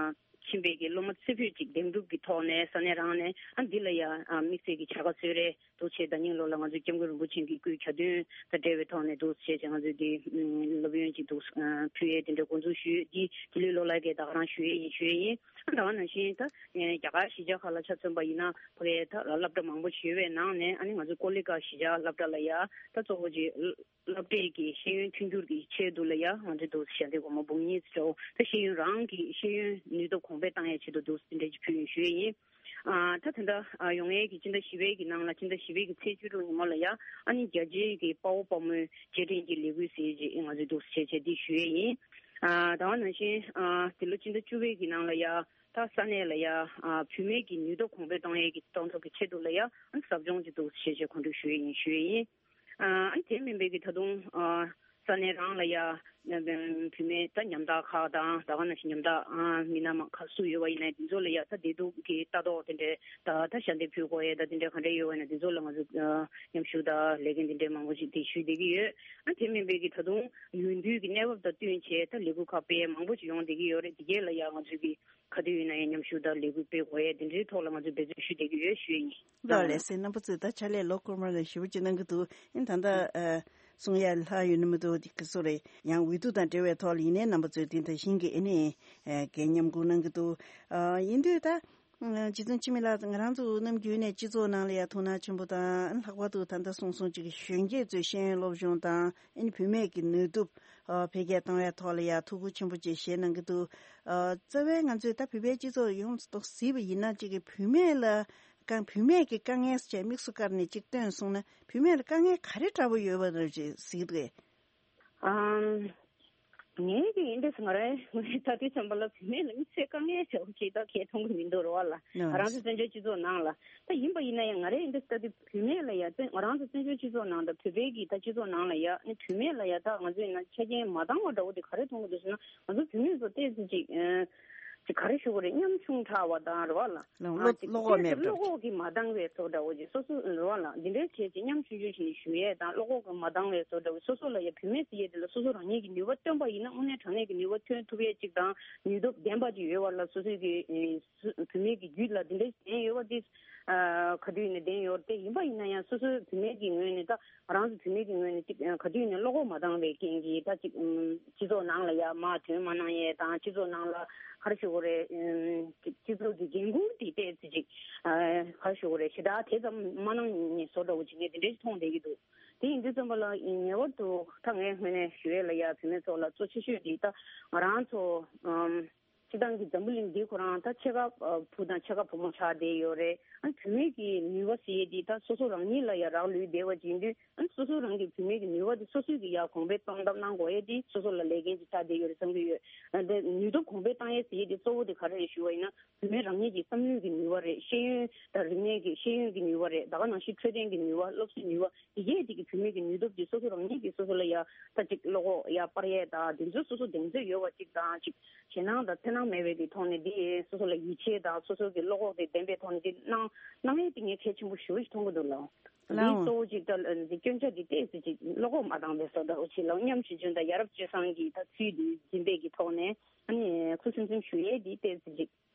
ཕྱིན་པའི་གི་སློབ་མ་རྩེ་ཕུད་ཅིག་འདེམས་སྒྲུག་གི་ཐོག་ནས་ས་གནས་རང་ནས་ཨ་འདི་ལ་ཡ་ཨ་དམིགས་བསལ་གྱི་བྱ་དགའ་གསོལ་རས། འདུག་བྱས་ཟླ་ཉིན་ལོ་ལ་ང་ཚོས་སྐྱབས་མགོན་རིན་པོ་ཆེ་གི་སྐུའི་གྱ་སྟོན་དང་འབྲེལ་བའི་ཐོག་ནས་འདུག་བྱས་བྱས་ང་ཚོས་འདི་སློབ་ཡོན་ཅིག་འདུག་ཕུལ་ཡས་དེ་འདྲ་འགོ་འཛུགས་ཞུས། འདི་དེ་ལོའི་ལོ་ལ་གས་ད་ག་རང་ཞུ་ཡས་ཡིན་ཞུ་ཡས་ཡིན། ད་ག་ནང་བཞིན་ད་རྒྱ་གར་གཞིས་ཆགས་ཁག་ལ་ཆ་མཚོན་པ་ཡིན་ན་ཕ་གིའི་ད་སློབ་གྲྭ་མང་པོ་ཞིག་ཡོད་པའི་ནང་ནས་ཨ་ནི་ང་ཚོའི་ཀོ་ལི་གྷལ་གཞིས་ཆགས་སློབ་གྲྭ་ལ་ཡ་ད་གཙོ་བོ་ཅིག་སློབ་གྲྭའི་གི་ཤེས་ཡོན་མཐུན་འགྱུར་གྱི་ཆེད་དུ་ལ་ཡ་ང་ཚོས་འདུག་ཞལ་འདེབས་སྒོར་མོ་འབུམ་གཉིས་ཙམ་འདྲ་བོ་ད་ཤེས་ཡོན་རང་གི་ཤེས་ཡོན་ནུས་སྟོབས་གོང་འཕེལ་བཏང་ཡས་ཆེད་དུ་འདུག་དེ་འདྲ་ཅིག་ཕུལ་ཡིན་ཞུ་ཡས་ཡིན། ཨ་ད་དེ་འདྲ་ཨ་ཡོང་ཡས་ཀྱི་སྤྱི་ཟླ་བཞི་པའི་གི་ནང་ལ་སྤྱི་ཟླ་བཞི་པའི་གི་ཚེས་བཅུ་དྲུག་ཉིན་མོ་ལ་ཡ་ཨ་ནི་རྒྱ་ཆེའི་གི་དཔའ་བོ་དཔའ་མོའི་རྗེས་དྲན་གྱི་ལས་འགུལ་ཟེར་ཅིག་ང་ཚོས་འདུག་བྱས་བྱས་འདི་ཞུ་ཡས་ཡིན། ཨ་ད་ག་ནང་བཞིན་ཨ་འདི་ལོ་སྤྱི་ཟླ་བཅུ་པའི་གི་ནང་ལ་ཡ་ད་ས་གནས་ལ་ཡ་ཨ་བུད་མེད་ཀྱི་ནུས་སྟོབས་གོང་འཕེལ་གཏོང་ཡས་ཀྱི་གཏོང་ཐབས་ཀྱི་ཆེད་དུ་ལ་ཡ་ཨ་ཟབ་སྦྱོང་ཅིག་འདུག་བྱས་བྱས་གོ་སྒྲིག་ཞུ་ཡས་ཡིན་ཞུ་ཡས་ཡིན། ཨ་དེ་མིན་པའི་གི་ད་དུང་ཨ་ས་གནས་རང་ལ་ཡ་ བུད་མེད་ད་ཉམ་ཐག་ཁག་དང་ད་ག་ནང་བཞིན་ཉམ་ཐག་མི་སྣ་མང་ཁག་སུ་ཡོད་པ་ཡིན་ན་དེ་ཚོ་ལ་ཡ་ད་བདེ་སྡུག་གི་ལྟ་རྟོག་དེ་འདྲའི་ད་ད་ཞལ་འདེབས་ཕུལ་དགོས་ཡ་ད་དེ་འདྲའི་ག་འདྲ་ཡོད་པ་ཡིན་ན་དེ་ཚོ་ལ་ང་ཚོ་མཉམ་ཞུགས་དང་ལས་འགན་དེ་འདྲའི་མང་པོ་ཞིག་དེ་ཞུས་བསྡད་ཀྱི་ཡོད། ཨ་དེ་མིན་པའི་གི་ད་དུང་ཡུལ་དུས་ཀྱི་གནས་བབ་དང་བསྟུན་བྱས་ད་ལས་འགུལ་ཁག་སྤེལ་ཡ་མང་པོ་ཞིག་ཡོང་བསྡད་ཀྱི་ཡོད་རེད། དེ་གས་ལ་ཡ་ང་ཚོས་གི་ག་དུས་ཡིན་ན་ཡང་མཉམ་ཞུགས་དང་ལས་འགུལ་སྤེལ་དགོས་ཡ་དེ་འདྲའི་ཐོག་ལ་ང་ཚོས་འབད་བརྩོན་ཞུ་བསྡད་ཀྱི་ཡོད་ཞུ་ཡ་ཡིན། ལགས་ལགས་སེ། རྣམ་པ་ཚོས་ད་ཕྱག་ལས་ལོ་འཁོར་མ་ལ་ཞེ་པོ་ཅིག་གནང་གི་འདུག་ཨིན་ད་ལྟ་ཨ་གསུང་ཡ་ལྷག་ཡོད་ནི་མི་འདུག་འདི་ག་སོ་རེད། ཡང་འོས་བསྡུ་དང་འབྲེལ་བའི་ཐོག་ལ་ཡིན་ནའི་རྣམ་པ་ཚོས་དེ་ད་བཞིན་གི་ཨེ་ནི་ཨ་འགན་མཉམ་འཁུར་གནང་གི་འདུག་ཨ་ཡིན་དུས་ད་ཨ་རྗེ་བཙུན་འཆི་མེད་ལགས་ང་རང་ཚོ་ནམ་རྒྱུན་ནས་སྤྱི་ཚོགས་ནང་ལ་ཡ་ཐུགས་སྣང་ཆེན་པོ་དང་ལྷག་པར་དུ་ད་ལྟ་གསུང་སོང་ཅིག་གཞོན་སྐྱེས་ཚོའི་ཤེས་ཡོན་སློབ་སྦྱོང་དང་ཨེ་ནི་བུད་མེད་ཀྱི་ནུས་སྟོབས་ཨ་འཕེལ་རྒྱས་གཏོང་བའི་ཐོག་ལ་ཡ་ཐུགས་ཁུར་ཆེན་པོ་ཅིག་བཞེས་གནང་གི་འདུག་ཨ་རྩ་བའི་ང་ཚོས་ད་བོད་པའི་སྤྱི་ཚོགས་ཡོངས་སུ་གཟིགས་པ་ཡིན་ན་ཅིག་གི་བུད་མེད་ལ་དཀའ་བུད་མེད་ཀྱི་དཀའ་ངལ་ཟེར་དམིགས་སུ་བཀར་ནས་ཅིག་བཏོན་སོང་ན་བུད་མེད་ལ་དཀའ་ངལ་ག་རེ་འདྲ་པོ་ཡོད་པ་རེད་ཅེས་གཟིགས་འདུག་གས། ཨམ། ངས་ཀྱི་ཡིན་འདྲ་ང་རང་ངས་ད་དུས་ཙམ་པ་ལ་བུད་མེད་ལ་དམིགས་བསལ་དཀའ་ངལ་བྱ་བ་ཅིག་ད་གས་མཐོང་གི་མི་འདུག་རེད་བ་ལ། ང་རང་ཚོ་བཙན་བྱོལ་སྤྱི་ཚོགས་ནང་ལ་ད་ཡིན་པ་ཡིན་ན་ཡང་ང་རང་ཡིན་འདྲ་ད་དུས་བུད་མེད་ལ་ཡ་ད་ང་རང་ཚོ་བཙན་བྱོལ་སྤྱི་ཚོགས་ནང་ད་བོད་པའི་གི་ད་སྤྱི་ཚོགས་ནང་ལ་ཡ་ནི་བུད་མེད་ལ་ཡ་ད་ང་ཚོ་ཡིན་ན་ཆ་རྐྱེན་མ་འདང་བ་འདྲ་བོ་དེ་ག་རེ་མཐོང་གི་འདུག་ཟེར་ན་ང་ཚོ་བུད་མེད་ཚོ་ཏོག་ཙམ་ཅིག་ཅིག་ག་རེ་ཞུ་དགོས་རེད། ཉམ་ཆུང་དྲགས་པ་དང་རེད་བ་ལ། ལགས་བློ་ཨ་ཅིག་བློ་ཁོག་མེད་པ་འདྲ་བློ་ཁོག་གི་མ་འདང་བའི་བཟོ་འདྲ་བོ་ཅིག་སོ་སོ་རེད་བ་ལ་འདི་འདྲའི་བྱས་ཅིག་ཉམ་ཆུང་ཆུང་ཞིག་ནས་ཞུ་ཡས་དང་བློ་ཁོག་གི་མ་འདང་བའི་བཟོ་འདྲ་བོ་སོ་སོ་ལ་ཡ་བུད་མེད་ཟེར་ཡས་དེ་ལ་སོ་སོ་རང་ཉིད་ཀྱི་ནུས་པ་སྟོན་པ་ཡིན་ན་དངོས་གནས་དྲང་གནས་ཀྱི་ནུས་པ་ཐོན་ཐུབ་ཡས་ཅིག་དང་ནུས་སྟོབས་ལྡན་པ་ཅིག་ཡོད་བ་ལ་སོ་སོའི་གི་ཨེ་སུ་བུད་མེད་ཀྱི་རྒྱུད་ལ་འདི་འདྲ་ཞིག་ལྡན་ཡོད་བ་དེ་ཨ་ག་དུས་ཡིན་ན་ལྡན་ཡོད་རེད། དེ་ཡིན་པ་ཡིན་ན་ཡང་སོ་སོའི་བུད་མེད་ཀྱི་ངོས་ནས་ད། ང་རང་ཚོ་བུད་མེད་ཀྱི་ངོས་ནས་གཅིག་ག་དུས་ནས་བློ་ཁོག་མ་འདང་བའི་རྐྱེན་གྱིས་ད་གཅིག་སྤྱི་ཚོགས་ནང་ལ་ཡ་མར་ཐོན་མ་གནང་ཡས་དང་སྤྱི་ཚོགས་ནང་ལ་ག་རེ་ཞུ་དགོས་རེད། སྤྱི་ཚོགས་ཀྱི་འགན་ཁུར་དེ་ཏོག་ཙམ་ཅིག་ག་རེ་ཞུ་དགོས་རེད། ཞེ་དྲག་དེ་ཙམ་མ་གནང་ནས་བཟོ་འདྲ་བོ་ཅིག་ངས་དེ་འདྲ་ཞིག་མཐོང་བསྡད་ཀྱི་འདུག་དེ་ཡིན་དུས་ཙམ་པ་ལ་ངེས་པར་དུ་ད་ངའི་ངོས་ནས་ཞུ་ཡས་ལ་ཡ་བུད་མེད་ཚོ་ལ་གཙོ་ཆེ་ཤོས་དེ་ད་ང་རང་ཚོ། སྤྱིར་བཏང་གི་འཛམ་བུ་གླིང་འདི་ཁོ་རང་ད་ཕྱེད་ཀ་བུ་དང་ཕྱེད་ཀ་བུ་མོ་ཆགས་བསྡད་ཡོད་རེད། ཨ་བུད་མེད་ཀྱི་ནུས་པ་ཟེར་ཡས་འདི་ད་སོ་སོ་རང་ཉིད་ལ་ཡ་རག་ལུས་བསྡད་པ་ཅིག་ཡིན་དུས་ཨ་སོ་སོ་རང་གི་བུད་མེད་ཀྱི་ནུས་པ་འདི་སོ་སོས་ཀྱི་ཡ་གོང་འཕེལ་གཏོང་ཐབས་གནང་དགོས་ཡས་འདི་སོ་སོ་ལ་ལས་འགན་ཅིག་ཆགས་བསྡད་ཡོད་རེད་བསམ་གྱི་ཡོད། ཨ་དེ་ནུས་སྟོབས་གོང་འཕེལ་བཏང་ཡས་ཟེར་ཡས་འདི་གཙོ་བོ་དེ་ག་རེ་རེད་ཞུ་བ་ཡིན་ན་བུད་མེད་རང་ཉིད་ཀྱི་བསམ་བློའི་གི་ནུས་པ་རེད། ཤེས་ཡོན་དང་རིག་གནས་ཀྱི་ཤེས་ཡོན་གྱི་ནུས་པ་རེད། ད་ག་ནང་བཞིན་འཕྲོད་བསྟེན་གྱི་ནུས་པ་སློབ་གསོའི་ནུས་པ། དེ་གས་དེ་གི་བུད་མེད་ཀྱི་ནུས་སྟོབས་ཀྱིས་སོ་སོ་རང་ཉིད་ཀྱིས་སོ་སོ་ལ་ཡ་ད་ཅིག་བློ་ཁོག་ཡ་སྤར་ཡས་དང་དེ་ཚོ་སོ་སོ་གདེང་ཚོད་ཡོད་པ་ཅིག་དང་ཅིག་ཞེད་སྣང་དང་འཚེར་སྣང་མེད་པའི་གི་ཐོག་ནས་དེ་སོ་སོ་ལ་ཡིད་ཆེས་དང་སོ་སོ་གི་བློ་ཁོག་དེ་ལྡན་པའི་ཐོག་ནས་དེ་གནང་གནང་ཡས་དེ་ངས་གལ་ཆེན་པོ་ཞེ་པོ་ཞིག་མཐོང་གི་འདུག་ལགས། དེ་ལའང་གཙོ་བོ་ཅིག་ད་དེ་སྐྱོན་ཆ་དེ་ཏོག་ཙམ་ཅིག་བློ་ཁོག་མ་འདང་བའི་བཟོ་འདྲ་བོ་ཅིག་ལ་མཉམ་ཞིབ་སྦྱོང་དང་ཡ་རབས་སྤྱོད་བཟང་གི་ད་ཚུལ་དེ་འཛིན་པའི་གི་ཐོག་ནས་ཨ་ནི་ཁུ་སིམ་སིམ་ཞུ་ཡས་དེ་ཏོག་ཙམ་ཅིག་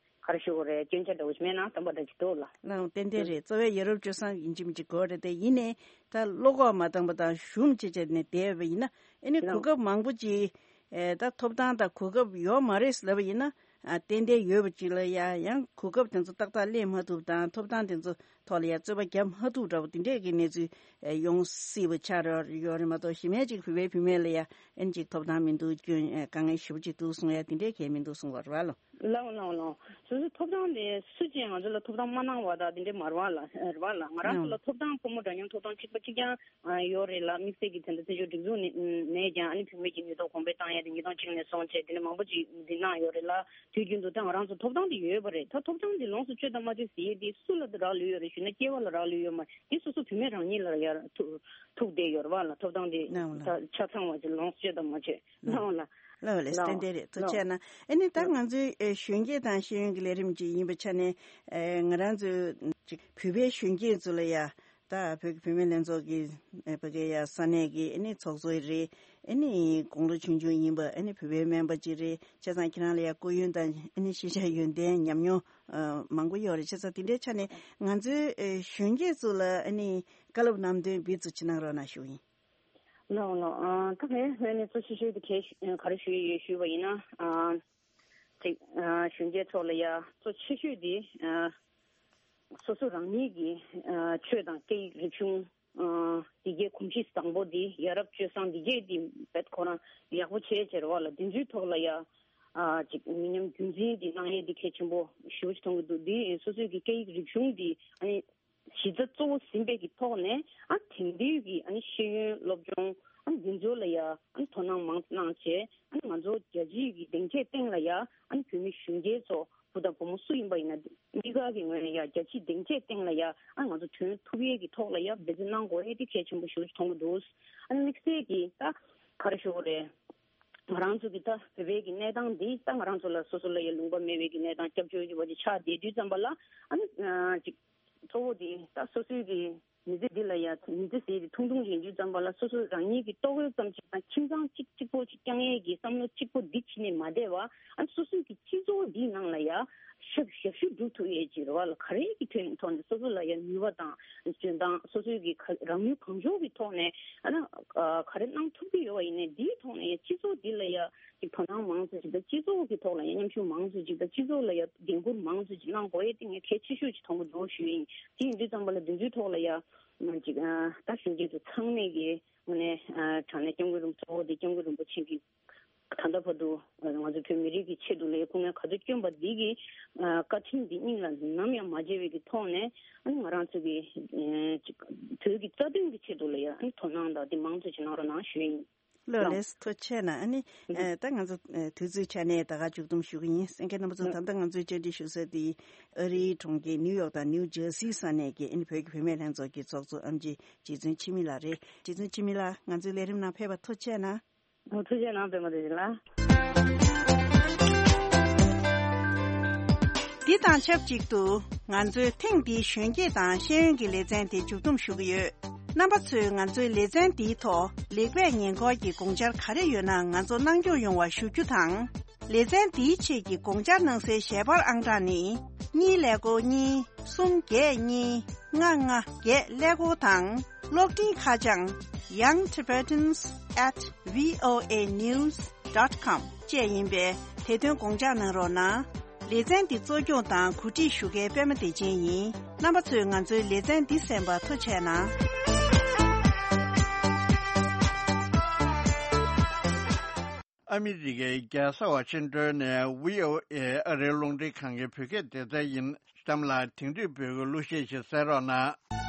ག་རེ་ཞུ་དགོས་རེད། སྐྱོན་ཆ་འདྲ་བོ་ཞིག་མེད་ན་དམ་པ་འདྲ་ཅིག་འདུག་ལ། ལའང་ཏན་ཏན་རེད། གཙོ་བོ་ཡ་རབས་སྤྱོད་བཟང་ཡིན་གཅིག་མིན་གཅིག་དགོས་རེད་དེ། ཡིན་ནའི་ད་བློ་ཁོག་མ་འདང་པ་དང་ཞུམ་བྱས་བྱས་ནས་བསྡད་པ་ཡིན་ན་ཨ་ནི་གོ་ལའང་སྐབས་མང་པོ་ཅིག་ཨེ་ད་ཐོབ་ཐང་དང་གོ་སྐབས་ཡོད་མ་རེད་ཟེར་ལབ་པ་ཡིན་ན་ཨ་ཏན་ཏན་ཡོད་པ་ཅིག་ལ་ཡ་ཡང་གོ་སྐབས་དེ་ཚོ་ཏག་ཏག་ལེན་མ་ཐུབ་དང་ཐོབ་ཐང་དེ་ཚོ་ཐོག་ལ་ཡ་རྩོད་པ་རྒྱབ་མ་ཐུབ་འདྲ་བོ་དེ་འདྲས་ཀྱི་གནས་ཚུལ་ཨེ་ཡོང་སྲིད་པ་ཆགས་ཡོད་རེད་མ་གཏོགས་གཞི་མེད་ཅིག་བོད་པའི་བུད་མེད་ལ་ཡ་ཨ་ནི་ཅིག་ཐོབ་ཐང་མི་འདུག་སྐྱོན་ཨེ་དཀའ་ངལ་ཞེ་པོ་ཅིག་འདུག་གསུང་ཡ་དེ་འདྲས་གལ་མི་འདུག་གསུང་བ་རེད་བ་ལོ། ལའང་ལའང་ལའང་། སོ་སོའི་ཐོབ་ཐང་དེ་སུ་གཅིག་ང་ཚོ་ལ་ཐོབ་ཐང་མ་གནང་བ་དང་དེ་འདྲས་མ་རེད་བ་ལ་རེད་བ་ལ། ང་རང་ཚོ་ལ་ཐོབ་ཐང་ཕོ་མོ་འདྲ་མཉམ་ཐོབ་ཐང་གཅིག་པ་གཅིག་རྐྱང་ཡོད་རེད་ལ། དམིགས་བསལ་གྱི་དེ་འདྲ་བཙན་བྱོལ་སྒྲིག་འཛུགས་ནས་ནས་ཀྱང་ཨ་ནི་བུད་མེད་ཀྱི་ནུས་སྟོབས་གོང་འཕེལ་བཏང་ཡ་དེ་ཉིས་སྟོང་གཅིག་ནས་བཟུང་བྱས་དེ་འདྲ་མང་པོ་ཅིག་འདི་གནང་ཡོད་རེད་ལ། དུས་རྒྱུན་དུ་ད་ང་རང་ཚོ་ཐོབ་ཐང་དེ་ཡོད་པ་རེད། ད་ཐོབ་ཐང་དེ་ལོངས་སུ་སྤྱོད་དང་མ་སྤྱོད་ཟེར་ཡས་དེ་སུ་ལ་རག་ལུས་ཡོད་རེད་ཞུས་ན་སྐྱེ་བ་ལ་རག་ལུས་ཡོད་མ་རེད། དེ་སོ་སོ་བུད་མེད་རང་ཉིད་ལ་ཡར་ཐུག་ཐུག་བསྡད་ཡོད་རེད་བ་ལ། ཐོབ་ཐང་དེ་ནའང་ལ། ད་ཆ་ཚང་བ་ཅིག་ལོངས་སུ་སྤྱོད་དང་མ་སྤྱོད་ནའང་ལ། ལགས་ལགས་ལགས། ཏན་ཏན་རེད། ཐུགས་རྗེ་ཆེ་གནང་། ཨ་ནི་ད་ང་ཚོའི་ཨེ་གཞོན་སྐྱེས་དང་ཤེས་ཡོན་གྱི་ལས་རིམ་ཅིག་ཡིན་པའི་ཆ་ནས་ཨེ་ང་རང་ཚོའི་ཅིག་བོད་པའི་གཞོན་སྐྱེས་ཚོ་ལ་ཡ་ད་བོད་ཀྱི་བུད་མེད་ལྷན་ཚོགས་ཀྱི་ཨེ་ཕ་གི་ཡ་ས་གནས་ཀྱི་ཨ་ནི་ཚོགས་གཙོ་རེད། ཨ་ནི་དགུང་ལོ་ཆུང་ཆུང་ཡིན་པ་ཨ་ནི་བོད་པའི་སྨན་པ་ཅིག་རེད། བྱས་ཙང་ཁྱེད་རང་ལ་ཡ་སྐུ་ཡོན་དང་ཨ་ནི་ཤེས་བྱ་ཡོན་ཏན་ཉམས་མྱོང་ཨ་མང་པོ་ཡོད་རེད། བྱས་ཙང་དེ་འདྲའི་ཆ་ནས་ང་ཚོའི་ཨེ་གཞོན་སྐྱེས་ཚོ་ལ་ཨ་ནི་བཀའ་སློབ་ལམ་སྟོན་འབུལ་ཚུལ་ཅིག་གནང་རོགས་གནང་ཞུ་ཡིན། ལགས་ལགས། ཨ་ད་ངའི་ངོས་ནས་གཙོ་ཆེ་ཤོས་དེ་གས་ཞུ་ག་རེ་ཞུ་ཡི་ཡོད་ཞུས་པ་ཡིན་ན། ཨ་ཅིག་ཨ་གཞོན་སྐྱེས་ཚོ་ལ་ཡ་གཙོ་ཆེ་ཤོས་དེ་ཨ་སོ་སོ་རང་ཉིད་ཀྱི་ཨ་ཆོས་དང་སྐད་ཡིག་རིག་གཞུང་ཨ་འདི་གའི་གོམས་གཤིས་བཟང་པོ་འདི་ཡ་རབས་སྤྱོད་བཟང་འདི་གའི་འདི་བེད་ཁོ་རང་ཡག་པོ་བྱས་བྱས་རེད་བ་ལ། དེ་ཚོའི་ཐོག་ལ་ཡ་ཨ་ཅིག་མི་ཉམས་རྒྱུན་འཛིན་འདི་གནང་ཡས་འདི་གལ་ཆེན་པོ་ཞེ་པོ་ཅིག་མཐོང་གི་འདུག་འདི་སོ་སོའི་གི་སྐད་ཡིག་རིག་གཞུང་འདི་ཨ་ནི། གཞི་རྩ་གཙོ་བོ་ཟིན་པའི་གི་ཐོག་ནས་ཨ་དེང་དུས་ཀྱི་ཨ་ནི་ཤེས་ཡོན་སློབ་སྦྱོང་ཨ་ནི་འདི་ཚོ་ལ་ཡ་ཨ་ནི་དོ་སྣང་མང་གནང་བྱས་ཨ་ནི་ང་ཚོ་རྒྱལ་སྤྱིའི་གི་སྡིངས་ཆའི་སྟེང་ལ་ཡ་ཨ་ནི་བོད་མི་གཞོན་སྐྱེས་ཚོ་བུ་དང་བུ་མོ་སུ་ཡིན་པ་ཡིན་ན་གཉིས་ཀ་གི་ངོས་ནས་ཡ་རྒྱལ་སྤྱིའི་སྡིངས་ཆའི་སྟེང་ལ་ཡ་ཨ་ནི་ང་ཚོ་ཐོན་ཐུབ་ཡས་ཀྱི་ཐོག་ལ་ཡ་འབད་བརྩོན་གནང་དགོས་ཡས་དེ་གལ་ཆེན་པོ་ཞེ་པོ་ཅིག་མཐོང་གི་འདུག་ཨ་ནི་དམིགས་བསལ་གྱི་ད་ག་རེ་ཞུ་དགོས་རེད། ང་རང་ཚོ་གི་ད་བོད་པའི་གི་གནས་སྟངས་འདི་ད་ང་རང་ཚོ་ལ་སོ་སོ་ལ་ཡ་ལུང་པ་མེད་པའི་གི་གནས་སྟངས་སྐྱབས་བཅོལ་གྱི་བ་ཅིག་ཆགས་བསྡད་དུས་ཙམ་པ་ལ་ཨ་ནི་ཅིག་གཙོ་བོ་དེ་ད་སོ་སོའི་གི་མི་ཚེ་འདི་ལ་ཡ་མི་ཚེ་ཟེར་དེ་ཐུང་ཐུང་ཡིན་དུས་ཙམ་པ་ལ་སོ་སོ་རང་ཉིད་ཀྱི་ལྟོ་གོས་ཙམ་ཅིག་དང་ཁྱིམ་ཚང་གཅིག་གཅིག་པོ་ཅིག་བསྐྱང་ཡས་ཀྱི་བསམ་བློ་གཅིག་པོ་འདི་བྱས་ནས་མ་བསྡད་པ་ཨ་ནི་སོ་སོའི་གི་སྤྱི་ཚོགས་འདིའི་ནང་ལ་ཡ་ཞབས་ཞབས་ཞུ་སྒྲུབ་ཐུབ་ཡས་ཀྱི་རེ་བ་ལ་ག་རེ་གི་ཐོག་ནས་ཐོག་ནས་སོ་སོ་ལ་ཡ་ནུས་པ་དང་འཇོན་ཐང་སོ་སོའི་གི་ག་རང་ནུས་གང་ལྕོགས་ཀྱི་ཐོག་ནས་ཨ་ནི་ག་རེ་གནང་ཐུབ་ཀྱི་ཡོད་པ་ཡིན་ནའི་འདིའི་ཐོག་ནས་ཡ་སྤྱི་ཚོགས་འདི་ལ་ཡ། ཅིག་དོ་སྣང་མང་ཙམ་ཅིག་དང་སྤྱི་ཚོགས་ཀྱི་ཐོག་ལ་ཡང་མཉམ་ཞུགས་མང་ཙམ་ཅིག་དང་སྤྱི་ཚོགས་ལ་ཡང་འགན་འཁུར་མང་ཙམ་ཅིག་གནང་དགོས་ཡས་དེ་ངས་གལ་ཆེ་ཤོས་ཅིག་མཐོང་གི་འདུག་ཞུ་ཡིན། དེ་ཡིན་དུས་ཙམ་པ་ལ་དེ་ཚོའི་ཐོག་ལ་ཡང་ཅིག་ད་གཞོན་སྐྱེས་ཚོ་ཚང་མས་ཀྱི་དངོས་གནས་དྲང་གནས་སྐྱབས་མགོན་རིན་པོ་ཆེ་འོ་དེ་སྐྱབས་མགོན་རིན་པོ་ཆེ་གི་ད་ལྟ་བར་དུ་ང་ཚོ་བོད་མི་རིགས་ཀྱི་ཆེད་དུ་ལ་ཡང་སྐུ་ངལ་ག་ཚོད་བསྐྱོན་པ་འདི་གི་བཀའ་དྲིན་འདི་སྙིང་ལ་ནམ་ཡང་མ་བརྗེད་པའི་གི་ཐོག་ནས་ཨ་ནི་ང་རང་ཚོ་གི་ཅིག་བོད་ཀྱི་རྩ་དོན་གྱི་ཆེད་དུ་ལ་ཡང་ཨ་ནི་དོ་སྣང་དང་དེ་མང་ཙམ་ཅིག་གནང་རོགས་གནང་ཞུ་ཡིན། ལགས་ལགས་སོ། ཐུགས་རྗེ་ཆེ་གནང་། ཨ་ནི་ཨ་ད་ང་ཚོ་ཨ་དུས་ཚོད་ཆ་ནས་ད་ག་མཇུག་སྡོམ་ཞུ་གི་ཡིན། གསན་མཁན་རྣམ་པ་ཚོ་ད་ལྟ་ང་ཚོའི་བཅར་འདྲི་ཞུ་ས་དེ་ཨ་རིའི་གྲོང་ཁྱེར་ནིའུ་ཡོག་དང་ནིའུ་ཇར་སི་ས་གནས་ཀྱི་ཨ་ནི་བོད་ཀྱི་བུད་མེད་ལྷན་ཚོགས་ཀྱི་ཚོགས་གཙོ་ཨེམ་ཆི་རྗེ་བཙུན་འཆི་མེད་ལགས་རེད། རྗེ་བཙུན་འཆི་མེད་ལགས་ང་ཚོའི་ལས་རིམ་ནང་ཕེབས་པར་ཐུགས་རྗེ་ཆེ་གནང་། ཐུགས་རྗེ་གནང་པད་མ་བདེ་ཆེན་ལགས། འདི་དང་ཆབས་ཅིག་ཏུ་ང་ཚོའི་ཐེངས་འདིའི་གཞོན་སྐྱེས་དང་ཤེས་ཡོན་གྱི་ལེ་ཚན་དེ་མཇུག་བསྡོམས་ཞུ་གི་ཡོད། རྣམ་པ་ཚོས་ང་ཚོའི་ལེ་ཚན་འདིའི་ཐོག་ལེགས་སྤེལ་ཉེས་འགོག་གི་དགོངས་འཆར་ག་རེ་ཡོད་ན་ང་ཚོ་གནང་སྐྱོང་ཡོང་བ་ཞུ་རྒྱུ་དང་། ལེ་ཚན་འདིའི་ཆེད་ཀྱི་དགོངས་འཆར་གནང་སའི་ཞལ་པར་ཨང་གྲངས་ནི། གཉིས་ཀླད་ཀོར་གཉིས། གསུམ་བརྒྱད་གཉིས། ལྔ་ལྔ་བརྒྱད་ཀླད་ཀོར་དང་། གློག་འཕྲིན་ཁ་བྱང་young tibetans at voa news dot com བཅས་ཡིན་པས་དེ་དོན་དགོངས་འཇགས་གནང་རོགས་གནང་། ལེ་ཚན་འདི་གཙོ་སྐྱོང་དང་གོ་སྒྲིག་ཞུ་མཁན་པད་མ་བདེ་ཆེན་ཡིན། རྣམ་པ་ཚོས་ང་ཚོའི་ལེ་ཚན་འདི་གསན་པར་ཐུགས་རྗེ་གནང་། ཨ་མི་རི་ཀའི་རྒྱལ་ས་ཝ་ཤིང་ཏོན་ནས་བྷི་ཨོ་ཨེ་ཨ་རིའི་རླུང་འཕྲིན་ཁང་གི་བོད་སྐད་སྡེ་ཚན་ཡིན། གཤམ་ལ་དེང་དུས་བོད་ཀྱི་གླུ་གཞས་ཤིག་གསན་རོགས་གནང་།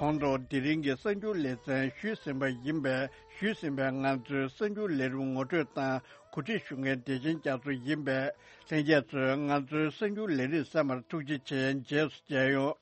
ཁོང་ཚོ་དེ་རིང་གི་གསར་འགྱུར་ལེ་ཚན་ཞུས་ཟིན་པ་ཡིན་པས། ཞུས་ཟིན་པའི་ང་ཚོའི་གསར་འགྱུར་ལས་རིམ་ངོ་སྤྲོད་དང་གོ་སྒྲིག་ཞུ་མཁན་བདེ་ཆེན་རྒྱ་མཚོ་ཡིན་པས། ལྷན་རྒྱས་ཚོས་ང་ཚོའི་གསར་འགྱུར་ལས་རིམ་གསན་པར་ཐུགས་རྗེ་ཆེ། རྗེས་སུ་མཇལ་ཡོང་།